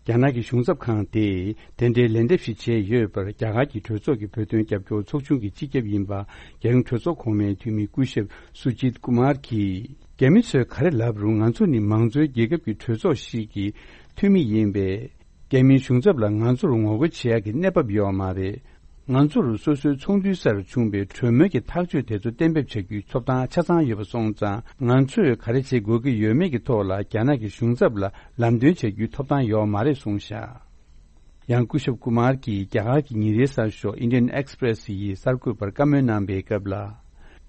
རྒྱ་ནག་གི་གཞུང་ཚབ་ཁང་དེས་དེ་འདྲའི་ལན་འདེབས་ཤིག་བྱས་ཡོད་པར། རྒྱ་གར་གྱི་གྲོས་ཚོགས་ཀྱི་བོད་དོན་རྒྱབ་སྐྱོར་ཚོགས་ཆུང་གི་སྤྱི་ཁྱབ་ཡིན་པ། རྒྱལ་ཡོངས་གྲོས་ཚོགས་གོང་མའི་འཐུས་མི་སྐུ་ཞབས་སུ་ཇིད་ཀུ་མར་གྱིས། རྒྱ་མི་ཚོས་ག་རེ་ལབ་རུང་། ང་ཚོ་ནི་མང་གཙོའི་རྒྱལ་ཁབ་ཀྱི་གྲོས་ཚོགས་ཤིག་གི་འཐུས་མི་ཡིན་པས། རྒྱ་མིའི་གཞུང་ཚབ་ལ་ང་ཚོར་ངོ་རྒོལ་བྱེད་ཡག་གི་གནས་བབ་ཡོད་མ་རེད། ང་ཚོར་སོ་སོའི་ཚོགས་འདུའི་སར་བྱུང་བའི་གྲོས་མོལ་གྱི་ཐག་གཅོད་དེ་ཚོ་གཏན་འབེབས་བྱ་རྒྱུའི་ཐོབ་ཐང་ཆ་ཚང་ཡོད་པ་སོང་ཙང་། ང་ཚོས་ག་རེ་བྱེད་དགོས་ཀྱི་ཡོད་མེད་ཀྱི་ཐོག་ལ་རྒྱ་ནག་གི་གཞུང་ཚབ་ལ་ལམ་སྟོན་བྱ་རྒྱུའི་ཐོབ་ཐང་ཡོད་མ་རེད་གསུངས་བཞག་ཡང་སྐུ་ཞབས་ཀུ་མར་གྱིས་རྒྱ་གར་གྱི་ཉིན་རེའི་གསར་ཤོག་Indian Express ཡི་གསར་འགོད་པར་བཀའ་མོལ་གནང་པའི་སྐབས་ལ།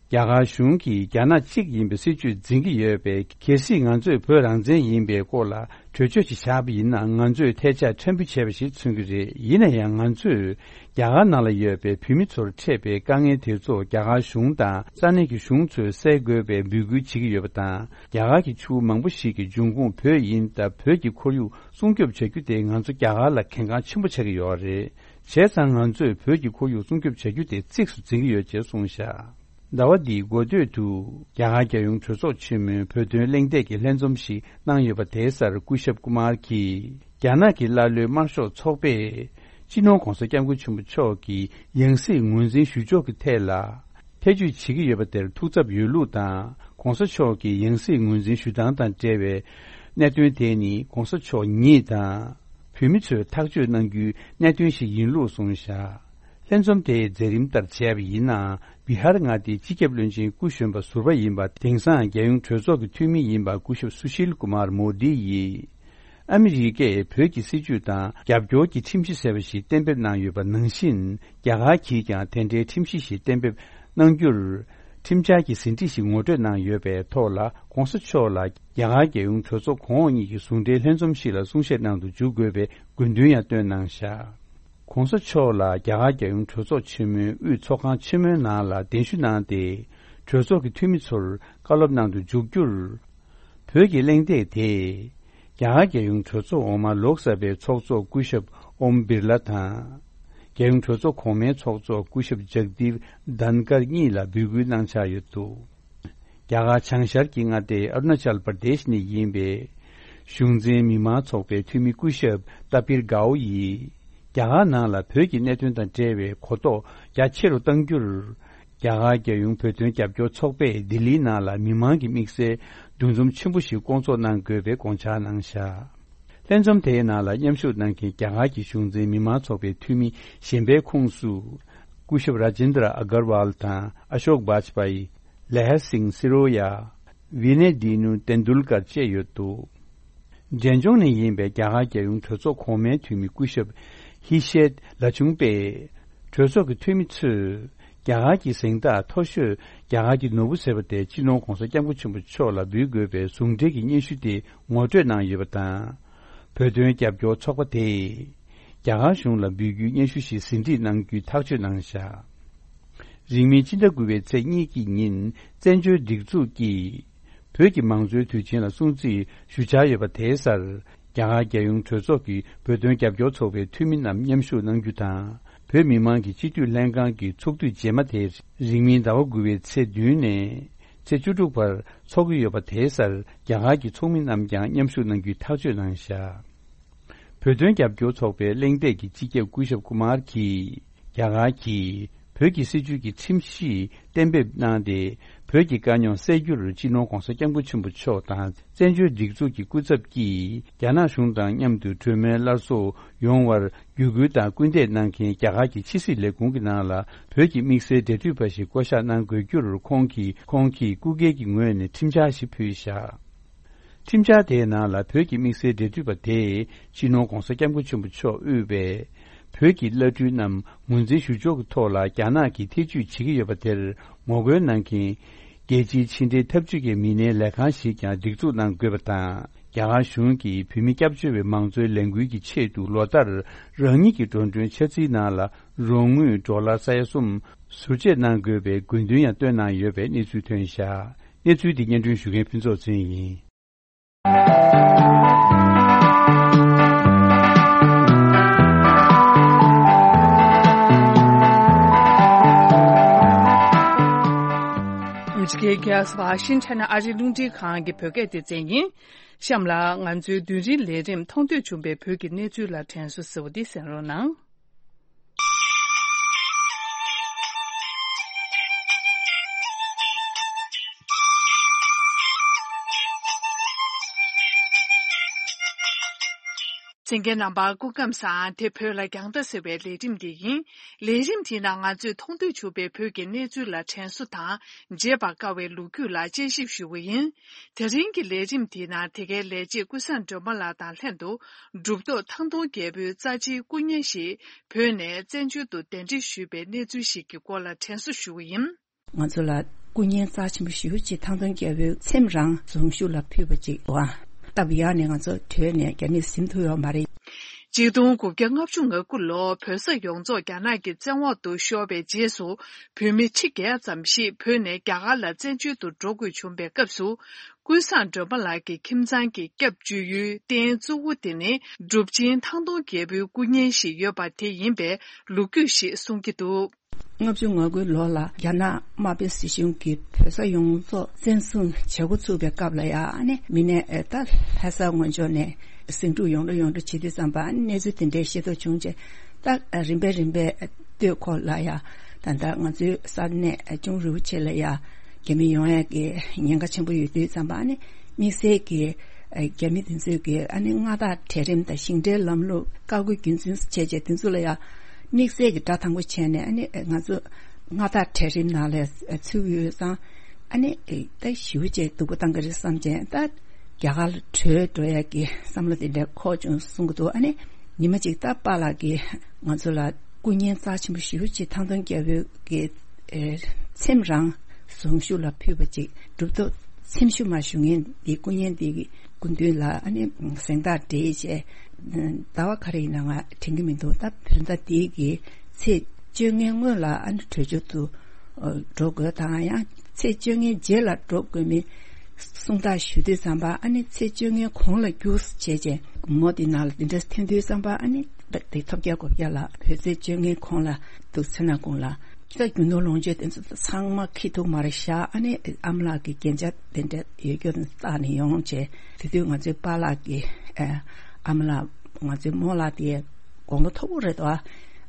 རྒྱ་གར་གཞུང་གིས་རྒྱ་ནག་གཅིག་ཡིན་པའི་སྲིད་བྱུས་འཛིན་གྱི་ཡོད་པས། གལ་སྲིད་ང་ཚོས་བོད་རང་བཙན་ཡིན་པའི་སྐོར་ལ་གྲོས་ཆོད་ཅིག་བཞག་པ་ཡིན་ན། ང་ཚོས་ཐལ་ཆ་ཕྲན་བུ་བྱས་པ་ཞིག་མཚོན་གྱི་རེད། ཡིན་ན་ཡང་། ང་ཚོས་རྒྱ་གར་ནང་ལ་ཡོད་པའི་བོད་མི་ཚོར་འཕྲད་པའི་དཀའ་ངལ་དེ་ཚོ་རྒྱ་གར་གཞུང་དང་ས་གནས་ཀྱི་གཞུང་ཚོས་སེལ་དགོས་པའི་འབོད་སྐུལ་བྱེད་ཀྱི་ཡོད་པ་དང་། རྒྱ་གར་གྱི་ཆུ་བོ་མང་པོ་ཞིག་གི་འབྱུང་ཁུངས་བོད་ཡིན་སྟབས། བོད་ཀྱི་ཁོར་ཡུག་སྲུང་སྐྱོབ་བྱ་རྒྱུ་དེ་ང་ཚོ་རྒྱ་གར་ལ་གལ་འགངས་ཆེན་པོ་ཆགས་ཀྱི་ཡོད་རེད། བྱས་ཙང་། ང་ཚོས་བོད་ཀྱི་ཁོར་ཡུག་སྲུང་སྐྱོབ་བྱ་རྒྱུ་དེ་གཙིགས་སུ་འཛིན་གྱི་ཡོད་ཅེས་གསུངས་བཞག་ཟླ་བ་འདིའི་འགོ་སྟོད་དུ། རྒྱ་གར་རྒྱལ་ཡོངས་གྲོས་ཚོགས་ཆེན་མོའི་བོད་དོན་གླེང་སྟེགས་ཀྱི་ལྷན་འཛོམས་ཤིག་གནང་ཡོད་པ། དེའི་སར་སྐུ་ཞབས་ཀུ་མར་གྱིས། རྒྱ་ནག་གི་ཀླ་ཀློའི་དམར་ཤོག་ཚོགས་པས། སྤྱི་ནོར་༧གོང་ས་༧སྐྱབས་མགོན་ཆེན་པོ་མཆོག་གི་ཡང་སྲིད་ངོས་འཛིན་ཞུ་ཕྱོགས་ཀྱི་ཐད་ལ། ཐེ་བྱུས་བྱེད་ཀྱི་ཡོད་པ་དེར་ཐུགས་འཚབ་ཡོད་ལུགས་དང་། ༧གོང་ས་མཆོག་གི་ཡང་སྲིད་ངོས་འཛིན་ཞུ་སྟངས་དང་འབྲེལ་བའི་གནད་དོན་དེ་ནི། ༧གོང་ས་མཆོག་ཉིད་དང་། བོད་མི་ཚོས་ཐག་གཅོད་གནང་རྒྱུའི་གནད་དོན་ཞིག་ཡིན་ལུགས་གསུངས་བཞག་ལྷན་འཛོམས་དེའི་མཛད་རིམ་ལྟར་བྱས་པ་ཡིན་ན། བི་ཧར་མངའ་སྡེའི་སྤྱི་ཁྱབ་བློན་ཆེན་སྐུ་གཞོན་པ་ཟུར་པ་ཡིན་པ། དེང་སང་རྒྱལ་ཡོངས་གྲོས་ཚོགས་ཀྱི་འཐུས་མི་ཡིན་པ། སྐུ་ཞབས་སུ་ཤིལ་ཀུ་མར་མོ་དི་ཡིས། ཨ་མི་རི་ཀས་བོད་ཀྱི་སྲིད་བྱུས་དང་རྒྱབ་སྐྱོར་གྱི་ཁྲིམས་གཞི་ཟེར་བ་ཞིག་གཏན་འབེབས་གནང་ཡོད་པ་ནང་བཞིན། རྒྱ་གར་གྱིས་ཀྱང་དེ་འདྲའི་ཁྲིམས་གཞི་ཞིག་གཏན་འབེབས་གནང་རྒྱུར། ཁྲིམས་འཆར་གྱི་ཟིན་བྲིས་ཤིག་ངོ་སྤྲོད་གནང་ཡོད་པའི་ཐོག་ལ། ༧གོང་ས་མཆོག་ལ་རྒྱ་གར་རྒྱལ་ཡོངས་གྲོས་ཚོགས་གོང་འོག་གཉིས་ཀྱི་ཟུང་འབྲེལ་ལྷན་འཛོམས་ཤིག་ལ་གསུང་བཤད་གནང་དུ་འཇུག་དགོས་པའི་དགོས་འདུན་ཡང་བཏོན་གནང་བཞག ༧གོང་ས་མཆོག་ལ་རྒྱ་གར་རྒྱལ་ཡོངས་གྲོས་ཚོགས་ཆེན་མོའི་དབུས་ཚོགས་ཁང་ཆེན་མོའི་ནང་ལ་གདན་ཞུ་གནང་སྟེ། གྲོས་ཚོགས་ཀྱི་འཐུས་མི་ཚོར་བཀའ་སློབ་གནང་དུ་འཇུག་རྒྱུར། བོད་ཀྱི་གླེང་སྟེགས་དེས། རྒྱ་གར་རྒྱལ་ཡོངས་གྲོས་ཚོགས་འོག་མ་ལོག་ས་པའི་ཚོགས་གཙོ་སྐུ་ཞབས་ཨོམ་བིར་ལ་དང་། རྒྱལ་ཡོངས་གྲོས་ཚོགས་གོང་མའི་ཚོགས་གཙོ་སྐུ་ཞབས་ཇག་དིབ་དན་ཀར་གཉིས་ལ་འབོད་སྐུལ་གནང་འཆར་ཡོད་འདུག་རྒྱ་གར་བྱང་ཤར་གྱི་མངའ་སྡེ་ཨ་རུ་ན་ཅལ་པར་དེཤ་ནས་ཡིན་པའི་གཞུང་འཛིན་མི་མང་ཚོགས་པའི་འཐུས་མི་སྐུ་ཞབས་ཏཱ་པིར་གའོ་ཡིས། རྒྱ་གར་ནང་ལ་བོད་ཀྱི་གནད་དོན་དང་འབྲེལ་བའི་གོ་རྟོགས་རྒྱ་ཆེ་རུ་གཏང་རྒྱུར། རྒྱ་གར་རྒྱལ་ཡོངས་བོད་དོན་རྒྱབ་སྐྱོར་ཚོགས་པས་ལྡི་ལིའི་ནང་ལ་མི་མང་གི་དམིགས་བསལ་འདུ་འཛོམས་ཆེན་པོ་ཞིག་བསྐོང་ཚོགས་གནང་དགོས་པའི་དགོངས་འཆར་གནང་བཞག་ལྷན་འཛོམས་དེའི་ནང་ལ་མཉམ་ཞུགས་གནང་མཁན་རྒྱ་གར་གྱི་གཞུང་འཛིན་མི་མང་ཚོགས་པའི་འཐུས་མི་གཞན་པའི་ཁོངས་སུ། སྐུ་ཞབས་ར་ཇེན་དྲ་ཨ་གར་ཝལ་དང་ཨ་ཤོག་བཱཇ་པ་ཡི། ལེ་ཧ་སིང་སི་རོ་ཡ། ཝི་ནེ་དི་ནུ་ཏེན་དུལ་ཀར་བཅས་ཡོད་འདུག་འབྲས་ལྗོངས་ནས་ཡིན་པའི་རྒྱ་གར་རྒྱལ་ཡོངས་གྲོས་ཚོགས་གོང་མའི་འཐུས་མི་སྐུ་ཞབས་ཧི་ཤེད་ལ་ཆུང་པས། གྲོས་ཚོགས་ཀྱི་འཐུས་མི་ཚོས་རྒྱ་གར་གྱི་གཟེངས་རྟགས་མཐོ་ཤོས་རྒྱ་གར་གྱི་ནོར་བུ་ཟེར་བ་དེ་སྤྱི་ནོར་༧གོང་ས་༧སྐྱབས་མགོན་ཆེན་པོ་མཆོག་ལ་འབུལ་དགོས་པའི་ཟུང་འབྲེལ་གྱི་སྙན་ཞུ་དེ་ངོ་སྤྲོད་གནང་ཡོད་པ་དང་། བོད་དོན་རྒྱབ་སྐྱོར་ཚོགས་པ་དེས་རྒྱ་གར་གཞུང་ལ་འབུལ་རྒྱུའི་སྙན་ཞུ་ཞིག་ཟིན་བྲིས་གནང་རྒྱུའི་ཐག་གཅོད་གནང་བཞག་རིང་མིན་ཕྱི་ཟླ་དགུ་པའི་ཚེས་གཉིས་ཀྱི་ཉིན་བཙན་བྱོལ་སྒྲིག་འཛུགས་ཀྱིས་བོད་ཀྱི་མང་གཙོའི་དུས་ཆེན་ལ་སྲུང་བརྩི་ཞུ་འཆར་ཡོད་པ། དེའི་སར་རྒྱ་གར་རྒྱལ་ཡོངས་གྲོས་ཚོགས་ཀྱི་བོད་དོན་རྒྱབ་སྐྱོར་ཚོགས་པའི་འཐུས་མི་རྣམས་མཉམ་ཞུགས་གནང་རྒྱུ་དང་། བོད་མི་མང་གི་སྤྱི་འཐུས་ལྷན་ཁང་གི་ཚོགས་དུས་རྗེས་མ་དེ་རིང་མིན་ཟླ་བ་དགུ་པའི་ཚེས་བདུན་ནས་ཚེས་བཅུ་དྲུག་བར་འཚོགས་ཀྱི་ཡོད་པ། དེའི་སར་རྒྱ་གར་གྱི་ཚོགས་མི་རྣམས་ཀྱང་མཉམ་ཞུགས་གནང་རྒྱུའི་ཐག་གཅོད་གནང་བཞག་བོད་དོན་རྒྱབ་སྐྱོར་ཚོགས་པའི་གླེང་སྟེགས་ཀྱི་སྤྱི་ཁྱབ་སྐུ་ཞབས་ཀུ་མར་གྱིས། རྒྱ་གར་གྱིས་བོད་ཀྱི་སྲིད་བྱུས་ཀྱི་ཁྲིམས་གཞི་གཏན་འབེབས་གནང་སྟེ། བོད་ཀྱི་དཀའ་རྙོག་སེལ་རྒྱུར་སྤྱི་ནོར་༧གོང་ས་༧སྐྱབས་མགོན་ཆེན་པོ་མཆོག་དང་བཙན་བྱོལ་སྒྲིག་འཛུགས་ཀྱི་སྐུ་ཚབ་ཀྱིས་རྒྱ་ནག་གཞུང་དང་མཉམ་དུ་གྲོས་མོལ་སླར་གསོ་ཡོང་བར་བརྒྱུད་སྐུལ་དང་སྐུལ་འདེད་གནང་མཁན་རྒྱ་གར་གྱི་ཕྱི་སྲིད་ལས་ཁུངས་ཀྱི་ནང་ལ་བོད་ཀྱི་དམིགས་བསལ་འབྲེལ་མཐུད་པ་ཞིག་བསྐོ་གཞག་གནང་དགོས་རྒྱུར། ཁོང་གིས་ཁོང་གིས་སྐུ་སྒེར་གྱི་ངོས་ནས་ཁྲིམས་འཆར་ཞིག་ཕུལ་བཞག་ཁྲིམས་འཆར་དེའི་ནང་ལ་བོད་ཀྱི་དམིགས་བསལ་འབྲེལ་མཐུད་པ་དེས་སྤྱི་ནོར་༧གོང་ས་༧སྐྱབས་མགོན་ཆེན་པོ་མཆོག་དབུས་པའི་བོད་ཀྱི་བླ་སྤྲུལ་རྣམས་ངོས་འཛིན་ཞུ་ཕྱོགས་ཀྱི་ཐོག་ལ་རྒྱ་ནག་གིས་ཐེ་བྱུས་བྱེད་ཀྱི་ཡོད་པ་དེར་ངོ་རྒོལ་གནང་མཁན་རྒྱལ་སྤྱིའི་ཕྱི་འབྲེལ་འཐབ་ཇུས་ཀྱི་མི་སྣའི་ལས་ཁང་ཞིག་ཀྱང་སྒྲིག་འཛུགས་གནང་དགོས་པ་དང་། རྒྱ་གར་གཞུང་གིས་བོད་མི་སྐྱབས་བཅོལ་བའི་མང་གཙོའི་ལས་འགུལ་གྱི་ཆེད་དུ་ལོ་ལྟར་རང་ཉིད་ཀྱི་འགྲོ་གྲོན་འཆར་རྩིས་ནང་ལ་རོགས་དངུལ་ཌོ་ལར་ས་ཡ་གསུམ་ཟུར་བཅད་གནང་དགོས་པའི་དགོས་འདུན་ཡང་བཏོན་གནང་ཡོད་པའི་གནས་ཚུལ་ཐོན་བཞག་གནས་ཚུལ་འདི་སྙན་སྒྲོན་ཞུ་མཁན་ཕུན་ཚོགས་ཚེ་རིང་ཡིན། ཨ་མི་རི་ཀའི་རྒྱལ་ས་ཝ་ཤིང་ཊོན་ཨ་རིའི་རླུང་འཕྲིན་ཁང་གི་བོད་སྐད་སྡེ་ཚན་ཡིན། གཤམ་ལ་ང་ཚོའི་རྡུལ་ཕྲན་ལས་རིམ་མཐོང་ཐོས་བྱུང་བའི་བོད་ཀྱི་གནས་ཚུལ་ལ་དྲན་གསོ་ཞུ་བ་འདི་གསན་རོགས་གནང་། གསན་མཁན་རྣམ་པ་སྐུ་ཁམས་བཟང་། དེ་བོད་ལ་རྒྱང་ལྟ་ཟེར་བའི་ལས་རིམ་འདི་ཡིན། ལས་རིམ་འདིའི་ནང་ང་ཚོས་མཐོང་ཐོས་བྱུང་བའི་བོད་ཀྱི་གནས་ཚུལ་ལ་དྲན་གསོ་དང་བརྗེད་པར་དཀའ་བའི་ལོ་རྒྱུས་ལ་དཔྱད་ཞིབ་ཞུ་གི་ཡིན། དེ་རིང་གི་ལས་རིམ་འདིའི་ནང་དེ་གའི་ལས་བྱེད་ཀུན་བཟང་སྒྲོལ་མ་ལགས་དང་ལྷན་དུ་གྲུབ་ཐོབ་ཐང་སྟོང་རྒྱལ་པོའི་རྩ་ཆེའི་སྐུ་བརྙན་ཞིག་བོད་ནས་བཙན་བྱོལ་དུ་གདན་འདྲེན་ཞུས་པའི་གནས་ཚུལ་ཞིག་གི་སྐོར་ལ་དྲན་གསོ་ཞུ་གི་ཡིན། ང་ཚོ་ལ་སྐུ་བརྙན་རྩ་ཆེན་པོ་ཞེ་པོ་ཅིག་ཐང་སྟོང་རྒྱལ་པོའི་ཚེམས་རང་གཟུངས་གཞུག་ལ་ཕུལ་བ་ཅིག་འདུག་ཨ། སྟབས་ཡག་ནས་ང་ཚོ་བྲོས་ནས་རྒྱ་མིར་ཟིན་ཐུབ་ཡོད་མ་རེད། ཆིག་སྟོང་དགུ་བརྒྱ་ལྔ་བཅུ་ང་དགུ་ལོར་བོད་ས་ཡོངས་རྫོགས་རྒྱ་ནག་གི་བཙན་འོག་ཏུ་ཤོར་བའི་རྗེས་སུ། བོད་མི་ཁྲི་བརྒྱད་ཙམ་ཞིག་བོད་ནས་རྒྱ་གར་ལ་བཙན་བྱོལ་དུ་འགྲོ་དགོས་བྱུང་བའི་སྐབས་སུ། ཀུན་བཟང་སྒྲོལ་མ་ལགས་ཀྱི་ཁྱིམ་ཚང་གི་སྐྱབས་བཅོལ་ཡུལ་རྟེན་གཙོ་བོ་དེ་ནི་གྲུབ་ཆེན་ཐང་སྟོང་རྒྱལ་པོའི་སྐུ་བརྙན་ཞིག་ཡོད་པ་དེ་ཡིན་པའི་ལོ་རྒྱུས་ཤིག་གསུང་གི་འདུག། ལྔ་བཅུ་ང་དགུའི་ལོ་ལ་རྒྱ་ནག་དམར་པོའི་སྲིད་གཞུང་གིས་བོད་ས་ཡོངས་རྫོགས་བཙན་བཟུང་བྱེད་འགོ་ཚུགས་པའི་སྐབས་ལ་ཡང་ཨ་ནི་མི་སྣ་ཨེ་ད་ལྷ་ས་སྔོན་ཕྱོགས་ནས་ཟིང་འཁྲུག་ཡོང་འགྲོ་ཡོང་འགྲོ་བྱེད་དུས་ཙམ་པ་ཨ་ནི་གནས་ཚུལ་དེ་འདྲའི་ཤེས་རྟོགས་བྱུང་རྗེས་ད་རིམ་པས་རིམ་པས་སྟོད་ཁོག་ལ་ཡང་ད་ལྟ་ང་ཚོའི་ས་གནས་ཅུང་རིའུ་ཆེ་ལ་ཡང་རྒྱ་མི་ཡོང་ཡག་གི་ཉེན་ཁ་ཆེན་པོ་ཡོད་དུས་ཙམ་པ་ཨ་ནི་དམིགས་བསལ་གྱི་རྒྱ་མི་དེ་ཚོས་ཀྱི་ཨ་ནི་མངའ་བདག་གྲལ་རིམ་དང་ཞིང་བྲན་ལམ་ལུགས་བཀའ་བཀོད་རྒྱུན་འཛིན་བྱས་རྗེས་དེ་ཚོ་ལ་ཡང་དམིགས་བསལ་གྱི་དགྲ་དང་པོ་བྱས་ནས་ཨ་ནི་ང་ཚོ་མངའ་བདག་གྲལ་རིམ་ནང་ལ་ཚུད་ཡོད་ཙང་ཨ་ནི་ད་ཞེ་པོ་ཅིག་སྡུག་པོ་བཏང་གི་རེད་བསམ་བྱས་ད་རྒྱ་གར་ལ་བྲོས་འགྲོ་ཡག་གི་བསམ་བློ་དེ་འདྲ་འཁོར་བྱུང་གསུང་གི་འདུག། ཨ་ནི་ཉི་མ་གཅིག་ད་པཱ་ལགས་ཀྱིས་ང་ཚོ་ལ་སྐུ་བརྙན་རྩ་ཆེན་པོ་ཞེ་པོ་ཅིག་ཐང་སྟོང་རྒྱལ་པོའི་གི་ཚེམས་རང་གཟུངས་གཞུག་ལ་ཕུལ་བ་ཅིག་གྲུབ་ཐོབ་ཚེམས་ཤུལ་མ་བཞུགས་མཁན་འདི་སྐུ་བརྙན་འདི་གི་སྐུ་མདུན་ལ་ཨ་ནི་གཟེངས་རྟགས་སྤྲད་བྱས། ཟླ་བ་ག་རེ་ཡིན་ན་ང་དྲན་གྱི་མི་འདུག། ད་བོད་ཟླ་འདིའི་གི་ཚེས་བཅོ་ལྔའི་སྔོན་ལ་ཨ་ནི་བྲོས་བྱོལ་དུ་འགྲོ་དགོས་དང་ཡང་ཚེས་བཅོ་ལྔའི་རྗེས་ལ་འགྲོ་དགོས་མིན་གསུང་ཐག་ཞུ་དུས་ཙམ་པ་ཨ་ནི་ཚེས་བཅོ་ལྔའི་གོང་ལ་རྒྱུགས་བྱས་རྗེས་མོ་དེ་ནང་ལ་དེ་འདྲ་ཐོན་དུས་ཙམ་པ་ཨ་ནི་དེ་ཐོབ་རྒྱལ་གོ་རྒྱལ་ལ་བོད་ཚེས་བཅོ་ལྔའི་གོང་ལ་འདུག་ཚེ་ན་གུང་ལ། ད་རྒྱུ་ནོར་ལོངས་སྤྱོད་དེ་ཚོ་ཚང་མ་ཁྱི་ཐུག་མར་བཞག། ཨ་ནི་ཨ་མ་ལགས་ཀྱི་རྒྱན་ཆ་དེ་འདྲ་ཡོད་རྒྱུ་བཏགས་ནས་ཡོང་བྱས། དེ་དུས་ང་ཚོའི་པཱ་ལགས་ཀྱི་ཨ་མ་ལགས་ང་ཚོའི་རྨོ་ལགས་དེ་དགུང་ལོ་མཐོ་པོ་རེད་དོ།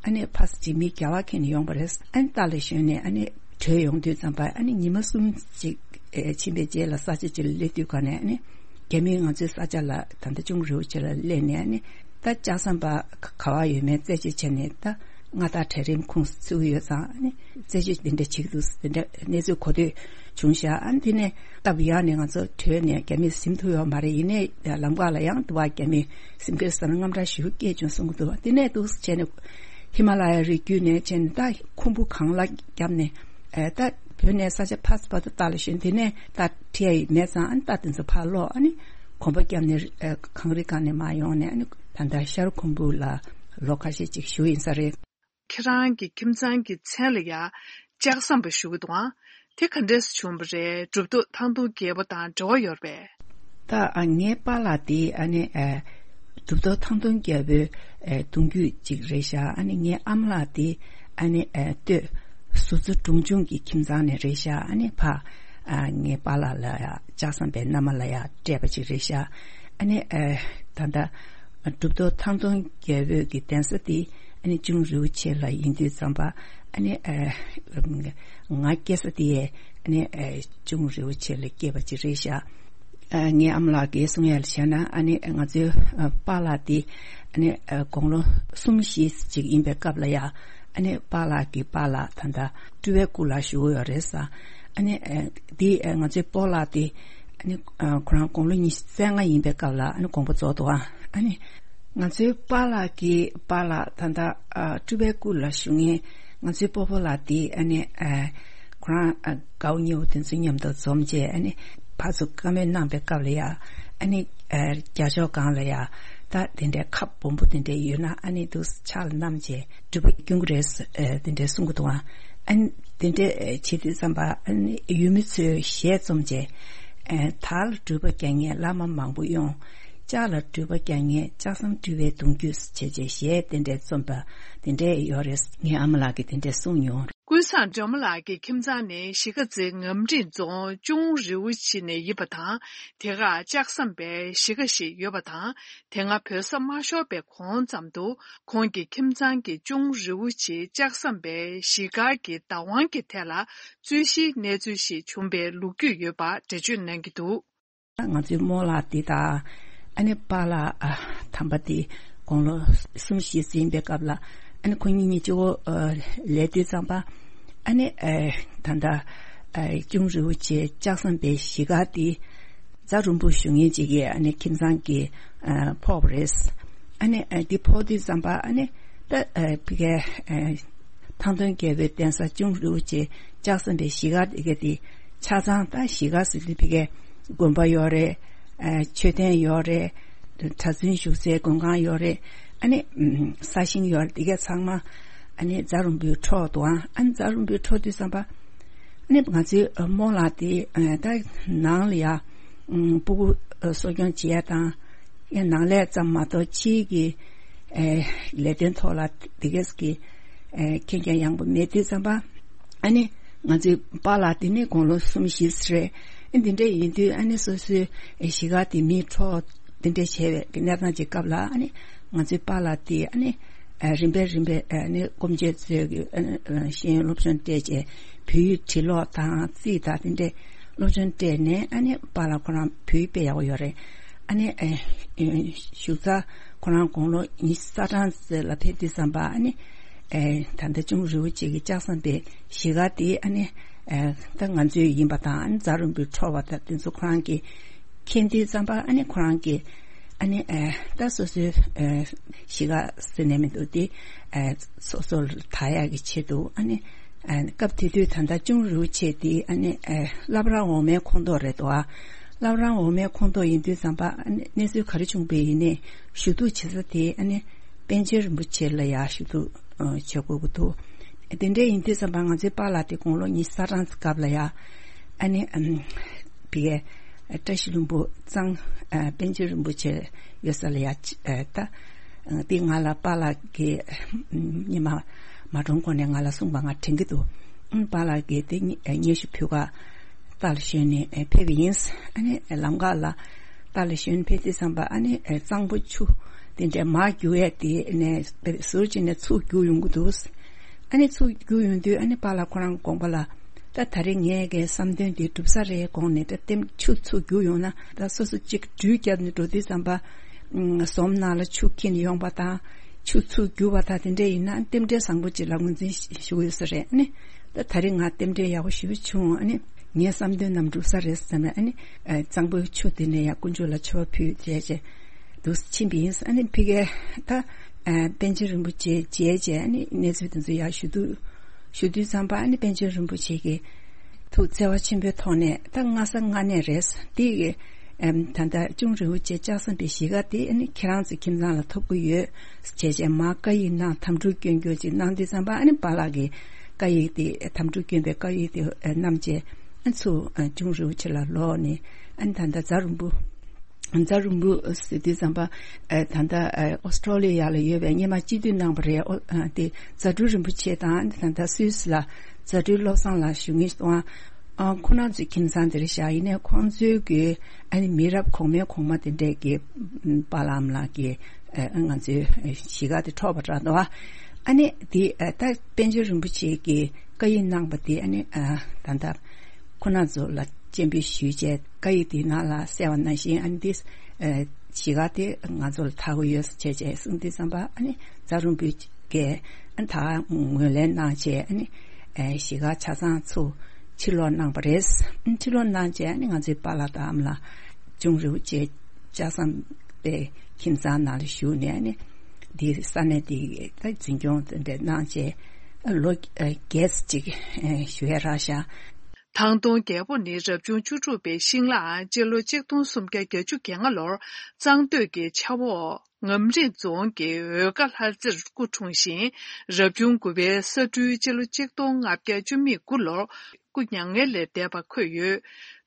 ཨ་ནི་ཕ་ས་ཅིག་མི་རྒྱ་བ་ཁྱེར་ནས་ཡོང་བ་རེད། ཨ་ནི་རྟ་ལ་ཞོན་ནས་ཨ་ནི་བྲོས་ཡོང་དུས་ཙམ་པ་ཨ་ནི་ཉི་མ་གསུམ་ཅིག་ཕྱིན་པའི་རྗེས་ལ་ས་ཆ་ཅིག་ལ་སླེབས་དུས་ག་ནས་ཨ་ནི་རྒྱ་མིས་ང་ཚོའི་ས་ཆ་ལ་ད་ལྟ་ཅུང་རིའུ་ཆེ་ལ་སླེབས་ནས་ཨ་ནི། ད་ལྕགས་ཟམ་པ་ག་བ་ཡོད་མེད་རྩད་གཅོད་བྱས་ནས་ད་མངའ་བདག་གྲལ་རིམ་ཁོངས་སུ་ཚུད་ཡོད་ཙང་ཨ་ནི་རྩད་གཅོད་འདི་འདྲ་བྱེད་ཀྱི་འདུག། འདི་འདྲ་གནས་ཚུལ་གོ་ཐོས་བྱུང་ཤག། ཨ་ནི་དེ་ནས་སྟབས་ཡག་ནས་ང་ཚོ་བྲོས་ནས་རྒྱ་མིར་ཟིན་ཐུབ་ཡོད་མ་རེད། ཡིན་ནའི་ལམ་ཁ་ལ་ཡང་དུ་བ་རྒྱ་མི་ཟིན་གྱི་རེད་བསམ་ནས་དངངས་སྐྲག་ཞེ་པོ་སྐྱེས་བྱུང་གསུང་གི་འདུག། དེ་ནས་འདུག་བྱས་ནས་ཧི་མ་ལ་ཡའི་རི་རྒྱུད་ནས་བྱས་ནས་ད་ཁུང་བུ་གང་ལ་བརྒྱབ་ནས་ཨ་ད་བོད་ནས་ས་ཆ་ཕར་ཚུར་ཕར་ཚུར་ལྟ་ལ་ཞོན། དེ་ནས་ད་ཁྲིད་ཡ་ཡི་མེད་ཙང་ཨ་ནི་ད་དེ་ཚོ་ཕར་ལོག་ཨ་ནི་གོམ་པ་བརྒྱབ་ནས་ཨ་གངས་རི་སྒང་ནས་མར་ཡོང་ནས་ཨ་ནི་ད་ལྟ་ཤར་ཁུམ་བུ་ལ་ལོ་ཁ་ཤས་ཅིག་བཞུགས་ཡིན་ས་རེད། ཁྱེད་རང་གི་ཁྱིམ་ཚང་གི་མཚན་ལ་ཡ་ལྕགས་ཟམ་པ་ཞུ་གི་འདུག་ཨང་། དེ་ག་འདྲས་སེ་བྱུང་བ་རེད། གྲུབ་ཐོབ་ཐང་སྟོང་རྒྱལ་པོ་དང་འབྲེལ་བ་ཡོད་རེད་པས། ད་ཨ་ངའི་པཱ་ལགས་དེ་ཨ་ནི་ཨ་གྲུབ་ཐོབ་ཐང་སྟོང་རྒྱལ་པོའི་ཨ་གདུང་རྒྱུད་ཅིག་རེད་ཤག། ཨ་ནི་ངའི་ཨ་མ་ལགས་དེ་ཨ་ནི་ཨ་སྟོད་ཟུར་རྩེ་དྲུང་ཆུང་གི་ཁྱིམ་ཚང་ནས་རེད་ཤག། ཨ་ནི་ཕ་ཨ་ངའི་པཱ་ལགས་ལ་ཡ་ལྕགས་ཟམ་པའི་མནའ་མ་ལ་ཡ་སྤྲད་པ་ཅིག་རེད་ཤག། ཨ་ནི་ཨ་ད་ལྟ་གྲུབ་ཐོབ་ཐང་སྟོང་རྒྱལ་པོའི་གི་གདན་ས་དེ་ཨ་ནི་ཅུང་རིའུ་ཆེ་ལ་ཡིན་དུས་ཙམ་པ་ཨ་ནི་ཨ་ང་སྐྱེས་ས་དེ་ཨ་ནི་ཨ་ཅུང་རིའུ་ཆེ་ལ་སྐྱེས་པ་ཅིག་རེད་ཤག། ཨ་ངའི་ཨ་མ་ལགས་ཀྱིས་གསུང་ཡ་ལ་བྱས་ན་ཨ་ནི་ང་ཚོའི་ཨ་པཱ་ལགས་དེ་ཨ་ནི་ཨ་དགུང་ལོ་གསུམ་བཞི་ཅིག་ཡིན་པའི་སྐབས་ལ་ཡ་ཨ་ནི་པཱ་ལགས་ཀྱི་པཱ་ལགས་ད་ལྟ་སྤྲུལ་པའི་སྐུ་ལ་བཞུགས་ཡོད་རེད་ས། ཨ་ནི་ཨ་དེ་ཨ་ང་ཚོའི་སྤོ་ལགས་དེ་ཨ་ནི་ཨ་ཁོ་རང་དགུང་ལོ་ཉི་ཤུ་རྩ་ལྔ་ཡིན་པའི་སྐབས་ལ་ཨ་ནི་དགོངས་པ་རྫོགས་འདུག་ཨ། ཨ་ནི་ང་ཚོའི་པཱ་ལགས་ཀྱི་པཱ་ལགས་ད་ལྟ་ཨ་སྤྲུལ་པའི་སྐུ་ལ་བཞུགས་མཁན་ང་ཚོའི་སྤོ་བོ་ལགས་དེ་ཨ་ནི་ཨ་ཁོ་རང་ཨ་དགའ་བོ་ཉེ་བོ་དེ་ཚོ་མཉམ་དུ་འཛོམས་བྱས་ཨ་ནི་ཕར་ཚུར་བཀའ་མོལ་གནང་པའི་སྐབས་ལ་ཡ་ཨ་ནི་ཨ་རྒྱ་ཕྱོགས་སྒང་ལ་ཡ་ད་དེ་འདྲའི་ཁབ་སྦོམ་པོ་དེ་འདྲ་ཡོད་ན་ཨ་ནི་འདུག་ཕྱག་ལ་བསྣམས་བྱས་སྒྲུབ་པ་སྐྱོན་གྱི་རེད་ཨ་དེ་འདྲའི་གསུང་གི་འདུག་ཨ། ཨ་ནི་དེ་འདྲའི་བྱེད་དུས་ཙམ་པ་ཨ་ནི་ཡུལ་མི་ཚོས་ཞལ་འཛོམས་བྱས་ཨ་དར་ལ་སྒྲུབ་པ་རྒྱག་མཁན་བླ་མ་མང་པོ་ཡོང་། ལྕགས་ལ་འགྲུལ་པ་རྒྱག་མཁན་ལྕགས་ཟམ་འགྲུལ་པའི་གདུང་རྒྱུད་ཟེར་བྱས་བྱས་གཞས་དེ་འདྲས་རྩོམ་པ་དེ་འདྲས་ཡོད་རེད། ངའི་ཨ་མ་ལགས་ཀྱིས་དེ་འདྲས་གསུངས་མྱོང་། ཀུན་བཟང་སྒྲོལ་མ་ལགས་ཀྱི་ཁྱིམ་ཚང་ནི་གཞིས་ཀ་རྩེ་ངམ་སྒྲིང་རྫོང་ཅུང་རི་བོ་ཆེ་ནས་ཡིན་པ་དང་། དེ་གར་ལྕགས་ཟམ་པའི་གཞིས་ཀ་ཞིག་ཡོད་པ་དང་། དེ་སྔ་བོད་ས་མ་ཤོར་བའི་གོང་ཙམ་དུ་ཁོང་གི་ཁྱིམ་ཚང་གིས་ཅུང་རི་བོ་ཆེའི་ལྕགས་ཟམ་པའི་གཞིས་སྒར་གྱི་བདག་དབང་གི་ཐད་ལ་རྩོད་གཞིའི་གནས་ཚུལ་ཞིག་བྱུང་བའི་ལོ་རྒྱུས་ཡོད་པ་འགྲེལ་བརྗོད་གནང་གི་འདུག། ང་ཚོའི་རྨོ་ལགས་འདི་དང་། ཨ་ནི་པཱ་ལགས་ཨ་དམ་པ་འདི་དགུང་ལོ་གསུམ་བཞི་ཙམ་ཡིན་པའི་སྐབས་ལ། ཨ་ནི་ཁོ་གཉིས་གཉིས་གཅིག་པོ་ཨ་ལས་དུས་ཙམ་པ། ཨ་ནི་ཨ་ད་ལྟ་ཨ་ཅུང་རི་བོ་ཆེ་ལྕགས་ཟམ་པའི་གཞིས་སྒར་འདི་རྫ་རོང་པོ་བཞུགས་མཁན་ཅིག་གིས་ཨ་ནི་ཁྱིམ་ཚང་གིས་ཨ་ཕོག་པ་རེད། ཨ་ནི་ཨ་འདི་ཕོག་དུས་ཙམ་པ་ཨ་ནི་ད་ཨ་ཕ་གིའི་ཨ་ཐང་སྟོན་རྒྱལ་པོའི་གདན་ས་ཅུང་རི་བོ་ཆེ་ལྕགས་ཟམ་པའི་གཞིས་སྒར་དེ་ག་དེ་ཆ་ཚང་ད་གཞིས་སྒར་ཟེར་དུས་ཕ་གིའི་དགོན་པ་ཡོད་རེད། ཨ་མཆོད་རྟེན་ཡོད་རེད། གྲྭ་བཙུན་བཞུགས་སའི་མགོན་ཁང་ཡོད་རེད། ཨ་ནི་ཨམ་ས་ཞིང་ཡོད་རེད། དེ་ག་ཚང་མ་ཨ་ནི་རྫ་རོང་པོའི་འཕྲོ་འདུག་ཨང་། ཨ་ནི་རྫ་རོང་པོའི་འཕྲོ་དུས་ཙམ་པ་ཨ་ནི་ང་ཚོའི་རྨོ་ལགས་དེ་ཨ་ད་ནང་ལ་ཡ་ཨམ་སྤུ་གུ་གསོ་སྐྱོང་བྱེད་ཡ་དང་། ཡང་ནང་ལས་ཙམ་མ་གཏོགས་ཕྱིའི་གི་ཨེ་ལས་དོན་ཐོག་ལ་དེ་གས་ཀྱི་ཨེ་མཁྱེན་རྒྱ་ཡངས་པོ་མེད་དུས་ཙམ་པ། ཨ་ནི་ང་ཚོའི་པཱ་ལགས་དེ་ནི་དགུང་ལོ་གསུམ་བཞི་ཙམ་རེད། ཨ་འདི་འདྲ་ཡིན་དུས་ཨ་ནི་སོ་སོའི་ཨེ་གཞིས་ཀ་དེ་མིའི་འཕྲོ་དེ་འདྲ་བྱས་པའི་གནས་སྟངས་ཀྱི་སྐབས་ལ། ཨ་ནི་ང་ཚོའི་པཱ་ལགས་དེ་ཨ་ནི་ཨེ་རིམ་པས་རིམ་པས་ཨ་ནི་སྐུ་མཆེད་ཚོས་ཀྱི་ཨ་ནི་ཤེས་ཡོན་སློབ་སྦྱོང་སྤྲད་བྱས། བོད་ཡིག་བྲིས་ཀློག་དང་རྩིས་དང་དེ་འདྲའི་སློབ་སྦྱོང་སྤྲད་ནས། ཨ་ནི་པཱ་ལགས་ཁོ་རང་བོད་ཡིག་དཔེ་ཡག་པོ་ཡོད་རེད། ཨ་ནི་ཨེ་ཨེ་བཞུགས་ས་ཁོ་རང་དགུང་ལོ་ཉི་ཤུ་རྩ་གྲངས་ཙམ་ལ་ཕེབས་དུས་ཙམ་པ། ཨ་ནི་ཨེ་ད་ལྟ་ཅུང་རི་བོ་ཆེ་གི་ལྕགས་ཟམ་པའི་གཞིས་ཀ་དེ་ཨ་ནི་ཨེ་ད་ང་ཚོའི་ཡིན་པ་དང་། ཨ་ནི་རྫ་རོང་པོའི་འཕྲོ་བ་དང་དེ་ཚོ་ཁོ་རང་གིས་མཁྱེན་དུས་ཙམ་པ། ཨ་ནི་ཁོ་རང་གིས་ཨ་ནི་ཨེ་ད་སོ་སོའི་ཨེ་གཞིས་ཀ་ཟེར་ནས་མི་འདུག་དེ་ཨེ་སོ་སོ་ལ་ད་ཡག་གི་ཆེད་དུ། ཨ་ནི་ཨ་སྐབས་དེ་དུས་ད་ལྟ་ཅུང་རིའུ་ཆེ་དེ་ཨ་ནི་ཨ་བླ་བྲང་འོག་མའི་ཁོངས་གཏོགས་རེད་དོ། ཨ་བླ་བྲང་འོག་མའི་ཁོངས་གཏོགས་ཡིན་དུས་ཙམ་པ། ཨ་ནི་གནས་ཚུལ་ག་རེ་བྱུང་བས་ཡིན་ནའི་ཞུ་གཏུག་བྱེད་ས་དེ་ཨ་ནི་པཎ་ཆེན་རིན་པོ་ཆེ་ལ་ཡ་ཞུ་གཏུག་བྱེད་དགོས་ཀྱི་འདུག། དེ་འདྲ་ཡིན་དུས་ཙམ་པ་ང་ཚོའི་པཱ་ལགས་དེ་དགུང་ལོ་ཉི་ཤུ་རྩ་གྲངས་སྐབས་ལ་ཡ་ཨ་ནི་ཨམ་བི་ཡའི་བཀྲ་ཤིས་ལྷུན་པོ་གཙང་ཨ་པཎ་ཆེན་རིན་པོ་ཆེ་ཡོད་ས་ལ་ཡ་ཨ་ད་དེ་ང་ལ་པཱ་ལགས་ཀྱིས་ཉི་མ་མ་གྲོངས་གོང་ནས་ང་ལ་གསུངས་པ་ང་དྲན་གྱི་འདུག། ཨང་པཱ་ལགས་ཀྱིས་དེ་སྙན་ཞུ་ཕུལ་ག་རྟ་ལ་ཞོན་ནས་ཕེབས་པ་ཡིན། ཨ་ནི་ལམ་ཁ་ལ་རྟ་ལ་ཞོན་ཕེབས་དུས་ཙམ་པ། ཨ་ནི་གཙང་པོ་ཆུ་དེ་འདྲའི་མར་རྒྱུག་ཡས་དེ་ནས་ཟུར་གཅིག་ནས་ཚུར་རྒྱུག་ཡོང་གི་འདུག། ཨ་ནི་ཚུར་རྒྱུག་ཡོང་དུས་ཨ་ནི་པཱ་ལགས་ཁོ་རང་དགོངས་པ་ལ། ད་ད་རེས་ངས་ཀྱི་བསམ་དོན་འདི་འགྲུབ་ས་རེད་དགོངས་ནས། ད་ལྟེམ་ཆུ་ཚུར་རྒྱུག་ཡོང་ན་ད་སོ་སོ་གཅིག་འགྲུལ་བརྒྱབ་ནས་འགྲོ་དུས་ཙམ་པ། ཨུམ་ཟོམ་ནང་ལ་ཆུ་འཁྱེར་ཡོང་པ་དང་། ཆུ་ཚུར་རྒྱུག་པ་དང་དེ་འདྲ་ཡིན་ན་རྟེན་འབྲེལ་བཟང་པོ་ཅིག་ལ་ངོས་འཛིན་ཞུ་གི་ཡོད་ས་རེད། ཨ་ནི་ད་ད་རེས་ང་རྟེན་འབྲེལ་ཡག་པོ་ཞེ་པོ་བྱུང་། ཨ་ནི་ངའི་བསམ་དོན་རྣམས་འགྲུབ་ས་རེད་བསམ་ནས། ཨ་ནི་ཨ་གཙང་པོའི་ཆུ་དེ་ནས་ཡང་དཀོན་མཆོག་ལ་མཆོད་པ་ཕུལ་བྱས་བྱས་འདུག་ཕྱིན་པ་ཡིན། ཨ་ནི་ཕ་གིར་ད་ཨ་པཎ་ཆེན་རིན་པོ་ཆེ་མཇལ་བྱས། ཨ་ནི་གནས་ཚུལ་དེ་ཚོ་ཡར་ཞུ་དུས་ཞུ་དུས་ཙམ་པ། ཨ་ནི་པཎ་ཆེན་རིན་པོ་ཆེ་གིས་ཐུགས་བརྩེ་བ་ཆེན་པོའི་ཐོག་ནས། ད་སྔ་ས་སྔ་ནས་རེད། དེ་གི་ཨམ་ད་ལྟ་ཅུང་རིའུ་ཆེ་ལྕགས་ཟམ་པའི་གཞིས་ཀ་དེ་ཨ་ནི་ཁྱེད་རང་ཚོའི་ཁྱིམ་ཚང་ལ་ཐོབ་ཀྱི་ཡོད་བྱས་བྱས་མར་བཀའ་ཡིག་གནང་། དམ་ཕྲུག་སྐྱོན་སྐྱོན་ཅིག་གནང་དུས་ཙམ་པ། ཨ་ནི་པཱ་ལགས་ཀྱིས་བཀའ་ཡིག་དེ་དམ་ཕྲུག་སྐྱོན་པའི་བཀའ་ཡིག་དེ་ཨ་བསྣམས་བྱས་ཨ་ཚུར་ཨ་ཅུང་རིའུ་ཆེ་ལ་ལོག་ནས། ཨ་ནི་ད་ལྟ་རྫ་རོང་པོ་རྫ་རོང་པོ་ཟེར་དུས་ཙམ་པ། ཨ་ད་ལྟ་ཨ་ཨོ་སི་ཀྲོ་ལི་ཡ་ལ་ཡོད་པའི་སྔོན་མ་སྤྱི་འཐུས་གནང་བ་རེད། ཨོ་ཨ་དེ་རྫ་སྤྲུལ་རིན་པོ་ཆེ་དང་། ཨ་ནི་ད་ལྟ་སུད་སི་ལ་རྫ་སྤྲུལ་བློ་བཟང་ལགས་བཞུགས་མཁན་ཞིག་འདུག། ཨ་ཁོང་རྣམ་ཚོའི་ཁྱིམ་ཚང་དེར་བཞག། ཡིན་ནའི་ཁོང་ཚོའི་གི་ཨ་ནི་མི་རབས་གོང་མའི་གོང་མ་དེ་འདྲས་ཀྱི་པཱ་ལགས་ཨ་མ་ལགས་ཀྱི་ཨ་ང་ཚོའི་གཞིས་ཀ་དེ་འཕྲོག་པ་འདྲ་འདུག། ཨ་ནི་དེ་ཨ་ད་པཎ་ཆེན་རིན་པོ་ཆེ་གི་བཀའ་ཡིག་གནང་པ་དེ་ཨ་ནི་ཨ་ད་ལྟ་ཁོང་རྣམ་ཚོ་ལ་སྤྱན་འབུལ་ཞུས་བྱས། བཀའ་ཡིག་དེའི་ནང་ལ་གསལ་བ་ནང་བཞིན་ཨ་ནི་དེ་ཨ་གཞིས་ཀ་དེ་ང་ཚོ་ལ་ཐོབ་ཀྱི་ཡོད་ཟེར་བྱས་བྱས་གསུངས་དུས་ཙམ་པ། ཨ་ནི་རྫ་རོང་པོའི་གི་ཨ་ད་ངོས་ལེན་གནང་བྱས། ཨ་ནི་ཨ་གཞིས་ཀ་ཆ་ཚང་ཚུར་ཕྱིར་ལོག་གནང་བ་རེད། ཕྱིར་ལོག་གནང་བྱས་ཨ་ནི་ང་ཚོའི་པཱ་ལགས་དང་ཨ་མ་ལགས་ཅུང་རིའུ་ཆེ་ལྕགས་ཟམ་པའི་ཁྱིམ་ཚང་ནང་ལ་བཞུགས་ནས། ཨ་ནི་འདི་ས་གནས་འདི་ད་འཛིན་སྐྱོང་དེ་འདྲ་གནང་བྱས་ལོ་བརྒྱད་ཅིག་བཞུགས་ཡ་རག་ཤག། ཐང་སྟོང་རྒྱལ་པོ་ནི་རབ་བྱུང་བཅུ་དྲུག་པའི་ཤིང་ལག། སྤྱི་ལོ་གཅིག་སྟོང་སུམ་བརྒྱ་བརྒྱད་ཅུ་གྱ་ལྔ་ལོར་གཙང་སྟོད་ཀྱི་ཆབ་འོག་ ངམ་རིང་རྫོང་གི་འོལ་དཀར་ལྷ་རྩེར་སྐུ་འཁྲུངས་ཤིང་། རབ་བྱུང་དགུ་པའི་ས་སྦྲུལ་སྤྱི་ལོ་གཅིག་སྟོང་ལྔ་བརྒྱ་བཅུ་མེད་དགུ་ལོར་སྐུ་མྱ་ངན་ལས་འདས་པ་འཁོད་ཡོད།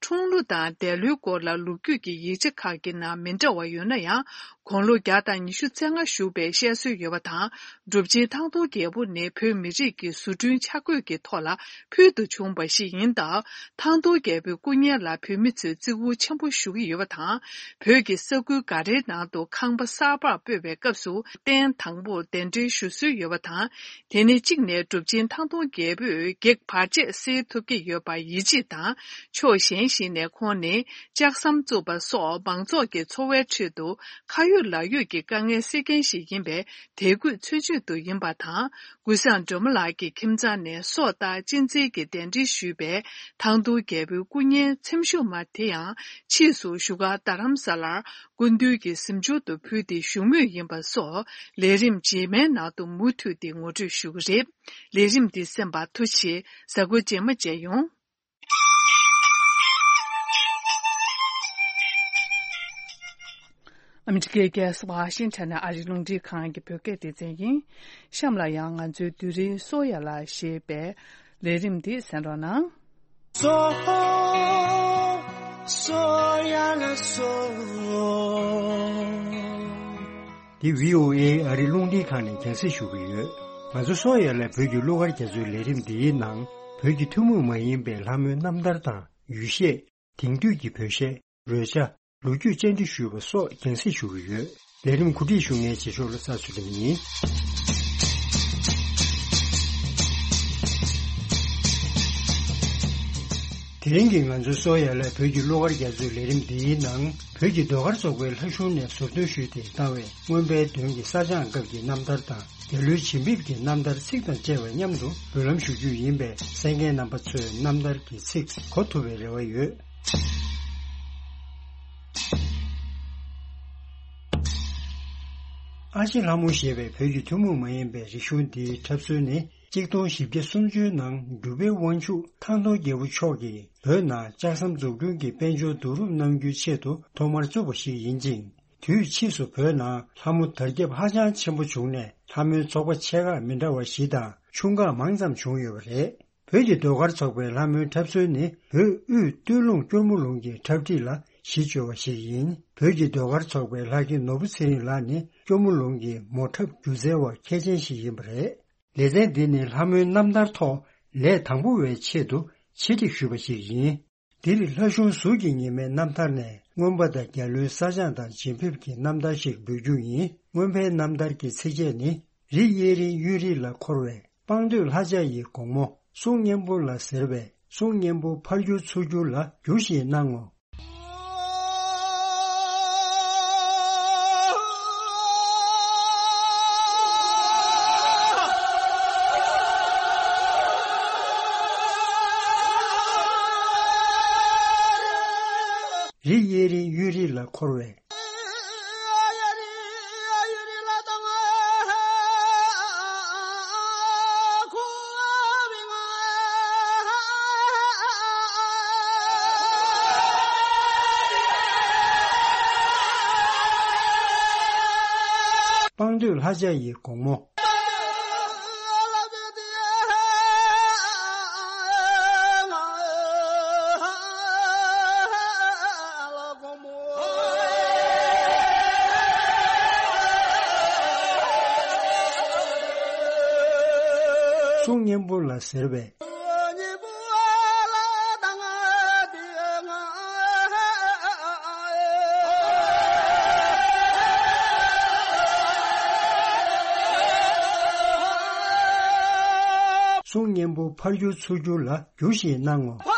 འཁྲུངས་ལོ་དང་འདས་ལོའི་སྐོར་ལ་ལོ་རྒྱུས་ཀྱི་ཡིག་ཆ་ཁག་གི་ནང་མི་འདྲ་བ་ཡོད་ན་ཡང་། དགུང་ལོ་བརྒྱ་དང་ཉི་ཤུ་རྩ་ལྔ་བཞུགས་པའི་བཤད་སྲོལ་ཡོད་པ་དང་། གྲུབ་ཆེན་ཐང་སྟོང་རྒྱལ་པོ་ནི་བོད་མི་རིགས་ཀྱི་བཟོ་སྐྲུན་ཆ་བགོས་ཀྱི་ཐོག་ལ་ཕུལ་དུ་བྱུང་བ་ཞིག་ཡིན་སྟབས། ཐང་སྟོང་རྒྱལ་པོའི་སྐུ་བརྙན་ལ་བོད་མི་ཚོས་བརྩི་བཀུར་ཆེན་པོ་ཞུ་གི་ཡོད་པ་དང་། བོད་ཀྱི་ས་ཁུལ་འགའ་རེའི་ནང་དུ་ཁང་པ་གསར་པར་སྤོས་པའི་སྐབས་སུ་རྟེན་དང་པོར་གདན་འདྲེན་ཞུ་སྲོལ་ཡོད་པ་དང་། དེ་ནི་གཅིག་ནས་གྲུབ་ཆེན་ཐང་སྟོང་རྒྱལ་པོས་བགེགས་བར་ཆད་སེལ་ཐུབ་ཀྱི་ཡོད་པར་ཡིད་ཆེས་དང་། ཕྱོགས་གཞན་ཞིག་ནས་ཁོང་ནི་ལྕགས་ཟམ་བཙུགས་པ་སོགས་མང་ཚོགས་ཀྱི་འཚོ་བའི་ཁྲོད་དུ་ཁ་ཡོད་ལག་ཡོད་ཀྱི་དཀའ་ངལ་སེལ་མཁན་ཞིག་ཡིན་པས། དད་གུས་མཚོན་བྱེད་དུ་ཡིན་པ་དང་། ཀུན་བཟང་སྒྲོལ་མ་ལགས་ཀྱི་ཁྱིམ་ཚང་ནས་སྲོག་བདག་གཅན་འཛིན་གྱི་གདན་འདྲེན་ཞུས་པའི་ཐང་སྟོང་རྒྱལ་པོའི་སྐུ་བརྙན་ཚེམ་ཤུབས་མ་དེ་ཡང་ཕྱིས་སུ་བཞུགས་སྒར་རྡ་རམ་ས་ལར་སྐུ་མདུན་གྱི་གཟིམ་ཆུང་དུ་ཕུལ་ཏེ་བཞུགས་མུས་ཡིན་པ་སོགས་ལས་རིམ་རྗེས་མའི་ནང་དུ་མུ་མཐུད་དེ་ངོ་སྤྲོད་ཞུ་གི་རེད། ལས་རིམ་འདི་གསན་པར་ཐུགས་རྗེ་ཆེ། གཟའ་འཁོར་རྗེས་མ་མཇལ་ཡོང་། ཨ་མི་རི་ཀའི་རྒྱལ་ས་ཝ་ཤིང་ཊོན་ནས་ཨ་རིའི་རླུང་འཕྲིན་ཁང་གི་བོད་སྐད་སྡེ་ཚན་ཡིན། གཤམ་ལ་ཡང་ང་ཚོའི་རྡོ་རིང་སོ་ཡ་ལ་ཞེས་པའི་ལས་རིམ་འདི་གསན་རོགས་གནང་། སོ། སོ་ཡ་ལ་སོ། འདི་བྷི་ཨོ་ཨེ་ཨ་རིའི་རླུང་འཕྲིན་ཁང་ནས་རྒྱང་སྲིང་ཞུ་གི་ཡོད། ང་ཚོ་སོ་ཡ་ལ་བོད་ཀྱི་གླུ་གར་རྒྱ་མཚོའི་ལས་རིམ་འདིའི་ནང་བོད་ཀྱི་ཐུན་མོང་མ་ཡིན་པའི་ལྷ་མོའི་རྣམ་ཐར་དང་ཡུལ་གཞས། དེང་དུས་ཀྱི་བོད་གཞས། རོལ་ཆ། ལོ་རྒྱུས་བཅར་འདྲི་ཞུས་པ་སོགས་རྒྱང་སྲིང་ཞུ་གི་ཡོད། ལས་རིམ་གོ་སྒྲིག་ཞུ་མཁན་རྗེས་ཕྱོགས་ལ་ཚ་ཚུལ་ཁྲིམས་ཡིན། དེ་རིང་གི་ང་ཚོའི་སོ་ཡ་ལ་བོད་ཀྱི་གླུ་གར་རྒྱ་མཚོའི་ལས་རིམ་འདིའི་ནང་བོད་ཀྱི་ཟློས་གར་ཚོགས་པའི་ལྷ་གཞུང་ནས་ཟུར་འདོན་ཞུས་ཏེ་བཏང་བའི་མངོན་པའི་མདུན་གྱི་གསར་སྦྱངས་སྐབས་ཀྱི་རྣམ་ཐར་དང་། འདས་ལོའི་བྱིན་འབེབས་ཀྱི་རྣམ་ཐར་ཚིག་དང་བཅས་པ་མཉམ་དུ་འབུལ་ལམ་ཞུ་རྒྱུ་ཡིན་པས། གསན་མཁན་རྣམ་པ་ཚོས་རྣམ་ཐར་གྱི་ཚིག་གོ་ཐུབ་པའི་རེ་བ་ཡོད། ཨ་ཅེ་ལྷ་མོ་ཞེས་པའི་བོད་ཀྱི་ཐུན་མོང་མ་ཡིན་པའི་རིག་གཞུང་འདིའི་འཁྲབ་སྲོལ་ནི་གཅིག་སྟོང་བཞི་བརྒྱ་སུམ་ཅུའི་ནང་འབྲུག་པའི་དབང་ཕྱུག་ཐང་སྟོང་རྒྱལ་པོ་མཆོག་གིས་བོད་ནང་ལྕགས་ཟམ་འཛུགས་སྐྲུན་གྱི་དཔལ་འབྱོར་བསྡུ་རུབ་གནང་རྒྱུའི་ཆེད་དུ་ཐོག་མར་བཙུགས་པ་ཞིག་ཡིན་ཅིང་། དུས་ཕྱིས་སུ་བོད་ནང་ལྷ་མོ་དར་ཁྱབ་ཧ་ཅང་ཆེན་པོ་བྱུང་ནས། ལྷ་མོའི་ཚོགས་པ་ཆེ་ཁག་མི་འདྲ་བ་བཞི་དང་ཆུང་ཁག་མང་ཙམ་བྱུང་ཡོད་པ་རེད། བོད་ཀྱི་ཟློས་གར་ཚོགས་པའི་ལྷ་མོའི་འཁྲབ་སྲོལ་ནི་བོད་དབུས་སྟོད་ལུང་སྐྱོར་མོ་ལུང་གི་འཁྲབ་ཁྲིད་ལ་གཞི་བཅོལ་བ་ཞིག་ཡིན། བོད་ཀྱི་ཟློས་གར་ཚོགས་པའི་ལྷ་སྐྱིད་ནོར་བུ་ཚེ་རིང་ལགས་ནི་སྐྱོར་མོ་ལུང་གི་མོ་འཁྲབ་སྒྱུ་རྩལ་བ་མཁས་ཅན་ཞིག་ཡིན་པ་རེད། ལེ་ཚན་འདི་ནི་ལྷ་མོའི་རྣམ་ཐར་ཐོག་ལས་དང་པོ་བའི་ཆེད་དུ་ཆེད་སྒྲིག་ཞུས་པ་ཞིག་ཡིན། འདིར་ལྷ་གཞུང་ཟུར་གྱི་ཉི་མའི་རྣམ་ཐར་ནས་མངོན་པ་དང་རྒྱ་ལོའི་གསར་སྦྱངས་དང་བྱིན་འབེབས་ཀྱི་རྣམ་ཐར་ཞིག་འབུལ་རྒྱུ་ཡིན། མངོན་པའི་རྣམ་ཐར་གྱི་ཚིགས་བཅད་ནི། རི་གཡས་རིའི་གཡོན་རི་ལ་འཁོར་བའི། སྤང་སྟོད་ལྷ་ལྕགས་ཡི་སྒོ་མོ། གསུང་སྙན་པོ་ལ་ཟེར་བས། གསུང་སྙན་པོ་ཕར་བསྒྱུར་ཚུར་བསྒྱུར་ལ། བསྒྱུར་ཞེས་གནང་ངོ་། རི་གཡས་རི་གཡོན་རི་ལ་འཁོར་བའི། སྤང་སྟོད་ལྷ་ལྕགས་ཡི་དགོང་མོ། གསུང་སྙན་པོ་ལ་ཟེར་བས། གསུང་སྙན་པོ་ཕར་བསྒྱུར་ཚུར་བསྒྱུར་ལ། བསྒྱུར་ཞེས་གནང་ངོ་།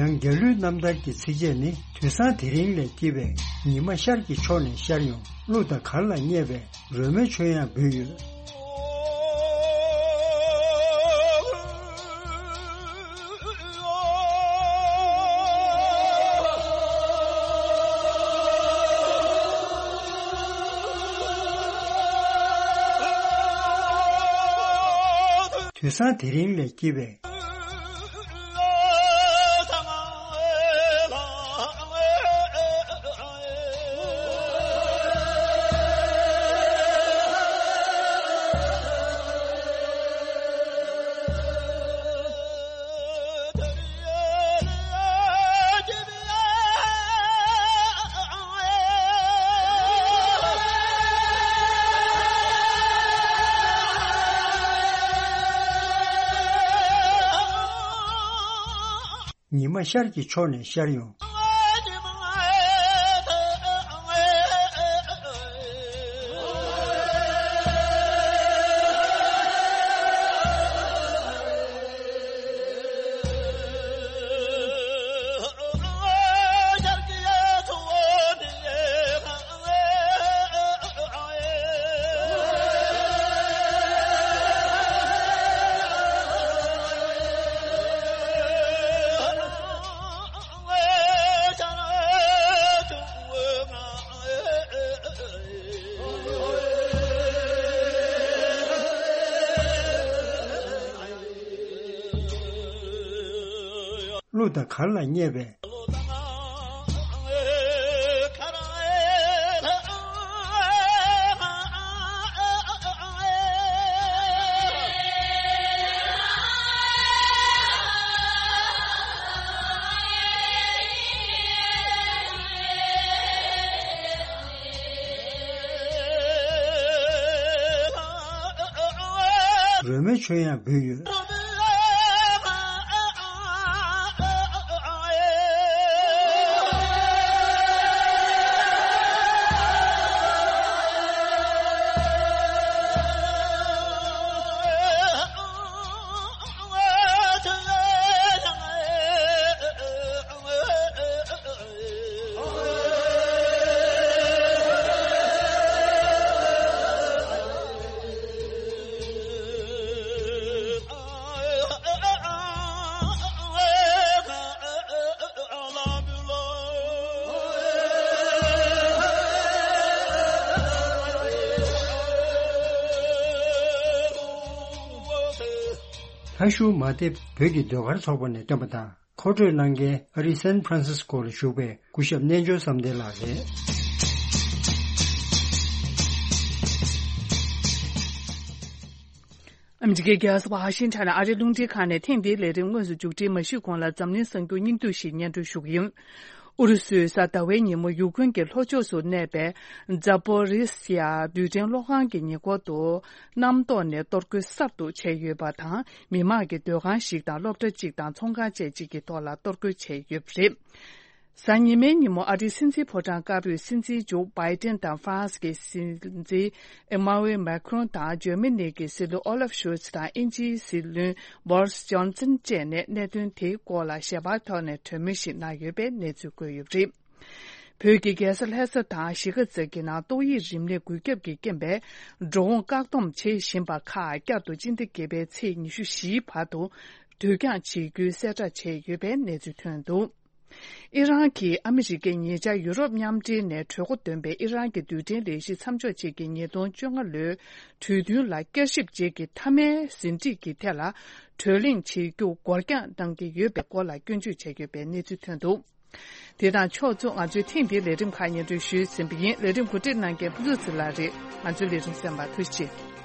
ཡང་རྒྱལ་གླུའི་རྣམ་ཐར་གྱི་ཚིགས་བཅད་ནི། དུས་བཟང་དེ་རིང་ལས་སྐྱེས་པའི། ཉི་མ་ཤར་གྱི་ཕྱོགས་ནས་ཤར་ཡོང་། གླུ་དང་གར་ལ་བསྙད་པའི། རོལ་མོའི་ཆོས་དབྱངས་འབུལ་ཡོད། དུས་བཟང་དེ་རིང་ལས་སྐྱེས་པའི། ཉི་མ་ཤར་གྱི་ཕྱོགས་ནས་ཤར་ཡོང་། གླུ་དང་གར་ལ་བསྙད་པའི། རོལ་མོའི་ཆོས་དབྱངས་འབུལ་ཡོད། ལྷ་ཤུལ་མ་དེབ་བོད་ཀྱི་ཟློས་གར་ཚོགས་པ་ནས་བཏོན་པ་དང་། མཁོ་སྤྲོད་གནང་མཁན་ཨ་རིའི་སན་ཧྥ་རན་སིས་ཀོ་ལ་བཞུགས་པའི་སྐུ་ཞབས་རྣལ་འབྱོར་བསམ་གཏན་ལགས་རེད། ཨ་མི་རི་ཀའི་རྒྱལ་ས་ཝ་ཤིང་ཊོན་ཨ་རིའི་རླུང་འཕྲིན་ཁང་ནས་ཐེངས་འདིའི་ལས་རིམ་དངོས་སུ་མཇུག་སྒྲིལ་མ་ཞུས་གོང་ལ་འཛམ་གླིང་གསར་འགྱུར་སྙིང་བསྡུས་ཤིག་སྙན་སྒྲོན་ཞུ་གི་ཡིན། ཨུ་རུ་སུའི་གཟའ་ཟླ་བའི་ཉིན་མོ་ཡུ་ཀེ་རེན་གྱི་ལྷོ་ཕྱོགས་སུ་གནས་པའི་ཛ་པོ་རི་སི་ཡ་རྡུལ་ཕྲན་གློག་ཁང་གི་ཉེ་འཁོར་དུ་གནམ་ཐོག་ནས་གཏོར་རྒོལ་གསར་དུ་བྱས་ཡོད་པ་དང་། མི་མང་གི་སྡོད་ཁང་ཞིག་དང་སློབ་གྲྭ་གཅིག་དང་ཚོང་ཁང་བཅས་གཅིག་གི་ཐོག་ལ་གཏོར་རྒོལ་བྱས་ཡོད་པ་རེད། གཟའ་ཉི་མའི་ཉིན་མོ་ཨ་རིའི་སྲིད་འཛིན་ཕོ་བྲང་དཀར་པོའི་སྲིད་འཛིན་མཇུག་བྷའི་ཏན་དང་ཧྥ་རན་སི་གི་སྲིད་འཛིན་ཨེ་མ་ཝེ་མེ་ཁྲོན་དང་འཇར་མ་ནི་གི་སྲིད་བློན་ཨོ་ལབ་ཤོལ་ཚ་དང་དབྱིན་ཇིའི་སྲིད་བློན་བྷོ་རིས་ཇོན་སན་བཅས་ནས་གནད་དོན་དེའི་སྐོར་ལ་ཞལ་པར་ཐོག་ནས་གྲོས་མོལ་ཞིག་གནང་ཡོད་པའི་གནས་ཚུལ་བཀོད་ཡོད་པ་རེད། བོད་ཀྱི་རྒྱལ་ས་ལྷ་ས་དང་གཞིས་ཀ་རྩེ་གི་ནང་ཏོག་དབྱིབས་རིམས་ནད་འགོས་ཁྱབ་ཀྱི་རྐྱེན་པས་འགྲོ་འོང་བཀག་སྡོམ་བྱེད་བཞིན་པ་ཁག་བསྐྱར་དུ་སྤྱི་ཟླ་བརྒྱད་པའི་ཚེས་ཉི་ཤུ་བཞིའི་བར་དུ་དུས་འགྱངས་བྱེད་རྒྱུའི་གསལ་བསྒྲགས་བྱས་ཡོད་པའི་གནས་ཚུལ་ཐོན་འདུག་ཨི་རན་གྱིས་ཨ་མི་རི་ཀས་ཉེ་ཆར་ཡུ་རོབ་མཉམ་འབྲེལ་ནས་གྲོས་འགོ་འདོན་པའི་ཨི་རན་གྱི་རྡུལ་ཕྲན་ལས་གཞི་མཚམས་འཇོག་བྱེད་ཀྱི་ཉིས་སྟོང་བཅོ་ལྔ་ལོའི་གྲོས་མཐུན་ལ་བསྐྱར་ཞིབ་བྱེད་ཀྱི་མཐའ་མའི་ཟིན་བྲིས་ཀྱི་ཐད་ལ་གྲོས་གླེང་བྱེད་རྒྱུ་འགོར་འགྱངས་གནང་གི་ཡོད་པའི་སྐོར་ལ་སྐྱོན་བརྗོད་བྱས་ཡོད་པའི་གནས་ཚུལ་ཐོན་འདུག་དེ་དང་ཕྱོགས་མཚུངས་ང་ཚོའི་ཐེངས་འདིའི་ལས་རིམ་ཁག་སྙན་སྒྲོན་ཞུས་ཟིན་པ་ཡིན། ལས་རིམ་གོ་སྒྲིག་གནང་མཁན་ཕུན་ཚོགས་ཚེ་ལགས་རེད། ང་ཚོའི་ལས་རིམ་གསན་པར་ཐུགས་རྗེ་ཆེ།